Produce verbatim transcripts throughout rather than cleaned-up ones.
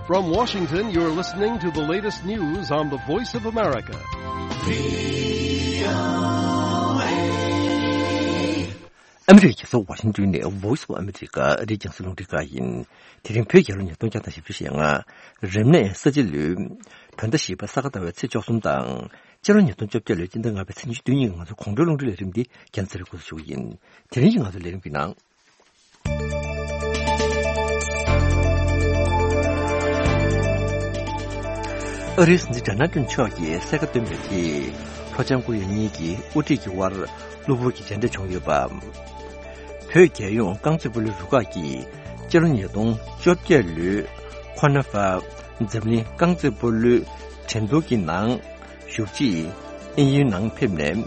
From Washington, you're listening to the latest news on the Voice of America. ཨ་མི་རི་ཀའི་རྒྱལ་ས་ཝ་ཤིང་ཏོན་ནས་Voice of America ཨ་རིའི་རྒྱང་སྲིང་རླུང་འཕྲིན་ཁང་ཡིན། དེ་རིང་བོད་རྒྱལ་ལོ་ཉིས་སྟོང་བརྒྱ་དང་བཞི་བཅུ་ཞེ་ལྔ། རབ་གནས་ས་བྱི་ལོའི་བོད་ཟླ་བཞི་པ་ས་ག་ཟླ་བའི་ཚེས་བཅུ་གསུམ་དང་། སྤྱི་ལོ་ཉིས་སྟོང་བཅོ་བརྒྱད་ལོའི་སྤྱི་ཟླ་ལྔ་པའི་ཚེས་ཉི་ཤུ་རྩ་གཉིས་ཀྱི་ང་ཚོའི་དགུང་སྒྲོལ་རླུང་འཕྲིན་ལས་རིམ་འདི་རྒྱང་སྲིང་རིང་པོ་ཞུ་གི་ཡིན། དེ་རིང་གི་ང་ཚོའི་ལས་རིམ་གྱི་ནང་། ཨ་རིའི་སྲིད་འཛིན་ཌོ་ནལ་ཊམ་མཆོག་གིས་གསལ་ཁ་བཏོན་པའི་ཐད། ལྷོ་བྱང་ཀོ་རི་ཡ་གཉིས་ཀྱི་དབུ་ཁྲིད་ཀྱི་དབར་གློ་བུར་གྱི་མཇལ་འཕྲད་བྱུང་ཡོད་པ། བོད་རྒྱལ་ཡོངས་རྐང་རྩེད་སྤོ་ལོའི་རུ་ཁག་གིས་སྤྱི་ལོ་ཉིས་སྟོང་བཅོ་བརྒྱད་ལོའི་ཁོ་ན་ཧྥ་འཛམ་གླིང་རྐང་རྩེད་སྤོ་ལོའི་འགྲན་བསྡུར་གྱི་ནང་ཞུགས་རྗེས་དབྱིན་ཡུལ་ནང་ཕེབས་ནས།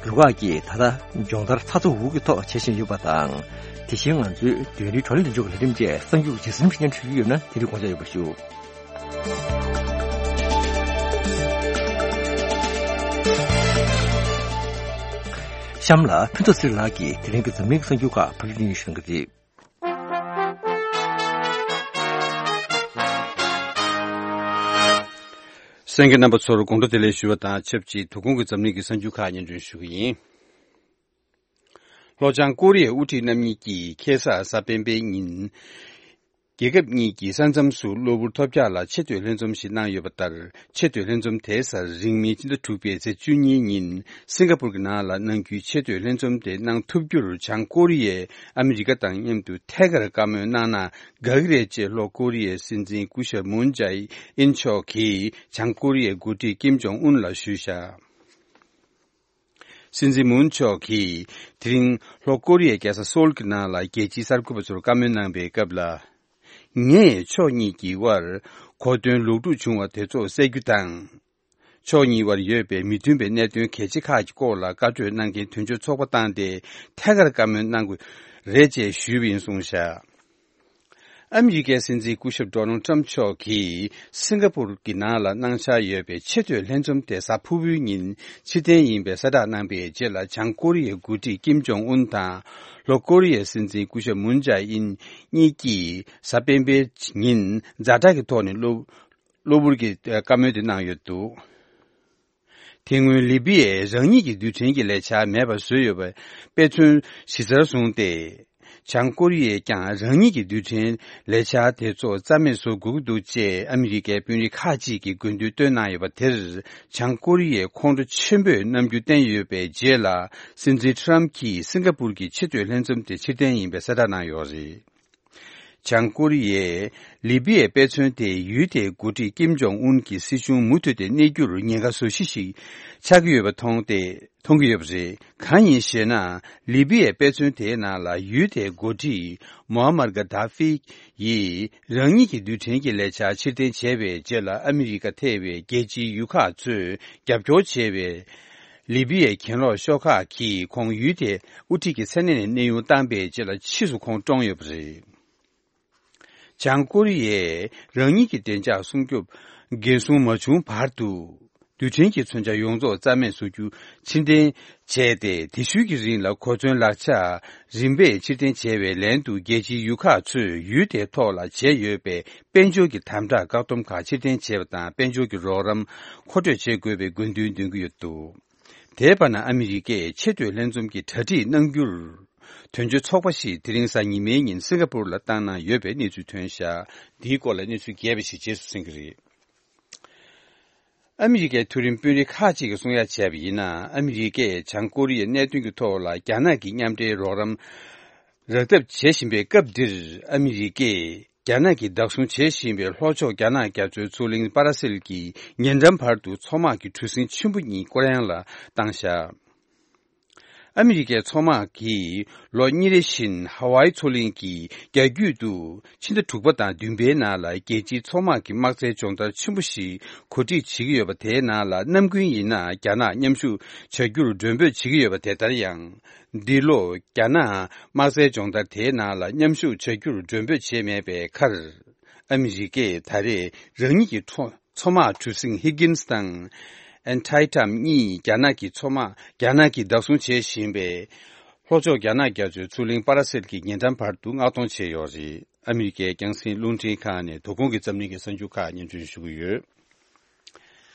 རུ་ཁག་གིས་ད་ལྟ་སྦྱོང་བརྡར་ཚ་ཚ་འུར་འུར་གྱི་ཐོག་བྱེད་བཞིན་ཡོད་པ་དང་། དེ་བཞིན་ང་ཚོའི་བོད་རིགས་བགྲོ་གླེང་ལས་འགུལ་གྱི་ལས་རིམ་བཅས་གསར་འགྱུར་ཇི་ཙམ་ཞིག་སྙན་སྒྲོན་ཞུ་རྒྱུ་ཡོད་ན་དེ་རིང་དགོངས་འཇགས་ཡོད་པ་ཞུ། གཤམ་ལ་ཕུན་ཚོགས་ཚེ་རིང་ལགས་ཀྱིས་དེ་རིང་གི་འཛམ་གླིང་གི་གསར་འགྱུར་ཁག་ཕབ་སྒྱུར་གནང་གི་རེད། གསན་མཁན་རྣམ་པ་ཚོར་དགོང་དྲོ་བདེ་ལེགས་ཞུ་བ་དང་ཆབས་ཅིག་དོ་དགོང་གི་འཛམ་གླིང་གི་གསར་འགྱུར་ཁག་སྙན་སྒྲོན་ཞུ་གི་ཡིན། ལྷོ་བྱང་ཀོ་རི་ཡའི་དབུ་ཁྲིད་རྣམ་གཉིས་ཀྱིས་ཁ་སང་གཟའ་སྤེན་པའི་ཉིན། རྒྱལ་ཁབ་གཉིས་ཀྱི་ས་མཚམས་སུ་གློ་བུར་ཐོལ་རྒྱག་ལ་ཆེ་བསྟོད་ལྷན་འཛོམས་ཤིག་གནང་ཡོད་པ་ལྟར། ཆེ་བསྟོད་ལྷན་འཛོམས་དེའི་སར་རིང་མིན་ཕྱི་ཟླ་དྲུག་པའི་ཚེས་བཅུ་གཉིས་ཉིན་སིང་ག་པུར་གྱི་ནང་ལ་གནང་རྒྱུའི་ཆེ་བསྟོད་ལྷན་འཛོམས་དེ་གནང་ཐུབ་རྒྱུར་བྱང་ཀོ་རི་ཡས་ཨ་མི་རི་ཀ་དང་མཉམ་དུ་ཐད་ཀར་བཀའ་མོལ་གནང་ན་དགའ་གི་རེད་ཅེས་ལྷོ་ཀོ་རི་ཡའི་སྲིད་འཛིན་སྐུ་ཞབས་མུན་ཇའེ་ཨིན་མཆོག་གིས་བྱང་ཀོ་རི་ཡའི་འགོ་ཁྲིད་ཀིམ་ཇོང་ཨུན་ལ་ཞུས་བཞག། སྲིད་འཛིན་མུན་མཆོག་གིས་དེ་རིང་ལྷོ་ཀོ་རི་ཡའི་རྒྱལ་ས་སོལ་གྱི་ནང་ལ་རྒྱལ་སྤྱིའི་གསར་འགོད་པ་ཚོར་བཀའ་མོལ་གནང་པའི་སྐབས་ལ། ངས་ཕྱོགས་གཉིས་ཀྱི་དབར་གོ་སྟོན་ལོག་སྒྲུག་བྱུང་བ་དེ་ཚོ་སེལ་རྒྱུ་དང་། ཕྱོགས་གཉིས་དབར་ཡོད་པའི་མི་མཐུན་པའི་གནད་དོན་གལ་ཆེ་ཁག་གི་སྐོར་ལ་བཀའ་གྲོས་གནང་མཁན་དོན་གཅོད་ཚོགས་པ་བཏང་སྟེ་ཐད་ཀར་བཀའ་མོལ་གནང་དགོས་རེད་ཅེས་ཞུས་པ་ཡིན་གསུངས་བཞག། ཨ་མི་རི་ཀའི་སྲིད་འཛིན་སྐུ་ཞབས་ཌོ་ནལ་ཊམ་མཆོག་གིས་སིང་ག་པུར་གྱི་ནང་ལ་གནང་འཆར་ཡོད་པའི་ཆེ་བསྟོད་ལྷན་འཛོམས་དེ་གཟའ་ཕུར་བུའི་ཉིན་ཕྱིར་འཐེན་ཡིན་པའི་གསལ་བསྒྲགས་གནང་པའི་རྗེས་ལ་བྱང་ཀོ་རི་ཡའི་འགོ་ཁྲིད་ཀིམ་ཇོང་ཨུན་དང་ལྷོ་ཀོ་རི་ཡའི་སྲིད་འཛིན་སྐུ་ཞབས་མུན་ཇའེ་ཨིན་གཉིས་ཀྱིས་གཟའ་སྤེན་པའི་ཉིན་ཛ་དྲག་གི་ཐོག་ནས་གློ་གློ་བུར་གྱི་བཀའ་མོལ་དེ་གནང་ཡོད་འདུག། དེ་སྔོན་ལི་པི་ཡས་རང་ཉིད་ཀྱི་རྡུལ་ཕྲན་གྱི་ལས་འཆར་མེད་པར་བཟོས་ཡོད་པའི་དཔེ་མཚོན་གཞི་རྩར་བཟུང་སྟེ། བྱང་ཀོ་རི་ཡས་ཀྱང་རང་ཉིད་ཀྱི་རྡུལ་ཕྲན་ལས་འཆར་དེ་ཚོ་རྩ་མེད་བཟོ་དགོས་ཀྱི་འདུག་ཅེས་ཨ་མི་རི་ཀའི་དཔོན་རིགས་ཁག་ཅིག་གིས་དགོས་འདུན་བཏོན་གནང་ཡོད་པ་དེར། བྱང་ཀོ་རི་ཡས་ཁོང་ཁྲོ་ཆེན་པོས་རྣམ་འགྱུར་བསྟན་ཡོད་པའི་རྗེས་ལ། སྲིད་འཛིན་ཊམ་གྱིས་སིང་ག་པུར་གྱི་ཆེ་བསྟོད་ལྷན་འཛོམས་དེ་ཕྱིར་འཐེན་ཡིན་པའི་གསལ་བསྒྲགས་གནང་ཡོད་རེད། བྱང་ཀོ་རི་ཡས་ལི་པི་ཡའི་དཔེ་མཚོན་དེ་ཡུལ་དེའི་འགོ་ཁྲིད་ཀིམ་ཇོང་ཨུན་གྱི་སྲིད་གཞུང་མུ་མཐུད་དེ་གནས་རྒྱུར་ཉེན་ཁ་བཟོ་གཞི་ཞིག་ཆགས་ཀྱི་ཡོད་པ་མཐོང་སྟེ་མཐོང་གི་ཡོད་པ་རེད། གང་ཡིན་ཞེ་ན། ལི་པི་ཡའི་དཔེ་མཚོན་དེའི་ནང་ལ་ཡུལ་དེའི་འགོ་ཁྲིད་མོ་ཨ་མར་ག་དཱ་ཧྥི་ཡིས་རང་ཉིད་ཀྱི་རྡུལ་ཕྲན་གྱི་ལས་འཆར་ཕྱིར་འཐེན་བྱས་པའི་རྗེས་ལ་ཨ་མི་རི་ཀ་ཐེ་བའི་རྒྱལ་སྤྱིའི་ཡུལ་ཁག་ཚོས་རྒྱབ་སྐྱོར་བྱས་པའི། ལི་པི་ཡའི་གྱེན་ལོག་ཤོག་ཁག་གིས་ཁོང་ཡུལ་དེའི་དབུ་ཁྲིད་ཀྱི་མཚན་གནས་ནས་གནས་དབྱུང་བཏང་པའི་རྗེས་ལ་ཕྱིས་སུ་ཁོང་བཀྲོངས་ཡོད་པ་རེད། བྱང་ཀོ་རི་ཡས་རང་ཉིད་ཀྱི་བདེ་འཇགས་སྲུང་སྐྱོབ་འགན་སྲུང་མ་བྱུང་བར་དུ། རྡུལ་ཕྲན་གྱི་མཚོན་ཆ་ཡོངས་རྫོགས་རྩ་མེད་བཟོ་རྒྱུ་ཕྱིར་འཐེན་བྱས་ཏེ། དེ་ཤུལ་གྱི་རིང་ལ་གོ་མཚོན་ལག་ཆ་རིམ་པས་ཕྱིར་འཐེན་བྱས་པའི་ལན་དུ། རྒྱལ་སྤྱིའི་ཡུལ་ཁག་ཚོས་ཡུལ་དེའི་ཐོག་ལ་བྱས་ཡོད་པའི་དཔལ་འབྱོར་གྱི་དམ་དྲག་བཀག་སྡོམ་ཁག་ཕྱིར་འཐེན་བྱས་པ་དང་། དཔལ་འབྱོར་གྱི་རོགས་རམ་མཁོ་སྤྲོད་བྱེད་དགོས་པའི་དགོས་འདུན་འདོན་གྱི་ཡོད་འདུག། དེའི་བར་ན། ཨ་མི་རི་ཀས་ཆེ་བསྟོད་ལྷན་འཛོམས་ཀྱི་གྲ་སྒྲིག་གནང་རྒྱུར། དོན་གཅོད་ཚོགས་པ་ཞིག་དེ་རིང་གཟའ་ཉི་མའི་ཉིན་སིང་ག་པུར་ལ་བཏང་གནང་ཡོད་པའི་གནས་ཚུལ་ཐོན་བཞག། འདིའི་སྐོར་ལ་གནས་ཚུལ་རྒྱས་པ་ཞིག་རྗེས་སུ་གསན་གྱི་རེད། ཨ་མི་རི་ཀའི་མཐོ་རིམ་དཔོན་རིགས་ཁག་ཅིག་གིས་གསུང་ཡ་བྱས་པ་ཡིན་ན། ཨ་མི་རི་ཀས་བྱང་ཀོ་རི་ཡའི་གནད་དོན་གྱི་ཐོག་ལ་རྒྱ་ནག་གི་མཉམ་འབྲེལ་རོགས་རམ་རག་ཐབས་བྱེད་བཞིན་པའི་སྐབས་འདིར། ཨ་མི་རི་ཀས་རྒྱ་ནག་གིས་བདག་བཟུང་བྱེད་བཞིན་པའི་ལྷོ་ཕྱོགས་རྒྱ་ནག་རྒྱ་མཚོའི་མཚོ་གླིང་པ་ར་སེལ་གྱི་ཉེ་འགྲམ་བར་དུ་མཚོ་དམག་གི་གྲུ་གཟིངས་ཆེན་པོ་གཉིས་སྐོར་གཡེང་ལ་བཏང་བཞག། ཨ་མི་རི་ཀའི་མཚོ་དམག་གིས་ལོ་གཉིས་རེ་བཞིན་ཧ་ཝའི་མཚོ་གླིང་གི་རྒྱ་རྒྱུད་དུ་ཕྱི་ཟླ་དྲུག་པ་དང་བདུན་པའི་ནང་ལ་རྒྱལ་སྤྱིའི་མཚོ་དམག་གི་དམག་རྩལ་སྦྱོང་བརྡར་ཆེན་པོ་ཞིག་གོ་སྒྲིག་བྱེད་ཀྱི་ཡོད་པ། དེའི་ནང་ལ་ནམ་རྒྱུན་ཡིན་ན་རྒྱ་ནག་མཉམ་ཞུགས་བྱ་རྒྱུར་མགྲོན་འབོད་བྱེད་ཀྱི་ཡོད་པ། དེ་ལྟར་ཡང་། འདི་ལོ་རྒྱ་ནག་དམག་རྩལ་སྦྱོང་བརྡར་དེའི་ནང་ལ་མཉམ་ཞུགས་བྱ་རྒྱུར་མགྲོན་འབོད་བྱས་མེད་པའི་ཁར། ཨ་མི་རི་ཀས་ད་རེས་རང་ཉིད་ཀྱི་མཚོ་མཚོ་དམག་གྲུ་གཟིངས་ཧི་གིན་སི་དང་ཨན་ཐའི་ཊམ་གཉིས་རྒྱ་ནག་གི་མཚོ་དམག་རྒྱ་ནག་གིས་བདག་བཟུང་བྱེད་བཞིན་པའི་ལྷོ་ཕྱོགས་རྒྱ་ནག་རྒྱ་མཚོའི་མཚོ་གླིང་པ་ར་སེལ་གྱི་ཉེ་འགྲམ་བར་དུ་མངགས་གཏོང་བྱས་ཡོད་རེད། ཨ་མི་རི་ཀའི་རྒྱང་སྲིང་རླུང་འཕྲིན་ཁང་ནས་དོ་དགོང་གི་འཛམ་གླིང་གི་གསར་འགྱུར་ཁག་སྙན་སྒྲོན་ཞུ་གི་ཡོད།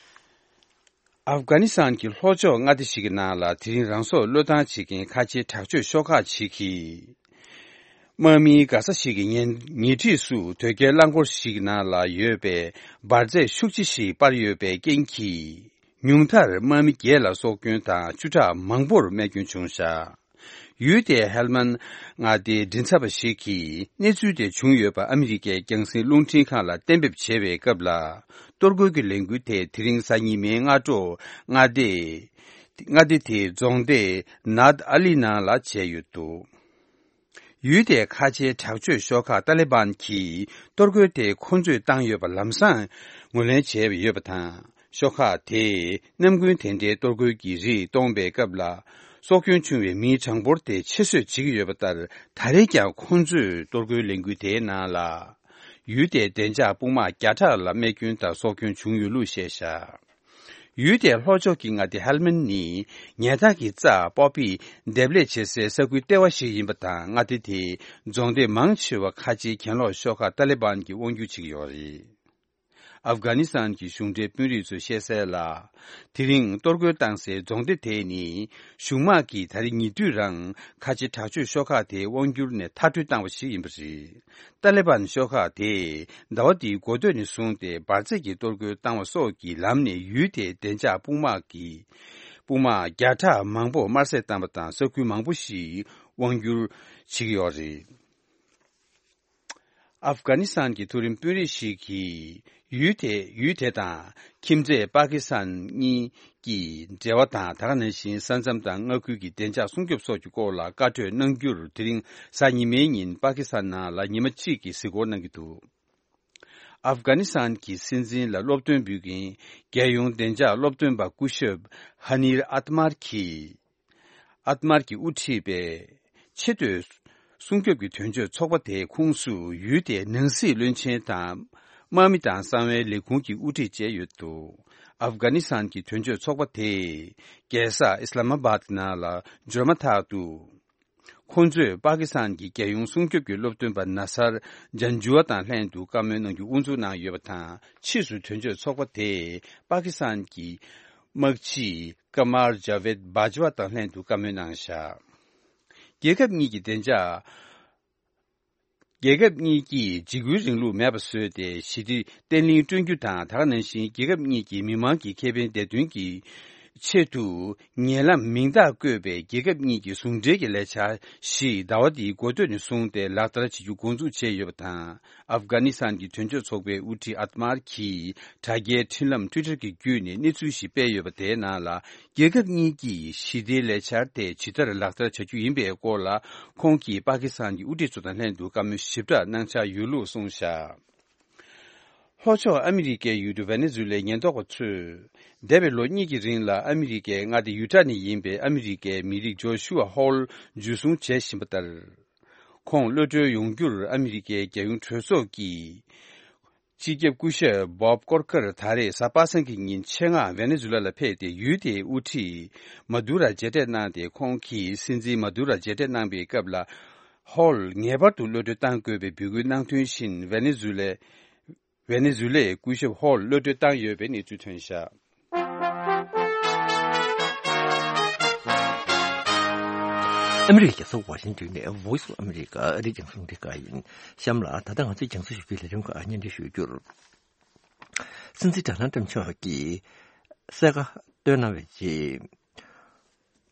ཨབ་གྷ་ནི་སི་ཐན་གྱི་ལྷོ་ཕྱོགས་མངའ་སྡེ་ཞིག་གི་ནང་ལ་དེ་རིང་རང་སྲོག་བློས་བཏང་བྱེད་མཁན་ཁ་ཆེའི་དྲག་སྤྱོད་ཤོག་ཁག་ཅིག་གིས། དམག་མིའི་མགར་ས་ཞིག་གི་ཉེ་ཉེ་འཁྲིས་སུ་དོས་སྐྱེལ་རླངས་འཁོར་ཞིག་ནང་ལ་ཡོད་པའི་འབར་རྫས་ཤུགས་ཆེ་ཞིག་སྤར་ཡོད་པའི་རྐྱེན་གྱིས། ཉུང་མཐར་དམག་མི་བརྒྱད་ལ་སྲོག་སྐྱོན་དང་བཅུ་ཕྲག་མང་པོར་རྨས་སྐྱོན་བྱུང་བཞག་ཡུལ་དེའི་ཧེལ་མན་མངའ་སྡེའི་མགྲིན་ཚབ་པ་ཞིག་གིས་གནས་ཚུལ་དེ་བྱུང་ཡོད་པ་ཨ་མི་རི་ཀའི་རྒྱང་སྲིང་རླུང་འཕྲིན་ཁང་ལ་གཏན་འབེབས་བྱས་པའི་སྐབས་ལ། གཏོར་རྒོལ་གྱི་ལས་འགུལ་དེ་དེ་རིང་གཟའ་ཉི་མའི་སྔ་དྲོ་མངའ་སྡེ་མངའ་སྡེ་དེའི་རྫོང་སྡེ་ནཱད་ཨ་ལི་ནང་ལ་བྱས་ཡོད་འདུག་ཡུལ་དེའི་ཁ་ཆེའི་དྲག་སྤྱོད་ཤོག་ཁག་ཏཱ་ལི་བན་གྱིས་གཏོར་རྒོལ་དེ་ཁོ་ཚོས་བཏང་ཡོད་པ་ལམ་སང་ངོས་ལེན་བྱས་ཡོད་པ་དང་། ཤོག་ཁག་དེས་ནམ་རྒྱུན་དེ་འདྲའི་གཏོར་རྒོལ་གྱི་རིགས་གཏོང་པའི་སྐབས་ལ། སྲོག་སྐྱོན་བྱུང་བའི་མིའི་གྲངས་འབོར་དེ་ཆེ་བཟོས་བྱེད་ཀྱི་ཡོད་པ་ལྟར། ད་རེས་ཀྱང་ཁོ་ཚོས་གཏོར་རྒོལ་ལས་འགུལ་དེའི་ནང་ལ། ཡུལ་དེའི་བདེ་འཇགས་དཔུང་དམག་བརྒྱ་ཕྲག་ལ་རྨས་སྐྱོན་དང་སྲོག་སྐྱོན་བྱུང་ཡོད་ལུགས་བཤད་བཞག་ཡུལ་དེའི་ལྷོ་ཕྱོགས་ཀྱི་མངའ་སྡེ་ཧལ་མན་ནི་ཉལ་ཐ་གི་རྩྭ་པོ་པི་འདེབས་ལས་བྱེད་སའི་ས་ཁུལ་ལྟེ་བ་ཞིག་ཡིན་པ་དང་། མངའ་སྡེ་དེའི་རྫོང་སྡེ་མང་ཆེ་བ་ཁ་ཆེའི་གྱེན་ལོག་ཤོག་ཁག་ཏཱ་ལི་བན་གྱིས་དབང་སྒྱུར་བྱེད་ཀྱི་ཡོད་རེད། ཨབ་གྷ་ནི་སི་ཐན་གྱི་གཞུང་འབྲེལ་དཔོན་རིགས་ཚོས་བཤད་གསལ་ལ། དེ་རིང་གཏོར་རྒོལ་བཏང་སའི་རྫོང་སྡེ་དེ་ནི་གཞུང་དམག་གིས་ད་རེས་ཉེ་དུས་རང་ཁ་ཆེ་དྲག་སྤྱོད་ཤོག་ཁག་དེའི་དབང་སྒྱུར་ནས་མཐར་སྐྲོད་བཏང་བ་ཞིག་ཡིན་པ་རེད། ཏཱ་ལི་བན་ཤོག་ཁག་དེས་ཟླ་བ་འདིའི་འགོ་སྟོད་ནས་བཟུང་སྟེ་འབར་རྫས་ཀྱི་གཏོར་རྒོལ་བཏང་བ་སོགས་ཀྱི་ལམ་ནས་ཡུལ་དེའི་བདེ་འཇགས་དཔུང་དམག་གི་དཔུང་དམག་བརྒྱ་ཕྲག་མང་པོ་དམར་བསད་བཏང་བ་དང་། ས་ཁུལ་མང་པོ་ཞིག་དབང་བསྒྱུར་བྱེད་ཀྱི་ཡོད་རེད། ཨབ་གྷ་ནི་སི་ཐན་གྱི་མཐོ་རིམ་དཔོན་རིགས་ཤིག་གིས་ཡུལ་དེ་ཡུལ་དེ་དང་ཁྱིམ་མཚེས་པ་ཀི་སི་ཐན་གཉིས་ཀྱི་འབྲེལ་བ་དང་། ད་ག་ནང་བཞིན་ས་མཚམས་དང་མངའ་ཁུལ་གྱི་བདེ་འཇགས་སྲུང་སྐྱོབ་སོགས་ཀྱི་སྐོར་ལ་བཀའ་གྲོས་གནང་རྒྱུར། དེ་རིང་གཟའ་ཉི་མའི་ཉིན་པ་ཀི་སི་ཐན་ནང་ལ་ཉི་མ་གཅིག་གི་གཟིགས་སྐོར་གནང་གི་འདུག་ཨབ་གྷ་ནི་སི་ཐན་གྱི་སྲིད་འཛིན་ལ་སློབ་སྟོན་འབུལ་མཁན་རྒྱལ་ཡོངས་བདེ་འཇགས་སློབ་སྟོན་པ་སྐུ་ཞབས་ཧ་ནིར་ཨ་ཏ་མར་གྱིས། ཨ་ཏ་མར་གྱིས་དབུ་ཁྲིད་པའི་ཆེས་མཐོའི་སྲུང་སྐྱོབ་ཀྱི་དོན་གཅོད་ཚོགས་པ་དེའི་ཁོངས་སུ་ཡུལ་དེའི་ནང་སྲིད་བློན་ཆེན་དང་། དམག་མི་དང་གསང་བའི་ལས་ཁུངས་ཀྱི་དབུ་ཁྲིད་བཅས་ཡོད་འདུག་ཨབ་གྷ་ནི་སི་ཐན་གྱི་དོན་གཅོད་ཚོགས་པ་དེས་རྒྱལ་ས་ཨི་སི་ལ་མ་བཱད་ནང་ལ་འབྱོར་མ་ཐག་ཏུ། ཁོང་ཚོས་པ་ཀི་སི་ཐན་གྱི་རྒྱལ་ཡོངས་སྲུང་སྐྱོབ་ཀྱི་སློབ་སྟོན་པ་ན་སར་ཇན་ཇུ་ཨ་དང་ལྷན་དུ་བཀའ་མོལ་གནང་རྒྱུ་དབུ་འཛུགས་གནང་ཡོད་པ་དང་། ཕྱིས་སུ་དོན་གཅོད་ཚོགས་པ་དེས་པ་ཀི་སི་ཐན་གྱི་དམག་སྤྱི་ཀ་མར་ཇ་ཝེད་བྷ་ཇུ་ཨ་དང་ལྷན་དུ་བཀའ་མོལ་གནང་བཞག་རྒྱལ་ཁབ་གཉིས་ཀྱི་བདེ་འཇགས། རྒྱལ་ཁབ་གཉིས་ཀྱིས་འཇིགས་སྐུལ་རིང་ལུགས་མེད་པ་བཟོས་ཏེ། ཞི་བདེ་བརྟན་ལྷིང་བསྐྲུན་རྒྱུ་དང་། ད་ག་ནང་བཞིན་རྒྱལ་ཁབ་གཉིས་ཀྱི་མི་དམངས་ཀྱི་ཁེ་ཕན་བདེ་དོན་གྱི་ཆེད་དུ། ཉེ་ལམ་མིང་རྟགས་བཀོད་པའི་རྒྱལ་ཁབ་གཉིས་ཀྱི་ཟུང་འབྲེལ་གྱི་ལས་འཆར་ཞིག་ཟླ་བ་འདིའི་འགོ་སྟོད་ནས་བཟུང་སྟེ་ལག་བསྟར་བྱེད་རྒྱུ་འགོ་འཛུགས་བྱས་ཡོད་པ་དང་། ཨབ་གྷ་ནི་སི་ཐན་གྱི་དོན་གཅོད་ཚོགས་པའི་དབུ་ཁྲིད་ཨ་ཏ་མར་གྱིས་དྲ་རྒྱའི་འཕྲིན་ལམ་ཊུའི་ཊར་གྱི་བརྒྱུད་ནས་གནས་ཚུལ་ཞིག་སྤེལ་ཡོད་པ། དེའི་ནང་ལ། རྒྱལ་ཁབ་གཉིས་ཀྱིས་ཞི་བདེའི་ལས་འཆར་དེ་ཇི་ལྟར་ལག་བསྟར་བྱ་རྒྱུ་ཡིན་པའི་སྐོར་ལ། ཁོང་གིས་པ་ཀི་སི་ཐན་གྱི་དབུ་ཁྲིད་ཚོ་དང་ལྷན་དུ་བཀའ་མོལ་ཞིབ་ཕྲ་གནང་འཆར་ཡོད་ལུགས་གསུངས་བཞག་ལྷོ་ཕྱོགས་ཨ་མི་རི་ཀའི་ཡུལ་གྲུ་ཝེ་ནེ་ཛུ་ལའི་ཉེན་རྟོག་པ་ཚོས། འདས་པའི་ལོ་གཉིས་ཀྱི་རིང་ལ་ཨ་མི་རི་ཀའི་མངའ་སྡེ་ཡུ་ཊ་ནས་ཡིན་པའི་ཨ་མི་རི་ཀའི་མི་རིགས་ཇོ་ཤུ་ཨ་ཧོལ་འཇུ་བཟུང་བྱེད་བཞིན་པ་ལྟར། ཁོང་གློད་གྲོལ་ཡོང་རྒྱུར་ཨ་མི་རི་ཀའི་རྒྱལ་ཡོངས་གྲོས་ཚོགས་ཀྱི་སྤྱི་ཁྱབ་སྐུ་ཞབས་བོབ་ཀོར་ཀར་ད་རེས་གཟའ་པ་སངས་ཀྱི་ཉིན་ཆེད་མངགས་ཝེ་ནེ་ཛུ་ལ་ལ་ཕེབས་ཏེ། ཡུལ་དེའི་དབུ་ཁྲིད་མ་དུ་ར་མཇལ་འཕྲད་གནང་སྟེ། ཁོང་གིས་སྲིད་འཛིན་མ་དུ་ར་མཇལ་འཕྲད་གནང་པའི་སྐབས་ལ། ཧོལ་ངེས་པར་དུ་གློད་གྲོལ་གཏང་དགོས་པའི་འབོད་སྐུལ་གནང་དོན་བཞིན། ཝེ་ནེ་ཛུ་ལའི་ཝེ་ནེ་ཛུ་ལའི་སྐུ་ཞབས་ཧོལ་གློད་གྲོལ་བཏང་ཡོད་པའི་གནས་ཚུལ་ཐོན་བཞག་ཨ་མི་རི་ཀའི་རྒྱལ་ས་ཝ་ཤིང་ཏོན་ནས་Voice of America ཨ་རིའི་རྒྱང་སྲིང་རླུང་འཕྲིན་ཁང་ཡིན། གཤམ་ལ་ད་ལྟ་ང་ཚོའི་རྒྱང་སྲིང་ཞུ་རྒྱུའི་ལས་རིམ་ཁག་སྙན་སྒྲོན་ཞུ་རྒྱུར། སྲིད་འཛིན་ཌོ་ནལ་ཊམ་མཆོག་གིས་གསལ་ཁ་བཏོན་གནང་བའི་རྗེས།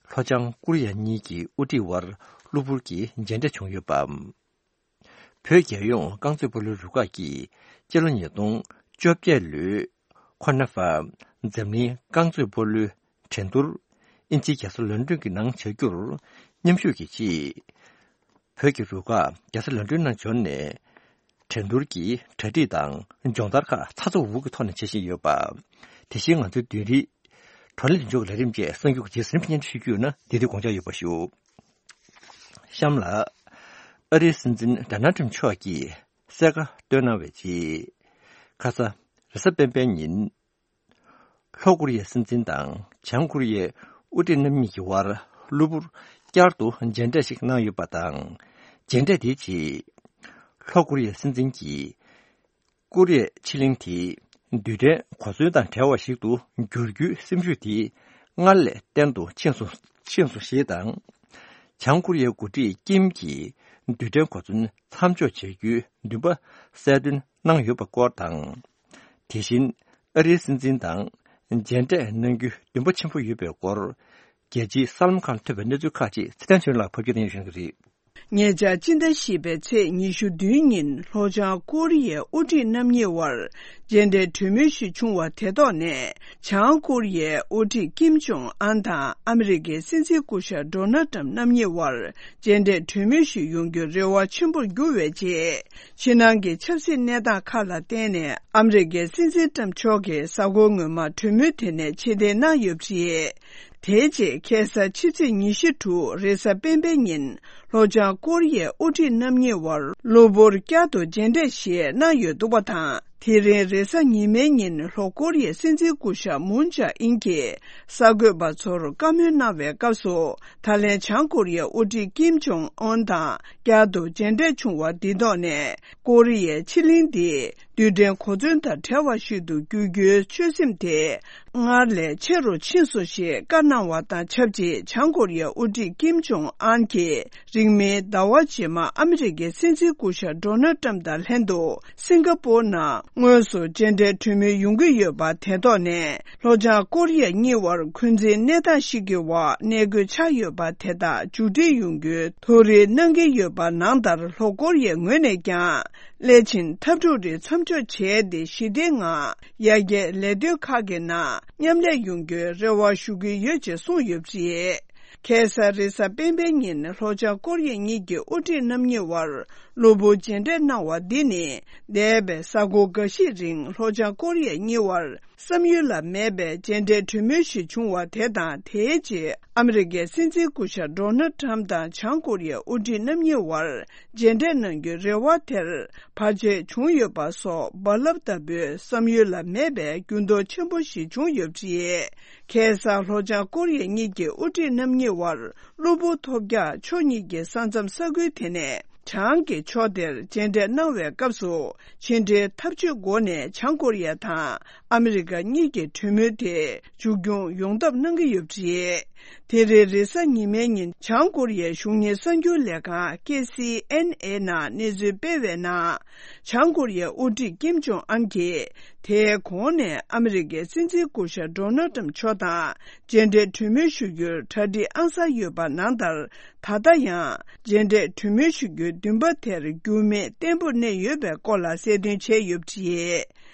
ལྷོ་བྱང་ཀོ་རི་ཡ་གཉིས་ཀྱི་དབུ་ཁྲིད་དབར་གློ་བུར་གྱི་མཇལ་འཕྲད་བྱུང་ཡོད་པ། བོད་རྒྱལ་ཡོངས་རྐང་རྩེད་སྤོ་ལོའི་རུ་ཁག་གིས་སྤྱི་ལོ་ཉིས་སྟོང་བཅོ་བརྒྱད་ལོའི་ཁོ་ན་ཧྥ་འཛམ་གླིང་རྐང་རྩེད་སྤོ་ལོའི་འགྲན་བསྡུར་དབྱིན་ཇིའི་རྒྱལ་ས་ལོན་ཌོན་གྱི་ནང་བྱ་རྒྱུར་མཉམ་ཞུགས་ཀྱི་ཆེད། བོད་ཀྱི་རུ་ཁག་རྒྱལ་ས་ལོན་ཌོན་ནང་འབྱོར་ནས། འགྲན་བསྡུར་གྱི་གྲ་སྒྲིག་དང་སྦྱོང་བརྡར་ཁག་ཚ་ཚ་འུར་འུར་གྱི་ཐོག་ནས་བྱེད་བཞིན་ཡོད་པ། དེ་བཞིན་ང་ཚོའི་བདུན་རིག་བགྲོ་གླེང་ལྷན་ཚོགས་ཀྱི་ལས་རིམ་བཅས་གསར་འགྱུར་གྱི་རྗེས་ཟིན་སྙན་སྒྲོན་ཞུ་རྒྱུ་ཡོད་ན། འདི་དུས་དགོངས་འཇགས་ཡོད་པ་ཞུ། གཤམ་ལ། ཨ་རིའི་སྲིད་འཛིན་ཌོ་ནལ་ཊམ་མཆོག་གིས་གསལ་ཁ་བཏོན་གནང་བའི་རྗེས། ཁ་ས་རེས་གཟའ་སྤེན་པའི་ཉིན། ལྷོ་ཀོ་རི་ཡའི་སྲིད་འཛིན་དང་བྱང་ཀོ་རི་ཡའི་དབུ་ཁྲིད་རྣམ་གཉིས་ཀྱི་དབར་གློ་བུར་བསྐྱར་དུ་མཇལ་འཕྲད་ཞིག་གནང་ཡོད་པ་དང་། མཇལ་འཕྲད་དེའི་རྗེས། ལྷོ་ཀོ་རི་ཡའི་སྲིད་འཛིན་གྱིས། ཀོ་རི་ཡའི་ཕྱེད་གླིང་དེ་རྡུལ་ཕྲན་གོ་མཚོན་དང་བྲལ་བ་ཞིག་ཏུ་འགྱུར་རྒྱུའི་སེམས་ཤུགས་དེ་སྔར་ལས་བརྟན་དུ་ཕྱིན་སོང་ཕྱིན་སོང་ཞེས་དང་། བྱང་ཀོ་རི་ཡའི་འགོ་ཁྲིད་ཀིམ་གྱིས་རྡུལ་ཕྲན་གོ་མཚོན་མཚམས་འཇོག་བྱ་རྒྱུའི་འདུན་པ་གསལ་སྟོན་གནང་ཡོད་པ་སྐོར་དང་། དེ་བཞིན་ཨ་རིའི་སྲིད་འཛིན་དང་མཇལ་འཕྲད་གནང་རྒྱུའི་འདུན་པ་ཆེན་པོ་ཡོད་པའི་སྐོར། རྒྱལ་སྤྱིའི་གསར་ལམ་ཁག་ལ་ཐོན་པའི་གནས་ཚུལ་ཁག་ཅིག་ཚེ་བརྟན་ཆོས་ལགས་ཕབ་སྒྱུར་གནང་ཞུ་གི་རེད། ཉེ་ཆར་སྤྱི་ཟླ་བཞི་པའི་ཚེས་ཉི་ཤུ་བདུན་ཉིན་ལྷོ་བྱང་ཀོ་རི་ཡའི་དབུ་ཁྲིད་རྣམ་གཉིས་དབར་མཇལ་འཕྲད་གྲོས་མོལ་ཞིག་བྱུང་བ་དེ་ཐོག་ནས། བྱང་ཀོ་རི་ཡའི་དབུ་ཁྲིད་ཀིམ་ཇོང་ཨན་དང་ཨ་མི་རི་ཀའི་སྲིད་འཛིན་སྐུ་ཞབས་ཌོ་ནལ་ཏྲམ་རྣམ་གཉིས་དབར་མཇལ་འཕྲད་གྲོས་མོལ་ཞིག་ཡོང་རྒྱུའི་རེ་བ་ཆེན་པོར་གྱུར་བའི་རྗེས། ཕྱི་ནང་གི་ཆབ་སྲིད་གནས་སྟངས་ཁག་ལ་བརྟེན་ནས་ཨ་མི་རི་ཀའི་སྲིད་འཛིན་ཏྲམ་མཆོག་གིས་གཟའ་འཁོར་སྔོན་མ་གྲོས་མོལ་དེ་ནས་ཕྱིར་འཐེན་གནང་ཡོད་པ་རེད། དེའི་རྗེས་ཁ་སང་ཕྱི་ཚེས་ཉི་ཤུ་དྲུག་རེས་གཟའ་སྤེན་པའི་ཉིན་ལྷོ་བྱང་ཀོ་རི་ཡའི་དབུ་ཁྲིད་རྣམ་གཉིས་དབར་གློ་བུར་བསྐྱར་དུ་མཇལ་འཕྲད་ཞིག་གནང་ཡོད་འདུག་པ་དང་། དེ་རིང་རེས་གཟའ་ཉི་མའི་ཉིན་ལྷོ་ཀོ་རི་ཡའི་སྲིད་འཛིན་སྐུ་ཞབས་མུན་ཇཱ་ཨིན་གྱིས་གསར་འགོད་པ་ཚོར་བཀའ་མོལ་གནང་བའི་སྐབས་སུ། ད་ལན་བྱང་ཀོ་རི་ཡའི་དབུ་ཁྲིད་ཀིམ་ཇོང་ཨོན་དང་བསྐྱར་དུ་མཇལ་འཕྲད་བྱུང་བ་འདི་ཐོག་ནས། ཀོ་རི་ཡའི་ཕྱེད་གླིང་འདི་རྡུལ་ཕྲན་གོ་མཚོན་དང་བྲལ་བ་ཞིག་ཏུ་འགྱུར་རྒྱུའི་ཆོད་སེམས་དེ་སྔར་ལས་ཆེ་རུ་ཕྱིན་སོང་ཞེས་བཀའ་གནང་བ་དང་ཆབས་ཅིག་བྱང་ཀོ་རི་ཡའི་དབུ་ཁྲིད་ཀིམ་ཇོང་ཨན་གྱིས་རིང་མིན་ཟླ་བ་རྗེས་མ་ཨ་མི་རི་ཀའི་སྲིད་འཛིན་སྐུ་ཞབས་ཌོ་ནལ་ཏྲམ་དང་ལྷན་དུ་སིང་ག་པོར་ནང་དངོས་སུ་མཇལ་འཕྲད་གྲོས་མོལ་ཡོང་གི་ཡོད་པ་དེ་ཐོག་ནས། ལྷོ་བྱང་ཀོ་རི་ཡ་གཉིས་དབར་འཁོན་འཛིན་གནས་སྟངས་ཤིག་གི་འོག་གནས་འགོད་ཆགས་ཡོད་པ་དེ་དག་མཇུག་སྒྲིལ་ཡོང་རྒྱུའི་ཐུགས་རེ་གནང་གི་ཡོད་པ་ནང་ལྟར། ལྷོ་ཀོ་རི་ཡའི་ངོས་ནས་ཀྱང་སླད་ཕྱིན་འཐབ་འཁྲུག་རིགས་མཚམས་འཇོག་བྱས་ཏེ་ཞི་བདེའི་ངང་ཡར་རྒྱས་ལས་དོན་ཁག་གི་ནང་མཉམ་ལས་ཡོང་རྒྱུའི་རེ་བ་ཞུ་གི་ཡོད་ཅེས་གསུངས་ཡོད་པ་རེད། ཁ་སང་རེས་གཟའ་སྤེན་པའི་ཉིན་ལྷོ་བྱང་ཀོ་རི་ཡ་གཉིས་ཀྱི་དབུ་ཁྲིད་རྣམ་གཉིས་དབར་གློ་བུར་མཇལ་འཕྲད་གནང་བ་འདི་ནི་འདས་པའི་གཟའ་འཁོར་འགའ་ཤས་རིང་ལྷོ་བྱང་ཀོ་རི་ཡ་གཉིས་དབར་བསམ་ཡུལ་ལ་མེད་པའི་མཇལ་འཕྲད་གྲོས་མོལ་ཞིག་བྱུང་བ་དེ་དང་། དེའི་རྗེས་ཨ་མི་རི་ཀའི་སྲིད་འཛིན་སྐུ་ཞབས་ཌོ་ནལ་ཏྲམ་དང་བྱང་ཀོ་རི་ཡའི་དབུ་ཁྲིད་རྣམ་གཉིས་དབར་མཇལ་འཕྲད་གནང་རྒྱུའི་རེ་བ་དེར་བར་ཆད་བྱུང་ཡོད་པ་སོགས་རྦ་རླབས་ལྟ་བུའི་བསམ་ཡུལ་ལ་མེད་པའི་འགྱུར་ལྡོག་ཆེན་པོ་ཞིག་བྱུང་ཡོད་པ་རེད། ཁ་སང་ལྷོ་བྱང་ཀོ་རི་ཡ་གཉིས་ཀྱི་དབུ་ཁྲིད་རྣམ་གཉིས་དབར་གློ་བུར་ཐོལ་རྒྱག་ཕྱོགས་གཉིས་ཀྱི་ས་མཚམས་ས་ཁུལ་དེ་ནས་བྱང་གི་ཕྱོགས་དེར་མཇལ་འཕྲད་གནང་བའི་སྐབས་སུ། ཕྱི་འབྲེལ་འཐབ་ཇུས་སྒོ་ནས་བྱང་ཀོ་རི་ཡ་དང་ཨ་མི་རི་ཀ་གཉིས་ཀྱི་གྲོས་མོལ་དེ་མཇུག་སྐྱོང་ཡོང་ཐབས་གནང་གི་ཡོད་པ་རེད། དེ་རིང་རེས་གཟའ་ཉི་མའི་ཉིན་བྱང་ཀོ་རི་ཡའི་གཞུང་གཉེར་གསར་འགྱུར་ལས་ཁང་ཀེ་སི་ཨེན་ཨེ་ནང་གནས་ཚུལ་སྤེལ་བའི་ནང་། བྱང་ཀོ་རི་ཡའི་དབུ་ཁྲིད་ཀིམ་ཇོང་ཨན་གྱིས་དེའི་གོང་ནས་ཨ་མི་རི་ཀའི་སྲིད་འཛིན་སྐུ་ཞབས་ཌོ་ནལ་ཏྲམ་མཆོག་དང་མཇལ་འཕྲད་གྲོས་མོལ་ཞུ་རྒྱུར་གྲ་སྒྲིག་ཨང་གསར་ཡོད་པ་ནང་ལྟར། ད་ལྟ་ཡང་མཇལ་འཕྲད་གྲོས་མོལ་ཞུ་རྒྱུའི་འདུན་པ་དེར་འགྱུར་མེད་བརྟན་པོར་གནས་ཡོད་པའི་སྐོར་ལ་གསལ་སྟོན་བྱས་ཡོད་པ་རེད།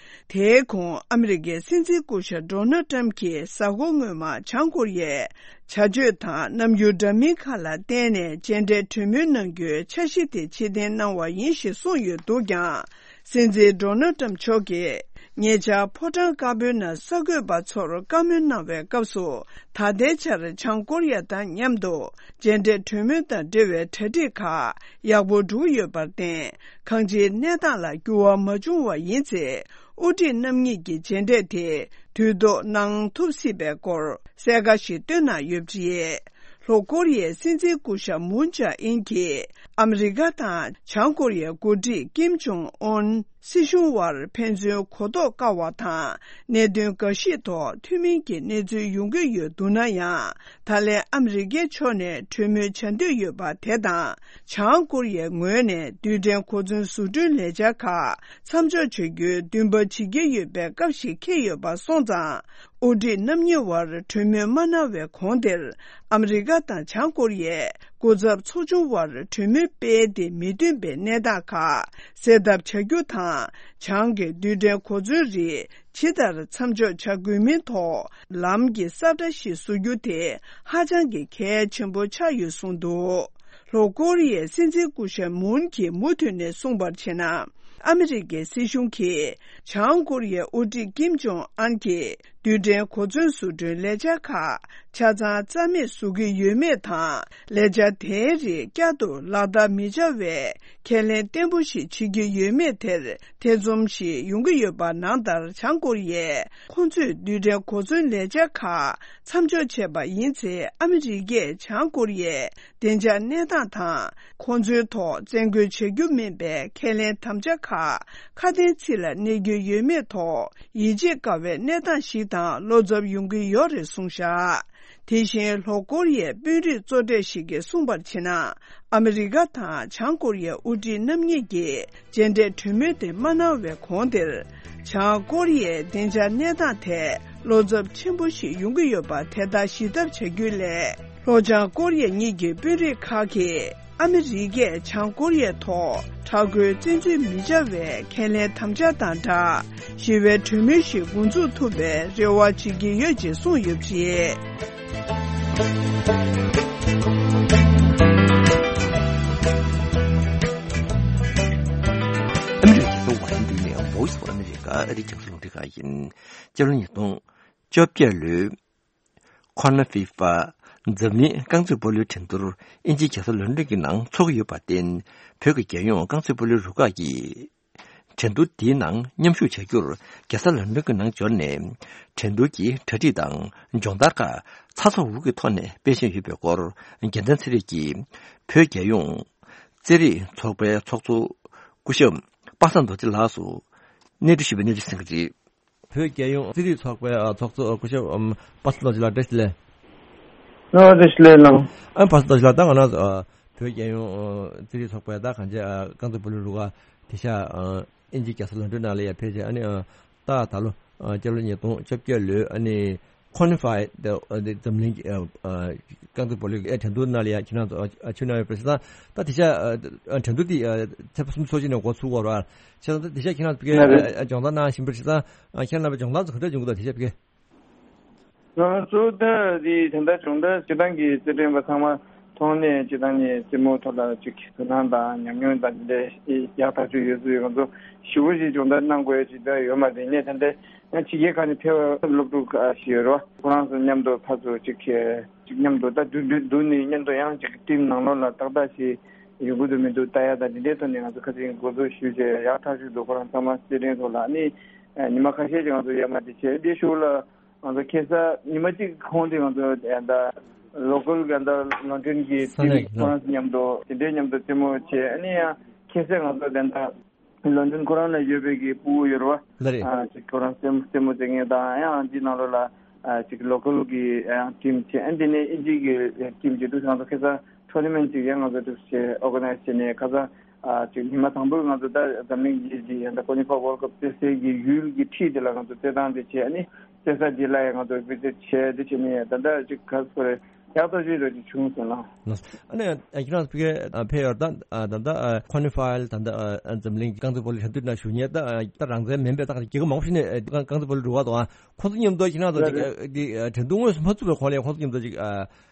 དེའི་གོང་ཨ་མི་རི་ཀའི་སྲིད་འཛིན་སྐུ་ཞབས་ཌོ་ནལ་ཏྲམ་གྱིས་གཟའ་འཁོར་སྔོན་མ་བྱང་ཀོ་རི་ཡའི་བྱ་སྤྱོད་དང་རྣམ་འགྱུར་འདྲ་མིན་ཁག་ལ་བརྟེན་ནས་མཇལ་འཕྲད་གྲོས་མོལ་གནང་རྒྱུའི་འཆར་གཞི་དེ་ཕྱིར་འཐེན་གནང་བ་ཡིན་ཞེས་གསུངས་ཡོད་འདུག་ཀྱང་། སྲིད་འཛིན་ཌོ་ནལ་ཏྲམ་མཆོག་གིས་ཉེ་ཆར་ཕོ་བྲང་དཀར་པོའི་ནང་གསར་འགོད་པ་ཚོར་བཀའ་མོལ་གནང་བའི་སྐབས་སུ། ད་ལྟའི་ཆར་བྱང་ཀོ་རི་ཡ་དང་མཉམ་དུ་མཇལ་འཕྲད་གྲོས་མོལ་དང་འབྲེལ་བའི་གྲ་སྒྲིག་ཁག་ཡག་པོ་འགྲོ་ཡོད་པར་བརྟེན། གང་ཅིའི་གནས་སྟངས་ལ་འགྱུར་བ་མ་བྱུང་བ་ཡིན་ཚེ། དབུ་ཁྲིད་རྣམ་གཉིས་ཀྱི་མཇལ་འཕྲད་དེ་དུས་ཐོག་གནང་ཐུབ་སྲིད་པའི་སྐོར་གསལ་ཁ་ཞིག་བཏོན་གནང་ཡོད་པ་རེད། ལྷོ་ཀོ་རི་ཡའི་སྲིད་འཛིན་སྐུ་ཞབས་མུན་ཇཱ་ཨིན་གྱིས་ཨ་མི་རི་ཀ་དང་བྱང་ཀོ་རི་ཡའི་འགོ་ཁྲིད་ཀིམ་ཇོང་ཨོན་སྲིད་གཞུང་དབར་ཕན་ཚུན་གོ་རྟོགས་དཀའ་བ་དང་གནད་དོན་འགའ་ཞིག་ཐོག་མཐུན་མིན་གྱི་གནས་ཚུལ་ཡོང་གི་ཡོད་འདུག་ན་ཡང་། ད་ལན་ཨ་མི་རི་ཀའི་ཕྱོགས་ནས་གྲོས་མོལ་བྱ་འདོད་ཡོད་པ་དེ་དང་། བྱང་ཀོ་རི་ཡའི་ངོས་ནས་རྡུལ་ཕྲན་གོ་མཚོན་བཟོ་སྐྲུན་ལས་འཆར་ཁག་མཚམས་འཇོག་བྱ་རྒྱུའི་འདུན་པ་བྱེད་ཀྱི་ཡོད་པའི་སྐབས་ཤིག་འཁེལ་ཡོད་པ་སོང་ཙང་། དབུ་ཁྲིད་རྣམ་གཉིས་དབར་གྲོས་མོལ་མ་གནང་བའི་གོང་དེར། ཨ་མི་རི་ཀ་དང་བྱང་ཀོ་རི་ཡའི་སྐུ་ཚབ་ཚོགས་ཆུང་དབར་གྲོས་མོལ་སྤེལ་ཏེ་མི་མཐུན་པའི་གནས་སྟངས་ཁག་སེལ་ཐབས་བྱ་རྒྱུ་དང་། བྱང་གི་རྡུལ་ཕྲན་གོ་མཚོན་རིགས་ཇི་ལྟར་མཚམས་འཇོག་བྱ་དགོས་མིན་ཐོག་ལམ་གྱི་ས་བཀྲ་ཞིག་བཟོ་རྒྱུ་དེ་ཧ་ཅང་གི་གལ་ཆེན་པོ་ཆགས་ཡོད་གསུངས་འདུག་ལྷོ་ཀོ་རི་ཡའི་སྲིད་འཛིན་སྐུ་ཞབས་མུན་གྱིས་མུ་མཐུད་ནས་གསུངས་པར་བྱས་ན། ཨ་མི་རི་ཀའི་སྲིད་གཞུང་གིས་བྱང་ཀོ་རི་ཡའི་དབུ་ཁྲིད་ཀིམ་ཇོང་ཨན་གྱིས་ རྡུལ་ཕྲན་གོ་མཚོན་བཟོ་སྐྲུན་ལས་འཆར་ཁག་ཆ་ཚང་རྩ་མེད་བཟོ་གི་ཡོད་མེད་དང་། ལས་འཆར་དེའི་རིགས་བསྐྱར་དུ་ལག་བསྟར་མི་བྱ་བའི་ཁས་ལེན་བརྟན་པོ་ཞིག་བྱེད་ཀྱི་ཡོད་མེད་དེར་ཐེ་ཚོམ་ཞིག་ཡོང་གི་ཡོད་པ་ནང་ལྟར། བྱང་ཀོ་རི་ཡས་ཁོང་ཚོས་རྡུལ་ཕྲན་གོ་མཚོན་ལས་འཆར་ཁག་མཚམས་འཇོག་བྱས་པ་ཡིན་ཚེ། ཨ་མི་རི་ཀས་བྱང་ཀོ་རི་ཡའི་བདེ་འཇགས་གནས་སྟངས་དང་། ཁོང་ཚོའི་ཐོག་བཙན་རྒོལ་བྱ་རྒྱུ་མིན་པའི་ཁས་ལེན་དམ་བཅའ་ཁག་ཁ་དན་ཚིག་ལ་གནས་རྒྱུ་ཡོད་མེད་ཐོག་ཡིད་ཆེས་དཀའ་བའི་གནས་སྟངས་ཤིག་དང་བློ་འཚབ་ཡོང་གི་ཡོད་རེད་གསུངས་བཞག་དེ་བཞིན་ལྷོ་ཀོ་རི་ཡའི་དཔོན་རིགས་གཙོ་གྲས་ཤིག་གིས་གསུངས་པར་བྱས་ན། ཨ་མི་རི་ཀ་དང་བྱང་ཀོ་རི་ཡའི་དབུ་ཁྲིད་རྣམ་གཉིས་ཀྱིས་མཇལ་འཕྲད་གྲོས་མོལ་དེ་མ་གནང་བའི་གོང་དེར། བྱང་ཀོ་རི་ཡའི་བདེ་འཇགས་གནས་སྟངས་ཐད་བློ་འཚབ་ཆེན་པོ་ཞིག་ཡོང་གི་ཡོད་པ་དེ་དག་ཞི་ཐབས་བྱ་རྒྱུའི་སླད། ལྷོ་བྱང་ཀོ་རི་ཡ་གཉིས་ཀྱི་དཔོན་རིགས་ཁག་གིས། ཨ་མི་རི་ཀས་བྱང་ཀོ་རི་ཡའི་ཐོག་དྲག་རྒོལ་བཙན་འཛུལ་མི་བྱ་བའི་ཁས་ལེན་དམ་བཅའ་དང་སྦྲགས། ཞི་བའི་གྲོས་མོལ་ཞིག་འགོ་འཛུགས་ཐུབ་པའི་རེ་བ་བྱེད་ཀྱི་ཡོད་ཅེས་གསུངས་ཡོད་པ་རེད། ཨ་མི་རི་ཀའི་རྒྱལ་ས་ཝ་ཤིང་ཏོན་ནས་Voice of America ཨ་རིའི་རྒྱང་སྲིང་རླུང་འཕྲིན་ཁང་ཡིན། སྤྱི་ལོ་ཉིས་སྟོང་བཅོ་བརྒྱད་ལོའི་ཁོ་ན་ཧྥི་ཧྥ་འཛམ་གླིང་རྐང་རྩེད་སྤོ་ལོའི་འགྲན་བསྡུར་དབྱིན་ཇིའི་རྒྱལ་ས་ལོན་ཌོན་གྱི་ནང་འཚོགས་ཀྱི་ཡོད་པར་བརྟེན། བོད་ཀྱི་རྒྱལ་ཡོངས་རྐང་རྩེད་སྤོ་ལོའི་རུ་ཁག་གིས་འགྲན་བསྡུར་འདིའི་ནང་མཉམ་ཞུགས་བྱ་རྒྱུར་རྒྱལ་ས་ལོན་ཌོན་གྱི་ནང་འབྱོར་ནས། འགྲན་བསྡུར་གྱི་གྲ་སྒྲིག་དང་སྦྱོང་བརྡར་ཁག་ཚ་ཚ་འུར་འུར་གྱི་ཐོག་ནས་སྤེལ་བཞིན་ཡོད་པའི་སྐོར། རྒྱལ་མཚན་ཚེ་རིང་གིས་བོད་རྒྱལ་ཡོངས་རྩེད་རིགས་ཚོགས་པའི་ཚོགས་གཙོ་སྐུ་ཞབས་པ་སངས་རྡོ་རྗེ་ལགས་སུ་གནས་འདྲི་ཞུས་པའི་གནས་ཚུལ་གསན་གྱི་རེད། བོད་རྒྱལ་ཡོངས་རྩེད་རིགས་ཚོགས་པའི་ཨ་ཚོགས་གཙོ་སྐུ་ཞབས་ཨམ་པ་སངས་རྡོ་རྗེ་ལགས། བཀྲ་ཤིས་བདེ་ལེགས། ཨ་བཀྲ་ཤིས་བདེ་ལེགས་ལགས། ཨ་པ་སངས་རྡོ་རྗེ་ལགས། ད་ང་རང་ཨ་བོད་རྒྱལ་ཡོངས་ཨ་རྩེད་རིགས་ཚོགས་པའི་ད་གང་ཅི་ཨ་རྐང་རྩེད་སྤོ་ལོའི་རུ་ཁག་དེ་ཤ་ཨ་དབྱིན་ཇིའི་རྒྱལ་ས་ལོན་ཌོན་ནང་ལ་ཡ་ཕེབས་བྱས། ཨ་ནི་ཨ་ད་ད་ལོ་ཨ་སྤྱི་ལོ་ཉིས་སྟོང་བཅོ་བརྒྱད་ལོའི་ཨ་ནི་ཁོ་ན་ཧྥའི་ད་ཨ་འཛམ་གླིང་གི་ཨ་ཨ་རྐང་རྩེད་སྤོ་ལོའི་ཨ་འགྲན་བསྡུར་ནང་ལ་ཡ་ཁྱེད་རང་ཚོ་ཨ་ཨ་ཕྱུག་གནང་ཡོད་པ་རེད། ད་ད་དེ་ཤ་ཨ་ཨ་འགྲན་བསྡུར་དེ་ཨ་ཚེས་པ་སུམ་ཅུ་སོ་གཅིག་ནས་འགོ་ཚུགས་པ་རེད། བྱས་ཙང་ད་དེ་ཤ་ཁྱེད་རང་ཚོ་ཕ་གིར་ཨ་ཨ་སྦྱོང་བརྡར་གནང་བཞིན་པ་རེད། བྱས་ཙང་ཨ་ཁྱེད་རང་ཚོ་སྦྱོང་བརྡར་ཚོ་ག་འདྲ་བྱུང་གི་འདུག་དེ་ཤ་ཕ་གིར། ང་ཚོ་ད་དེ་ད་ལྟ་སྦྱོང་བརྡར་སྤྱིར་བཏང་གི་རྩེད་འགྲན་པ་ཚང་མ་ཐོག་ནས་སྤྱིར་བཏང་ནས་རྩེད་མོ་ཐོག་ལ་ཅིག་དོ་སྣང་དང་ཉམས་མྱོང་དང་དེ་འདྲ་ཡག་ཐག་ཆོད་ཡོད་ཚུལ། ང་ཚོ་ཞེ་པོ་ཞིག་སྦྱོང་བརྡར་གནང་དགོས་ཅིག་ད་ཡོད་མ་རེད། ངས་ད་ལྟ་ཕྱི་རྒྱལ་ཁག་ནས་ཕེབས་པ་སློབ་ཕྲུག་ཁག་ཞིག་ཡོད་རེད་བ། ཁོ་རང་ཚོ་མཉམ་དུ་ཕར་ཚུར་ཅིག་ཅིག་མཉམ་དུ་ད་འདུག་འདུག་འདུག་ནས་མཉམ་དུ་ཡང་ཅིག་ཊིམ་ནང་ལོགས་ལ་ཏག་ཏག་ཞིག་ཡོང་གི་འདུག་མི་འདུག་ལྟ་ཡ་དང་དེ་འདྲའི་ཐོག་ནས་ང་ཚོ་ཁ་སང་འགོ་འཛུགས་ཞུས་བྱས་ཡག་ཐག་ཆོད་འདུག་ཁོ་རང་ཚང་མ་རྩེད་འགྲན་ཐོག་ལ་ནི་ཉི་མ་ཁ་ཤས་ཅིག་ང་ཚོ་ཡར་མར་དེ་བྱས། དེ་གཞུག་ལ་ང་ཚོ་ཁ་སང་ཉི་མ་གཅིག་གོང་དེ་ང་ཚོ་ད་ལོ་ཀལ་གི་ད་ལོན་ཌོན་གྱི་ས་གནས་ཊིམ་ཁོ་རང་ཚོ་མཉམ་དུ་དེ་འདྲའི་མཉམ་དུ་རྩེད་མོ་བྱས། ཨ་ནི་ཡང་ཁ་སང་ང་ཚོ་ད་ལོན་ཌོན་ཁོ་རང་ལ་ཡོད་པའི་གི་ཕྲུ་གུ་ཡོད་རེད་བ། ལགས་རེད། ཨ་ཅིག་ཁོ་རང་རྩེད་མོ་རྩེད་མོ་རྩེ་མཁན་དང་ཡང་འདི་ནང་ལོགས་ལ་ཨ་ཅིག་ལོ་ཀལ་གི་ཡང་ཊིམ་བྱས། ཨ་འདི་ནས་དབྱིན་ཇི་གི་ཊིམ་བྱས་འདུག་ང་ཚོ་ཁ་སང་ཊོར་ན་མེན་ཊི་ཅིག་ཡང་ང་ཚོ་འདུག་བྱས་ཨོར་ག་ནའི་ཛི་བྱས་ནས་ཁ་སང་ཨ་ཅིག་ཉི་མ་དང་པོར་ང་ཚོ་ད་འཛམ་གླིང་གི་ཅིག་ཡང་ད་ཀོ་ནི་ཕ་ཝརལ་ཌི་ཀབ་རྩེད་སའི་གི་ཡུལ་གྱི་འཁྲིས་དེ་ལ་ང་ཚོ་རྩེད་ཐང་དེ་བྱས། ཨ་ནི་རྩེད་ས་དེ་ལ་ཡང་ང་ཚོ་བི་ཛིཊ་བྱས། དེ་བྱས་ནས་ད་ལྟ་ཅིག་ག་རེ་ཟེར་དགོས་རེད། ཡག་ཐག་ཆོད་ཅིག་བྱུང་སོང་ལགས། ཨ་ནི་ཁྱེད་རང་ཚོ་ཕ་གིར་ཕེབས་ཡོད་རེད། ད་ད་ལྟ་ཁོ་ནི་ཕའི་ད་ལྟ་འཛམ་གླིང་རྐང་རྩེད་སྤོ་ལོའི་འགྲན་བསྡུར་ནང་ཞུགས་མཁན་ད་ད་རང་བཙན་མིན་པའི་ད་རྒྱལ་ཁབ་མང་པོ་ཞིག་ནས་རྐང་རྐང་རྩེད་སྤོ་ལོའི་རུ་ཁག་འདུག་ཨ། ཁོང་ཚོ་མཉམ་དུ་ཁྱེད་རང་ཚོ་ཅིག་འདི་འགྲན་བསྡུར་དངོས་སུ་མ་ཚུགས་པའི་གོང་ལ་ཁོང་ཚོ་མཉམ་དུ་ཅིག་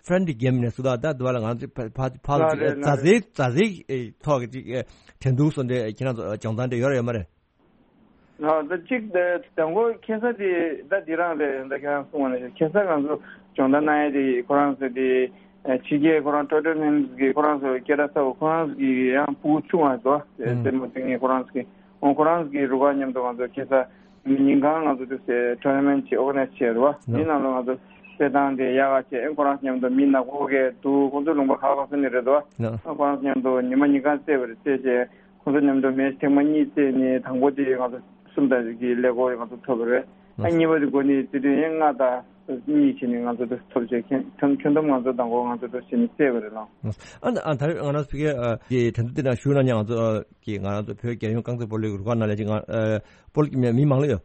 ཕྲེན་ཌི་གེམ་ནས་སུ་ད་ད་དུ་བ་ལ་ང་ཚོ་ཕ་ཕ་ཕ་ལ་ཅིག་མཛའ་བརྩེའི་མཛའ་བརྩེའི་ཐོག་གི་ཅིག་འགྲན་བསྡུར་སོགས་འདི་ཁྱེད་རང་ཚོ་སྦྱོང་བརྡར་འདི་ཡོད་རེད་ཡོད་མ་རེད། ཨ་ད་གཅིག་དེ་དང་པོ་ཁ་སང་དེ་ད་དེ་རང་རེད། ད་ཁྱེད་རང་གསུངས་པ་ནང་བཞིན་ཁ་སང་ང་ཚོ་སྦྱོང་བརྡར་གནང་ཡས་དེ་ཁོ་རང་ཚོ་དེ་ཕྱི་རྒྱལ་ཁོ་རང་ཊོར་ན་མེན་ཊི་གི་ཁོ་རང་ཚོ་སྐད་གྲགས་ཚ་བོ་ཁོ་རང་ཚོ་གི་ཡང་ཕྲུ་གུ་ཆུང་བ་ཚོ་རྩེད་མོ་རྩེ་མཁན་ཁོ་རང་ཚོ་གི་འོ་ཁོ་རང་ཚོ་གི་རུ་ཁག་མཉམ་དུ་ང་ཚོ་ཁ་སང་ཉིན་གང་ང་ཚོ་དུས་སེ་ཊོར་ན་མེན་ཊི་ཅིག་ཨོར་ག་ནའི་ཛི་བྱས་རེད་བ། དེ་ནང་ལ་ང་ཚོ་རྩེད་ཐང་དེ་ཡག་ག་བྱས། ཨེ་ཁོ་རང་ཚོ་མཉམ་དུ་མི་ནག་པོ་གས་འདུག་ཁོང་ཚོ་ལུང་པ་ཁག་ཁག་སོང་ནི་རེད་བ། ཨེ་ཁོ་རང་ཚོ་མཉམ་དུ་ཉི་མ་ཉིན་གང་རྩེད་པ་རེད། རྩེད་བྱས། ཁོང་ཚོ་མཉམ་དུ་མེ་ཆི་ཐེངས་མ་གཉིས་རྩེས་ནས་དང་པོ་དེ་ང་ཚོ་གསུམ་དང་གི་ཀླད་ཀོར་ང་ཚོ་ཐོབ་པ་རེད། ཨ་གཉིས་པ་དེ་འགོ་ནས་རྩེད་དུས་ཡང་ལྔ་དང་གཉིས་བྱས་ནས་ང་ཚོ་དེ་ཐོབ་བྱས། ཁྱོན་ཁྱོན་ཁྱོན་བསྡོམས་ང་ཚོ་དང་པོ་ང་ཚོ་དེ་བྱས་ནས་རྩེས་པ་རེད་ལགས། ཨ་ཨ་ད་རེས་ང་རང་ཚོ་ཕ་གིའི་འགྲན་བསྡུར་དེ་ནང་ཞུགས་གནང་མཁན་ང་ཚོ་གི་ང་རང་ཚོ་བོད་རྒྱལ་ཡོངས་རྐང་རྩེད་སྤོ་ལོའི་རུ་ཁག་ནང་ལ་ཅིག་ང་སྤོ་ལོ་མི་མང་ལོས་ཡོད།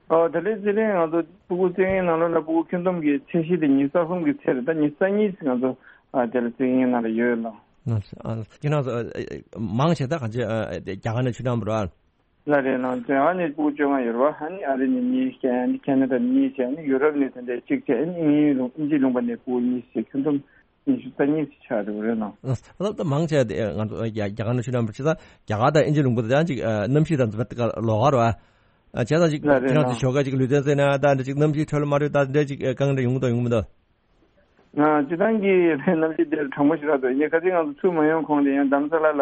ཨོ་ད་ལན་རྩེད་རིང་ང་ཚོ་ཕྲུ་གུ་རྩེད་མཁན་ནང་ལོགས་ལ་ཕྲུ་གུ་ཁྱོན་བསྡོམས་ཀྱི་ཚད་གཞི་དེ་ཉི་ཤུ་རྩ་གསུམ་གྱི་ཚད་རེད། ད་ཉི་ཤུ་རྩ་གཉིས་ང་ཚོ་ཨ་དེ་ལ་རྩེད་མཁན་ནང་ལ་ཡོད་ལགས། ཨ་ཁྱེད་རང་ཚོ་མང་ཆེ་ད་གང་ཅི་རྒྱ་གར་ནས་ཆུ་ནང་བུ་ར། ལགས་རེད་ལགས། རྒྱ་གར་ནས་ཕྲུ་གུ་བཅོ་ལྔ་ཡོད་རེད་བ། ཨ་ནི་ཨ་རི་ནས་གཉིས་བྱས། ཨ་ནི་ཁེ་ན་ཌ་ནས་གཉིས་བྱས། ཨ་ནི་ཡུ་རོབ་ནས་དེ་འདྲའི་གཅིག་བྱས། ཨ་ནི་དབྱིན་ཡུལ་ལུང་དབྱིན་ཇིའི་ལུང་པ་ནས་ཕྲུ་གུ་གཉིས་བྱས། ཁྱོན་བསྡོམས་ཉི་ཤུ་རྩ་གཉིས་ཆགས་འགྲོ་གི་རེད་ལགས། ཨ་ད་མང་ཆེ་དེ་ང་ཚོ་རྒྱ་རྒྱ་གར་ནས་ཆུ་ནང་བུ་ཆེ་ས་རྒྱ་གར་དང་དབྱིན་ཇི་ལུང་པ་དེ་ཡང་ཅིག་གནམ་གཤིས་དང་འཛིན་པ་དེ་ག་ལོགས་ཀ་རེད་བ། ཨ་བྱས་ཙང་ཅིག་ལགས་རེད་ཁྱེད་རང་ལགས། ཚོ་ཞོགས་ཀ་ཅིག་ལུས་རྩལ་རྩེད་ན་ད་འདྲ་ཅིག་གནམ་གཤིས་འཕྲོད་ལ་མ་འཕྲོད་ད་འདྲ་ཅིག་དཀའ་ངལ་འདྲ་ཡོང་གི་འདུག་ཡོང་གི་མི་འདུག་ང་སྤྱི་བཏང་གི་གནམ་གཤིས་དེ་གྲང་མོ་ཞིག་རག་འདུག་ཡིན་ནའི་ཁ་སང་ང་ཚོ་ཆུ་མ་ཡོང་གོང་དེ་ཡང་རྡ་རམ་ས་ལ་ལ་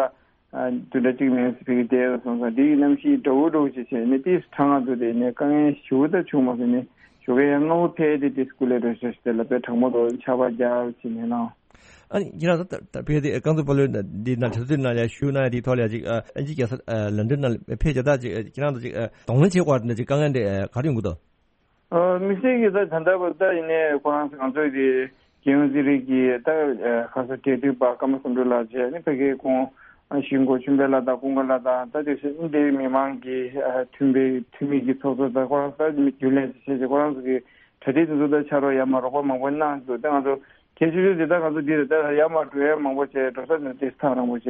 དུ་འདྲ་གཅིག་མེད་ཟེར་ཕ་གི་བསྡད་སོང་ཙང་དེ་ཡི་གནམ་གཤིས་འདྲ་བོ་འདྲ་བོ་ཞིག་བྱས་ནས་ཏིས་གྲང་ང་འདུག་དེ་ནས་དཀའ་ངལ་ཞེ་པོ་ད་བྱུང་མ་སོང་ནས་ཞོགས་ཀས་ཡང་སྔ་པོ་ཕེབས་ཏེ་ཏིས་སྐུ་ལས་འགྲོ་ཤོག་ཞིག་དེ་ལ་དཔེ་གྲང་མོ་འདུག་ཆར་པ་རྒྱབ་བྱས་ནས་ལངས། ཨ་ནི་ཁྱེད་རང་ཚོ་ད་ད་ཕེབས་ཏེ་རྐང་ཚོགས་པ་ལོའི་འདི་ནང་དྲན་གསོ་ནང་ལ་ཞུགས་གནང་ཡ་དེའི་ཐོག་ལ་ཡ་ཅིག་ཨ་ཨིན་ཇི་རྒྱལ་ས་ཨ་ལན་ཌན་ནང་ལ་ཕེབས་བྱས་ད་ཅིག་ཨ་ཁྱེད་རང་ཚོ་ཅིག་ཨ་གདོང་ལེན་བྱེད་དགོས་པ་འདྲ་ཅིག་དཀའ་ངལ་འདྲ་ཨ་ག་རེ་ཡོང་གི་འདུག་ཨ་དམིགས་བསལ་གྱི་ད་ད་ལྟ་བར་ད་ཡིན་ནའི་ཁོ་རང་ཚོ་ང་ཚོའི་དེ་རྒྱལ་ཡོངས་རྩེད་རིགས་ཀྱི་ད་ཁ་ས་འབྲེལ་མཐུད་པ་ཀརྨ་བསམ་གྲུབ་ལགས་བྱས་ནས་ཕ་གིའི་ཁོང་ཞིང་འགོ་ཆུན་པའི་ལ་དྭགས་ཀུན་དགའ་ལ་དྭགས་ད་དེ་ཚོ་འདིའི་མི་མང་གི་མཐུན་པའི་འཐུས་མི་གི་ཚོགས་གཙོ་ད་ཁོ་རང་ད་རྒྱུན་ལས་བྱས་བྱས་ཁོ་རང་ཚོ་གི་གྲ་སྒྲིག་དེ་ཚོ་ད་ཕྱག་རོགས་ཡར་མར་རོགས་པ་མང་པོ་གནང་འདུག་ད་ང་ཚོ་གལ་ཆེ་ཤོས་དེ་ད་ང་ཚོ་འདི་རེད་ད་ཡར་མར་འགྲོ་ཡ་མང་པོ་བྱས་འགྲོ་ས་ནས་ཏིས་ཐག་རིང་པོ་བྱས་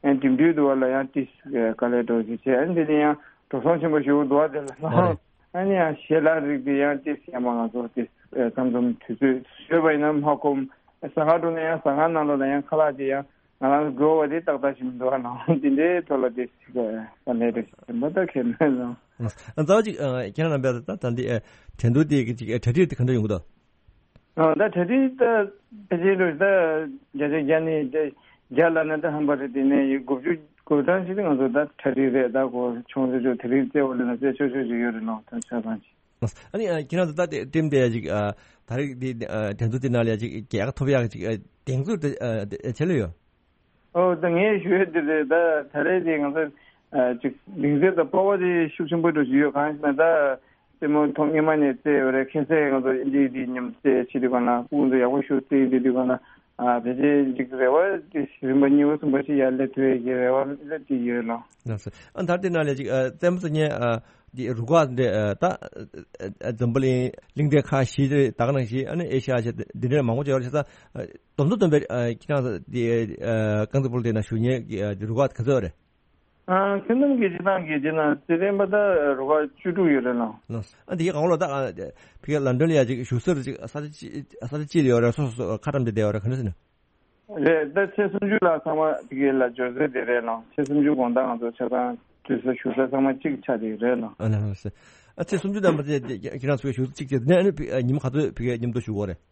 ཨ་འགྲིམ་འགྲུལ་དུ་བ་ལ་ཡང་ཏིས་དཀའ་ལས་འགྲོ་བྱས་བྱས་ཨ་འདི་ནས་ཡང་འགྲོ་སོང་ཆེན་པོ་ཞིག་འདུག་བ་དེ་ལ། ཨ་ནི་ཡང་ཞལ་ལག་རིགས་དེ་ཡང་ཏིས་ཡང་མ་ང་ཚོ་ཏིས་མཚམས་མཚམས་དུས་ཚོད་ཤོད་པ་ཡིན་ན་མ་ཁོམ་ཟ་ཁང་འགྲོ་ན་ཡང་ཟ་ཁང་ནང་ལོགས་ལ་ཡང་ཁ་ལག་དེ་ཡང་ང་རང་དགོས་པ་དེ་ཏག་ཏག་ཞིག་མི་འདུག་ཨ་ནང་དེ་འདྲའི་ཐོག་ལ་ཏིས་ས་གནས་རེ་ཞིག་མ་ད་ཁེ་མེད་ལ། རྩ་བ་ཅིག་ཁྱེད་རང་རྣམ་པས་ད་ད་འདི་དྲན་གདུང་དེ་གི་ཅིག་གྲ་སྒྲིག་དེ་ག་འདྲ་ཡོང་གི་འདུག་ཨ་ད་གྲ་སྒྲིག་ད་ཕལ་ཆེར་ད་བརྒྱ་ཆ་བརྒྱ་ནས་བརྒྱ་ལ་ནི་ད་ཧམ་པ་རེད་དེ་ནས་ཡི་དགུ་བཅུ་དགུ་གྲངས་ཤིག་ང་ཚོ་ད་གྲ་སྒྲིག་རེད་ད་གོ་ཆུང་ཆུང་ཆུང་དེ་རིགས་རྩེ་བ་ལ་ན་རྩེ་ཆོག་ཆོག་ཅིག་ཡོད་རེད་ནོ་ད་ཆ་ཚང་ཅིག་ཨ་ནི་ཁྱེད་རང་ཚོ་ད་ཊིམ་དེ་ཡ་ཅིག་ད་རིགས་དེ་དྲན་གདུང་དེ་ནང་ལ་ཡ་ཅིག་རྒྱལ་ཁ་ཐོབ་ཡག་ཅིག་གདེང་ཚོད་དེ་ཆེ་ལོས་ཡོད། ཨོ་ད་ངས་ཞུ་ཡ་དེ་རེད་ད་ད་རེས་དེ་ང་ཚོ་ཅིག་གདེང་ཚོད་དང་སྤོབས་པ་དེ་ཤུགས་ཆེན་པོ་འགྲོ་བཞིན་ཡོད་གང་ཞེ་ན་ད་རྩེད་མོ་ཐོག་སྔོན་མ་ནས་རྩེ་ཡོད་རེད་ཁ་སང་ང་ཚོ་ཨིན་ཇིའི་དེ་མཉམ་རྩེ་བྱེད་དུས་གང་ན་སྤུ་གུ་ཚོ་ཡག་པོ་ཞིག་རྩེ་ཡོད་དུས་གང་ན་ཨ་ཕལ་ཆེར་ཅིག་རེ་བ་དེ་རིམ་པ་གཉིས་པ་གསུམ་པ་ཞིག་ཡར་སླེབས་ཐུབ་ཡས་ཀྱི་རེ་བ་སླེབས་ཀྱི་ཡོད་ལ། ལགས་སོ། ཨ་ད་དེ་ནང་ལས་ཅིག་རྩེད་མོ་རྩེ་མཁན་དེ་རུ་ཁག་འདི་ད་འཛམ་བུ་གླིང་གླིང་ཕྲན་ཁག་བཞི་རེད་ད་ག་ནང་བཞིན་ཨ་ནི་ཨེ་ཤ་ཡ་ཆེ་འདི་འདྲའི་མང་པོ་ཅིག་ཡོད་རེད་ད། སྡོམ་ཚོ་སྡོམ་པའི་ཁྱེད་རང་ཚོ་དེ་རྐང་རྩེད་སྤོ་ལོ་དེ་ན་ཞུགས་མཁན་གྱི་རུ་ཁག་ག་ཚོད་རེད། ཁྱོན་བསྡོམས་ཀྱི་སྤྱི་བཏང་གི་དེ་ན་རྩེད་འགྲན་པ་ད་རུ་ཁག་བཅུ་དྲུག་ཡོད་རེད་ལགས། ལགས། ཨ་འདི་གའི་གང་ལོ་ད་ཕ་གི་ལན་ཌོན་ལ་ཡ་ཅིག་བཞུགས་ས་རེད་ཅིག་ས་ཆ་ཅི་ས་ཆ་ཅི་ལ་ཡོད་རེད་སོ་སོ་སོ་ཁ་བཀྲམ་སྟེ་བསྡད་ཡོད་རེད་ག་འདྲ་ཟེར་ན། རེད་ད་ཚེས་སུམ་ཅུ་ལ་ཚང་མ་ཕ་གི་ལ་འབྱོར་ཚེ་དེ་རེད་ལགས་ཚེས་སུམ་ཅུ་དགོང་དག་ང་ཚོ་ཆ་ཚང་དུས་ས་བཞུགས་ས་ཚང་མ་གཅིག་ཆགས་དེ་རེད་ལགས། ཨ་ལགས་ལགས་སོ། ཨ་ཚེས་སུམ་ཅུ་དང་མ་ཚད་ཁྱེད་རང་ཚོའི་བཞུགས་ས་གཅིག་བྱས་ནས་ཨ་ནི་ཉིན་མོ་ག་ཚོད་ཕ་གི་མཉམ་དུ་བཞུགས་ཡོད་རེད།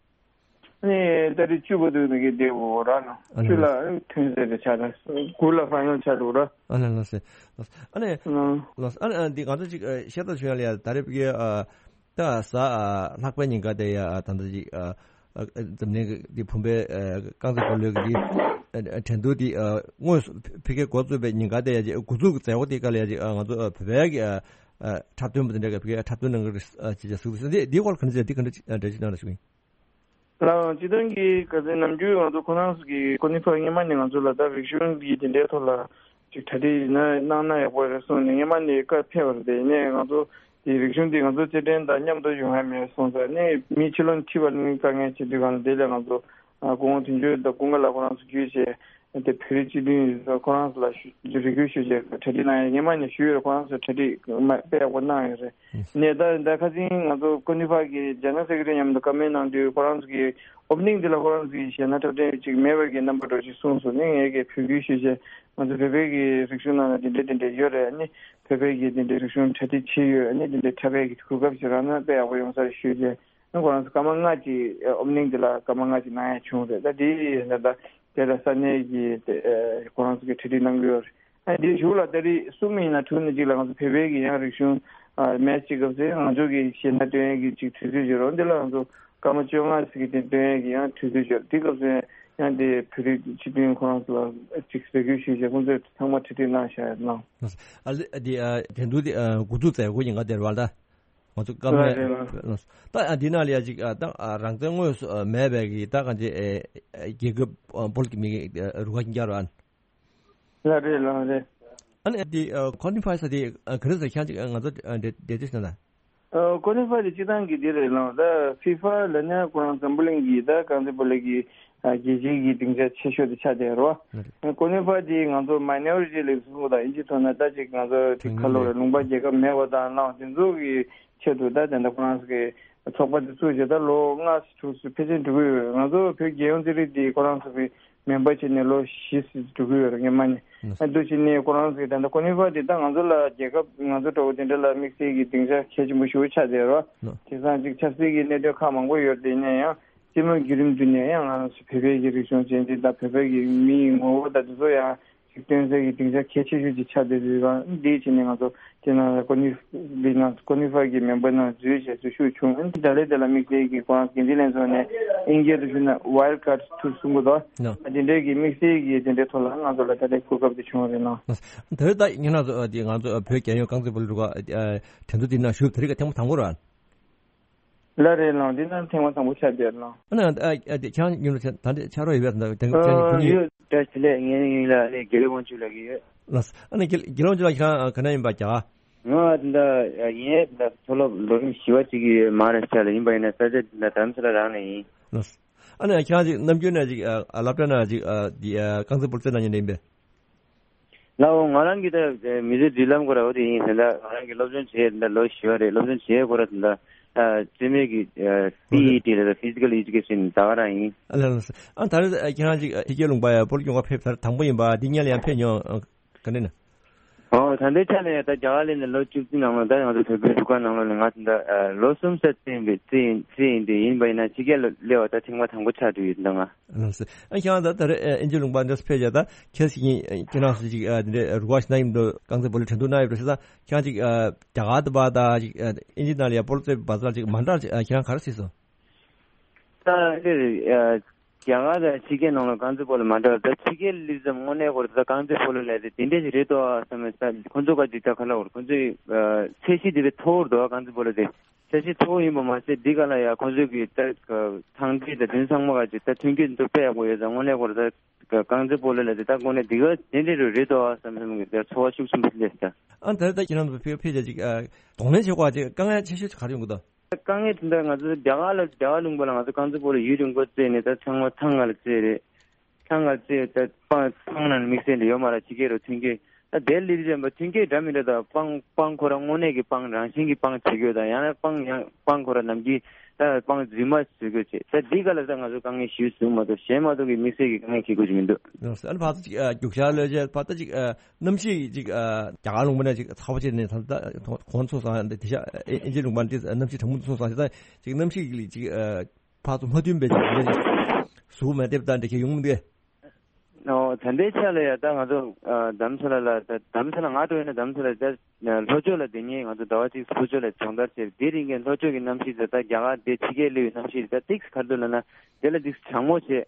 ནི་ཏ་རིག་བཅུ་བར་དུ་ནི་གི་བསྡད་འོ་ར་ནོ། ཨ་ནི་བཅུ་ལ་ཐོན་ཟེར་ཏེ་ཆ་ལ་དགུ་ལ་ཧྥ་ནལ་ཆ་འགྲོ་ར། ཨ་ནི་ལགས་སེ། ཨ་ནི་ཨ་ནི་འདི་ང་ཚོ་ཅིག་བཤད་སྟངས་བྱུང་ཡ་ལ་ཡ་ད་རེས་ཕ་གི་ད་གཟའ་ལྷག་པའི་ཉིན་ཀ་དེ་ཡ་ད་ལྟ་ཅིག་འཛམ་གླིང་གི་འདི་བུམ་པའི་རྐང་རྩེད་སྤོ་ལོའི་གི་འདི་དྲན་གདུང་འདི་དངོས་སུ་ཕ་གི་འགོ་བཙུགས་པའི་ཉིན་ཀ་དེ་ཡ་ཅིག་འགོ་འཛུགས་ཀྱི་མཛད་སྒོ་དེ་ཀ་ལ་ཡ་ཅིག་ང་ཚོ་བོད་པའི་གི་འཁྲབ་སྟོན་པ་དེ་འདྲ་གི་ཕ་གི་འཁྲབ་སྟོན་གནང་གི་རེད་ཅེས་ཅེས་གསུངས་འདུག་འདི་འདིའི་སྐོར་ག་འདྲ་ཅིག་འདི་ག་འདྲ་འདྲ་ཅིག་གནང་ར་ཞུ་གི་ཡིན། ལགས་སྤྱིར་བཏང་གི་ག་ཚོད་ནམ་རྒྱུན་ང་ཚོ་ཁོ་རང་ཚོ་གི་ཀོ་ནི་ཕ་སྔོན་མ་ནས་ང་ཚོ་ལ་ད་རིག་གཞུང་གི་དེ་འདྲའི་ཐོག་ལ་ཅིག་གྲ་སྒྲིག་ཡིན་ན་གནང་ན་ཡག་པོ་རེད་གསུངས་ནས་སྔོན་མ་ནས་བཀའ་ཕེབས་པ་རེད། དེ་ནས་ང་ཚོ་དེ་རིག་གཞུང་དེ་ང་ཚོ་རྩེད་འགྲན་དང་མཉམ་དུ་ཡོང་ཡ་མེད་གསུངས་ཙང་ནས་མི་ཕྱི་ལོགས་ནས་ཁྲིད་པ་ནི་དཀའ་ངལ་ཆེ་དུས་གང་ལ་དེ་ལས་ང་ཚོ་སྐུ་ངོ་དོན་གཅོད་དང་ཀུན་དགའ་ལགས་ཁོ་རང་ཚོ་བརྒྱུད་བྱས་དེ་བོད་རིགས་སྤྱི་མཐུན་ཡིན་ཙང་ཁོ་རང་ཚོ་ལ་ཞུ་རེ་སྐུལ་ཞུས་བྱས་གྲ་སྒྲིག་གནང་ཡ་སྔོན་མ་ནས་ཞུས་ཡོད་རེད། ཁོ་རང་ཚོས་གྲ་སྒྲིག་དཔེ་ཡག་པོ་གནང་ཡོད་རེད། ནས་ད་ད་ཁ་སང་ང་ཚོ་ཀོ་ནི་ཕ་གི་ཇེ་ནེ་རལ་སེ་ཀེ་རེ་ཊི་མཉམ་དུ་བཀའ་མོལ་གནང་དུས་ཁོ་རང་ཚོ་གི་ཨོ་པ་ནིང་དེ་ལ་ཁོ་རང་ཚོ་གི་གཞས་སྣ་འཁྲབ་སྟོན་ཅིག་མེད་པ་གི་རྣམ་པ་འགྲོ་ཅིག་གསུངས་སོང་ནས་ངས་གི་བོད་སྐད་ཞུས་བྱས་ང་ཚོ་བོད་པའི་གི་རིག་གཞུང་ནང་ལ་དེ་འདྲས་དེ་འདྲས་ཡོད་རེད། ཨ་ནི་བོད་པའི་གི་དེ་འདྲས་རིག་གཞུང་གྲ་སྒྲིག་བྱས་ཡོད། ཨ་ནི་དེ་འདྲས་འཁྲབ་པའི་གི་གོ་སྐབས་ཅིག་རག་ན་དཔེ་ཡག་པོ་ཡོང་ས་རེད་ཞུས་བྱས་ཨ་ཁོ་རང་ཚོ་སྐར་མ་ལྔ་ཅིག་ཨོ་པ་ནིང་དེ་ལ་སྐར་མ་ལྔ་ཅིག་གནང་ཡ་བྱུང་རེད། ད་དེ་ཡིན་ན་ད་དེ་ལ་ས་གནས་ཀྱི་དེ་ཁོ་རང་ཚོ་གི་གྲ་སྒྲིག་གནང་གི་ཡོད་རེད། ཨ་འདིའི་གཞུག་ལ་ཏ་རིག་གསུམ་ཡིན་ན་དྲུག་ནས་གཅིག་ལ་ང་ཚོ་བོད་པའི་གི་ཡང་རིག་གཞུང་ཨ་མེད་ཅིག་སྐབས་སུ་ང་ཚོ་གི་གཞས་སྣ་སྟོན་ཡས་ཀྱི་ཅིག་དུས་ཚོད་ཡོད་རེད། འདི་ལ་ང་ཚོ་སྐར་མ་བཅོ་ལྔ་ཙམ་གྱི་སྟེང་སྟོན་ཡས་ཀྱི་ཡང་དུས་ཚོད་ཡོད་རེད། དེ་སྐབས་སུ་ཡང་དེ་བོད་རིགས་སྤྱི་མཐུན་ཁོ་རང་ཚོ་ལ་ཅིག་ཟས་གོས་ཞུས་བྱས་ཁོང་ཚོས་ཚང་མ་གྲ་སྒྲིག་གནང་བཞག་ཡོད་གནང་། ཨ་ལེ་འདི་ཨ་དེ་འདུག་དེ་ཨ་འགོ་འཛུགས་མཛད་སྒོ་ཡིན་ག་དེ་རེད་བ་ད། ང་ཚོ་སྐར་མ་རེད་རེད། ད་ཨ་འདི་ནང་ལ་ཡ་ཅིག་ཨ་ད་ཨ་རང་བཙན་དངོས་སུ་ཨ་མེད་པའི་གི་ད་གང་ཅི་ཨེ་རྒྱལ་ཁབ་ཨ་སྤོ་ལོ་གི་མི་གི་ཨ་རུ་ཁག་ཅིག་རྒྱག་རོགས་ཨ། ལགས་རེད་ལགས་རེད། ཨ་ནི་འདི་ཨ་ཀོ་ནི་ཕ་ས་དེ་ཨ་ག་རེ་ཟེར་ཁྱང་ཅིག་ཨ་ང་ཚོ་ཨ་འདྲེ་འདྲེ་དུས་ན་ད། ཨ་ཀོ་ནི་ཕ་དེ་སྤྱི་བཏང་གི་འདི་རེད་ལགས། ད་ཧྥི་ཧྥ་ལ་ནི་ཁོ་རང་འཛམ་བུ་གླིང་གི་ད་རྐང་རྩེད་སྤོ་ལོ་གི་ཨ་རྒྱལ་སྤྱིའི་གི་སྡིངས་ཆ་ཆེ་ཤོས་དེ་ཆགས་བསྡད་རོ། ཨ་ཀོ་ནི་ཕ་དེ་ང་ཚོ་མའི་ནོ་རི་ཊི་ལབ་སོང་ད་ཨིན་ཇི་ཐོག་ན་ད་ཅིག་ང་ཚོ་དེ་ཁ་ལོ་རེད་ལུང་པ་རྒྱལ་ཁབ་མེད་པ་དང་ལགས་དེ་ཚོ་གི་ཆེད་དུ་ད་དེ་འདྲ་ཁོ་རང་ཚོ་གི་ཚོགས་པ་དེ་བཙུགས་བྱས་ད་ལོ་ལྔ་དྲུག་ཙམ་ཕལ་ཆེར་འགྲོ་གི་ཡོད། ང་ཚོ་བོད་རྒྱལ་ཡོངས་རྩེད་རིགས་དེ་ཁོ་རང་ཚོ་གི་མེམ་བར་བྱས་ནས་ལོ་བཞི་ཙམ་འགྲོ་གི་ཡོད་རེད་སྔོན་མ་ནས། ཨ་འདུག་བྱས་ནས་ཁོ་རང་ཚོས་ད་ལྟ་ཀོ་ནི་ཧྥ་དེ་ད་ང་ཚོ་ལ་རྒྱལ་ཁབ་ང་ཚོ་འདྲ་བོ་དེ་འདྲ་ལ་དམིགས་བསལ་གྱི་སྡིངས་ཆ་གལ་ཆེན་པོ་ཞེ་པོ་ཆགས་བསྡད་རོ། དེང་སང་ཅིག་ཆབ་སྲིད་ཀྱི་གནད་དོན་ཁག་མང་པོ་ཡོད་རེད། ཡིན་ན་ཡང་སྤྱི་དམངས་བརྒྱུད་རིམ་བརྒྱུད་ནས་ཡང་ང་ཚོ་བོད་པའི་གི་རིག་གཞུང་ཅན་དེ་དང་བོད་པའི་གི་མིའི་ངོ་བོ་དང་དེ་ཚོ་ཡང་ཅིག་སྟོན་སའི་གི་སྡིངས་ཆ་གལ་ཆེ་ཤོས་ཅིག་ཆགས་བསྡད་ཡོད་པ་འདིའི་ཆེད་ནས་ང་ཚོ་དེ་ནང་ལ་ཀོ་ནི་འདི་ནང་ཀོ་ནི་ཧྥ་གི་མེམ་བར་ནང་འཛུལ་བྱས་སུ་ཞུགས་བྱུང་། ད་ལས་དེ་ལ་དམིགས་བསལ་གྱི་ཁོ་རང་འགན་འཛིན་ལྷན་ཚོགས་ནས་དབྱིན་སྐད་དུ་ཞུ་ན་ཝའེལ་ཀར་ཊི་ཊུར་གསུང་གི་འདུག་ད་དེ་འདྲའི་གི་དམིགས་བསལ་གྱི་དེ་འདྲའི་ཐོག་ལ་ང་ཚོ་ལ་ད་ལྟའི་གོ་སྐབས་དེ་བྱུང་བ་རེད་ལགས། དེ་རིང་ད་ཉེ་རང་ཚོ་དེ་ང་ཚོ་བོད་རྒྱལ་ཡོངས་རྐང་རྩེད་སྤོ་ལོའི་རུ་ཁག་གྲོས་བསྡུར་དེ་ནང་ཞུགས་དེ་རིང་ག་ཐེངས་མ་དང་པོ་རེད། ལགས་རེད་ལགས། འདི་ནང་ཐེངས་མ་དང་པོ་ཆགས་བསྡད་ལགས། ཨ་ནི་ཨ་ཨ་དེ་ཁྱེད་རང་ཉིད་ལ་ད་འདི་ཕྱག་རོགས་ཡོད་པས་ད་དེ་ཁྱེད་རང་ཉིད་ཡོད། བཀྲ་ཤིས་བདེ་ལེགས། ངའི་མིང་ལ་ཨ་ནི་དགེ་ལེགས་དབང་ཕྱུག་ལབ་ཀྱི་ཡོད། ལགས། ཨ་ནི་དགེ་དགེ་ལེགས་དབང་ཕྱུག་ལགས་ཁྱེད་རང་ག་ནས་ཡིན་པ་རྒྱ་གར། ང་ད་ལྟ་ཡིན་ད་མཐོ་སློབ་ལོ་རིམ་བཞི་པ་གཅིག་གི་མ་ཧཱ་ར་ཤ་ཊ་ལ་ཡིན་པ་ཡིན་ན་ས་ཆ་འདི་ད་དྷ་རམ་ས་ལ་རང་ནས་ཡིན། ལགས། ཨ་ནི་ཁྱེད་རང་ཅིག་ནམ་རྒྱུན་ནས་ཅིག་ཨ་སློབ་གྲྭ་ནང་ཅིག་ཨ་འདི་ཨ་རྐང་རྩེད་སྤོ་ལོ་རྩེད་གནང་མཁན་ཡིན་པས། ལགས་འོ། ང་རང་གི་ད་མི་ཚེ་མདུན་ལམ་སྐོར་ལ་འོ་དེ་ཡིན་ཟེར་ད། ང་རང་གི་སློབ་སྦྱོང་བྱས་ད་ལོ་བཞི་པ་རེད། སློབ་སྦྱོང་བྱས་སྐོར་ལ་ད་ད་རྩེད་མོའི་གི་ཨ་པི་ཨི་ཊི་རེད་ད། Physical Education ད་ག་རང་ཡིན། ཨ་ལ་ལ་ས། ཨ་ད་རེས་ཨ་ཁྱེད་རང་ཅིག་ཨ་ཕྱི་རྒྱལ་ལུང་པ་ཡ་སྤོ་ལོ་སྐྱོང་ག་ཕེབས་ཚར་དང་པོ་ཡིན་པ། འདི་སྔོན་ལ་ཡང་ཕེབས་མྱོང་ཨ་ག་འདྲ་ན། ཨོ་ད་ལྟའི་ཆ་ལ་ཡ་ད་རྒྱ་གར་སླེབས་ནས་ལོ་བཅུ་གཅིག་ནང་ལ་ད་ང་ཚོ་བོད་པའི་རུ་ཁག་ནང་ལོགས་ནས་ང་ད་ལྟ་ཨ་ལོ་གསུམ་ཙམ་རྩེ་ཡིན་པའི་རྩེ་ཡིན་རྩེ་ཡིན་དེ་ཡིན་པ་ཡིན་ན་ཕྱི་རྒྱལ་ལ་སླེབས་པ་ད་ཐེངས་མ་དང་པོ་ཆགས་འགྲོ་ཡོད་ད་ང་། ལགས་སོ། ཨ་ཁྱེད་རང་ད་ད་རེས་ཨ་དབྱིན་ཇི་ལུང་པ་འདིར་ཕེབས་བྱས་ད་ཁྱེད་ཀྱིས་ཨ་ཁྱེད་རང་ཚོ་ཅིག་ཨ་འདི་འདྲའི་རུ་ཁག་ཞིག་ན་ཡིན་འདུག་རྐང་རྩེད་སྤོ་ལོའི་འགྲན་བསྡུར་གནང་ཡོད་པ་རེད་ཟེར་ད། ཁྱེད་རང་ཅིག་ཨ་རྒྱ་གར་དུ་བ་ད་ཅིག་ཨ་དབྱིན་ཇི་ནང་ལ་ཡ་སྤོ་ལོ་རྩེད་པའི་བར་ཐག་ཅིག་མ་འདྲ་ཅིག་ཨ་ཁྱེད་རང་ག་རེ་གཟིགས་སོང་། ད་འདི་རེད་ཨ་རྒྱ་གར་དང་ཕྱི་རྒྱལ་ནང་ལ་རྐང་རྩེད་སྤོ་ལོ་མ་འདྲ་བ་ད་ཕྱི་རྒྱལ་སླེབས་ཙམ་དངོས་གནས་ཁོ་རང་ད་རྐང་རྩེད་སྤོ་ལོ་ལས་དེ་དེ་འདྲ་ཞིག་རེད་དོ་བསམ་མེད་ད་ཁོ་ཚོ་ག་ཅིག་ད་ག་ལ་འོར་ཁོ་ཚོའི་ཨ་ཚད་གཞི་དེ་བས་མཐོ་བོར་འདུག་བ་རྐང་རྩེད་སྤོ་ལོ་དེ། ཆ་ཤས་མཐོ་བོ་ཡིན་པ་མ་ཟད་འདི་ག་ལ་ཡ་ཁོང་ཚོའི་གི་ད་ཐང་འབྲས་དང་དེ་ཚང་མ་ག་ཅིག་ད་ཐོན་སྐྱེད་འདི་ཚོ་དཔེ་ཡག་པོ་ཡོད་ཙང་དངོས་གནས་ཁོ་ར་ད་རྐང་རྩེད་སྤོ་ལོ་ལ་དེ་ད་དངོས་གནས་འདི་ག་དེ་འདྲའི་རུ་རེད་དོ་བསམ་བསམ་གི་ད་ཚོར་བ་ཤུགས་ཆེན་པོ་སླེབས་ད། ཨ་ད་ད་ཁྱེད་རང་ཚོ་ཕེབས་ཕེབས་བྱ་ཅིག་གདོང་ལེན་བྱེད་དགོས་ཅིག་དཀའ་ངལ་ཆེ་ཤོས་ཅིག་ག་རེ་ཡོང་གི་འདུག་དཀའ་ངལ་དེ་འདྲ་ང་ཚོ་རྒྱ་གར་ལ་རྒྱ་གར་ལུང་པ་ལ་ང་ཚོ་རྐང་རྩེད་སྤོ་ལོ་ཡུན་རིང་པོ་རྩེས་ནས་ད་ཚང་མ་ཐང་ང་ལ་རྩེས་རེད། ཐང་ང་རྩེ་ད་སྤང་ཐང་ནང་དམིགས་བསལ་འདྲ་ཡོད་མ་རེད། ཕྱི་རྒྱལ་རུ་ཐོན་སྐྱེད་ད་དེ་སླེབས་ཙམ་པ་ཐོན་སྐྱེད་འདྲ་མི་འདྲ་དང་སྤང་སྤང་ཁོ་རང་དངོས་གནས་ཀྱི་སྤང་རང་བཞིན་གྱི་སྤང་བྱེད་དགོས་དང་ཡང་ན་སྤང་ཡང་སྤང་ཁོ་རང་ནམ་རྒྱུན་ད་སྤང་རྫུན་མ་བཟོ་དགོས་བྱེད་ད་འདི་ག་ལ་ད་ང་ཚོ་དཀའ་ངལ་ཞིག་བཟུང་མ་གཏོགས་གཞན་མ་གཏོགས་ཀྱི་དམིགས་བསལ་གྱི་དཀའ་ངལ་འཁྱེར་དགོས་ཀྱི་མི་འདུག་ཨ་ནི་ཕར་ཚུར་ཅིག་རྒྱུག་ཤར་གློད་བྱེད་ཕར་ད་ཅིག་གནམ་གཤིས་ཅིག་རྒྱ་གར་ལུང་པ་ནས་ཅིག་ཚ་བ་ཆེ་ནས་ད་གོང་ཚོ་སང་དེ་ཤ་ཨིན་ཇི་ལུང་པ་འདི་གནམ་གཤིས་གྲང་མོ་ཚོ་སང་ད་ཅིག་གནམ་གཤིས་ཀྱི་ཅིག་ཕར་ཚུར་མ་མཐུན་པའི་ཅིག་འདི་ཟུག་མེད་དེབ་དང་འདི་ཁྱེད་ཡོང་མི་འདུག་ཨོ་ད་ལྟའི་ཆ་ལ་ཡ་ད་ང་ཚོ་ཨ་དྷ་རམ་ས་ལ་ལ་ད་དྷ་རམ་ས་ལ་ང་འགྲོ་ཡིན་ན་དྷ་རམ་ས་ལ་ད་ལྷོ་ཕྱོགས་ལ་དེ་ཉིན་ང་ཚོ་ཟླ་བ་གཅིག་ལྷོ་ཕྱོགས་ལ་སྦྱོང་བརྡར་བྱས་དེ་རིང་གི་ལྷོ་ཕྱོགས་ཀྱི་གནམ་གཤིས་ད་ད་རྒྱ་གར་དེ་ཕྱི་རྒྱལ་སླེབས་པའི་གནམ་གཤིས་ད་ཏིག་ག་རེ་འདུག་ལབ་ན་དེ་ལ་ཏིག་གྲང་མོ་བྱས།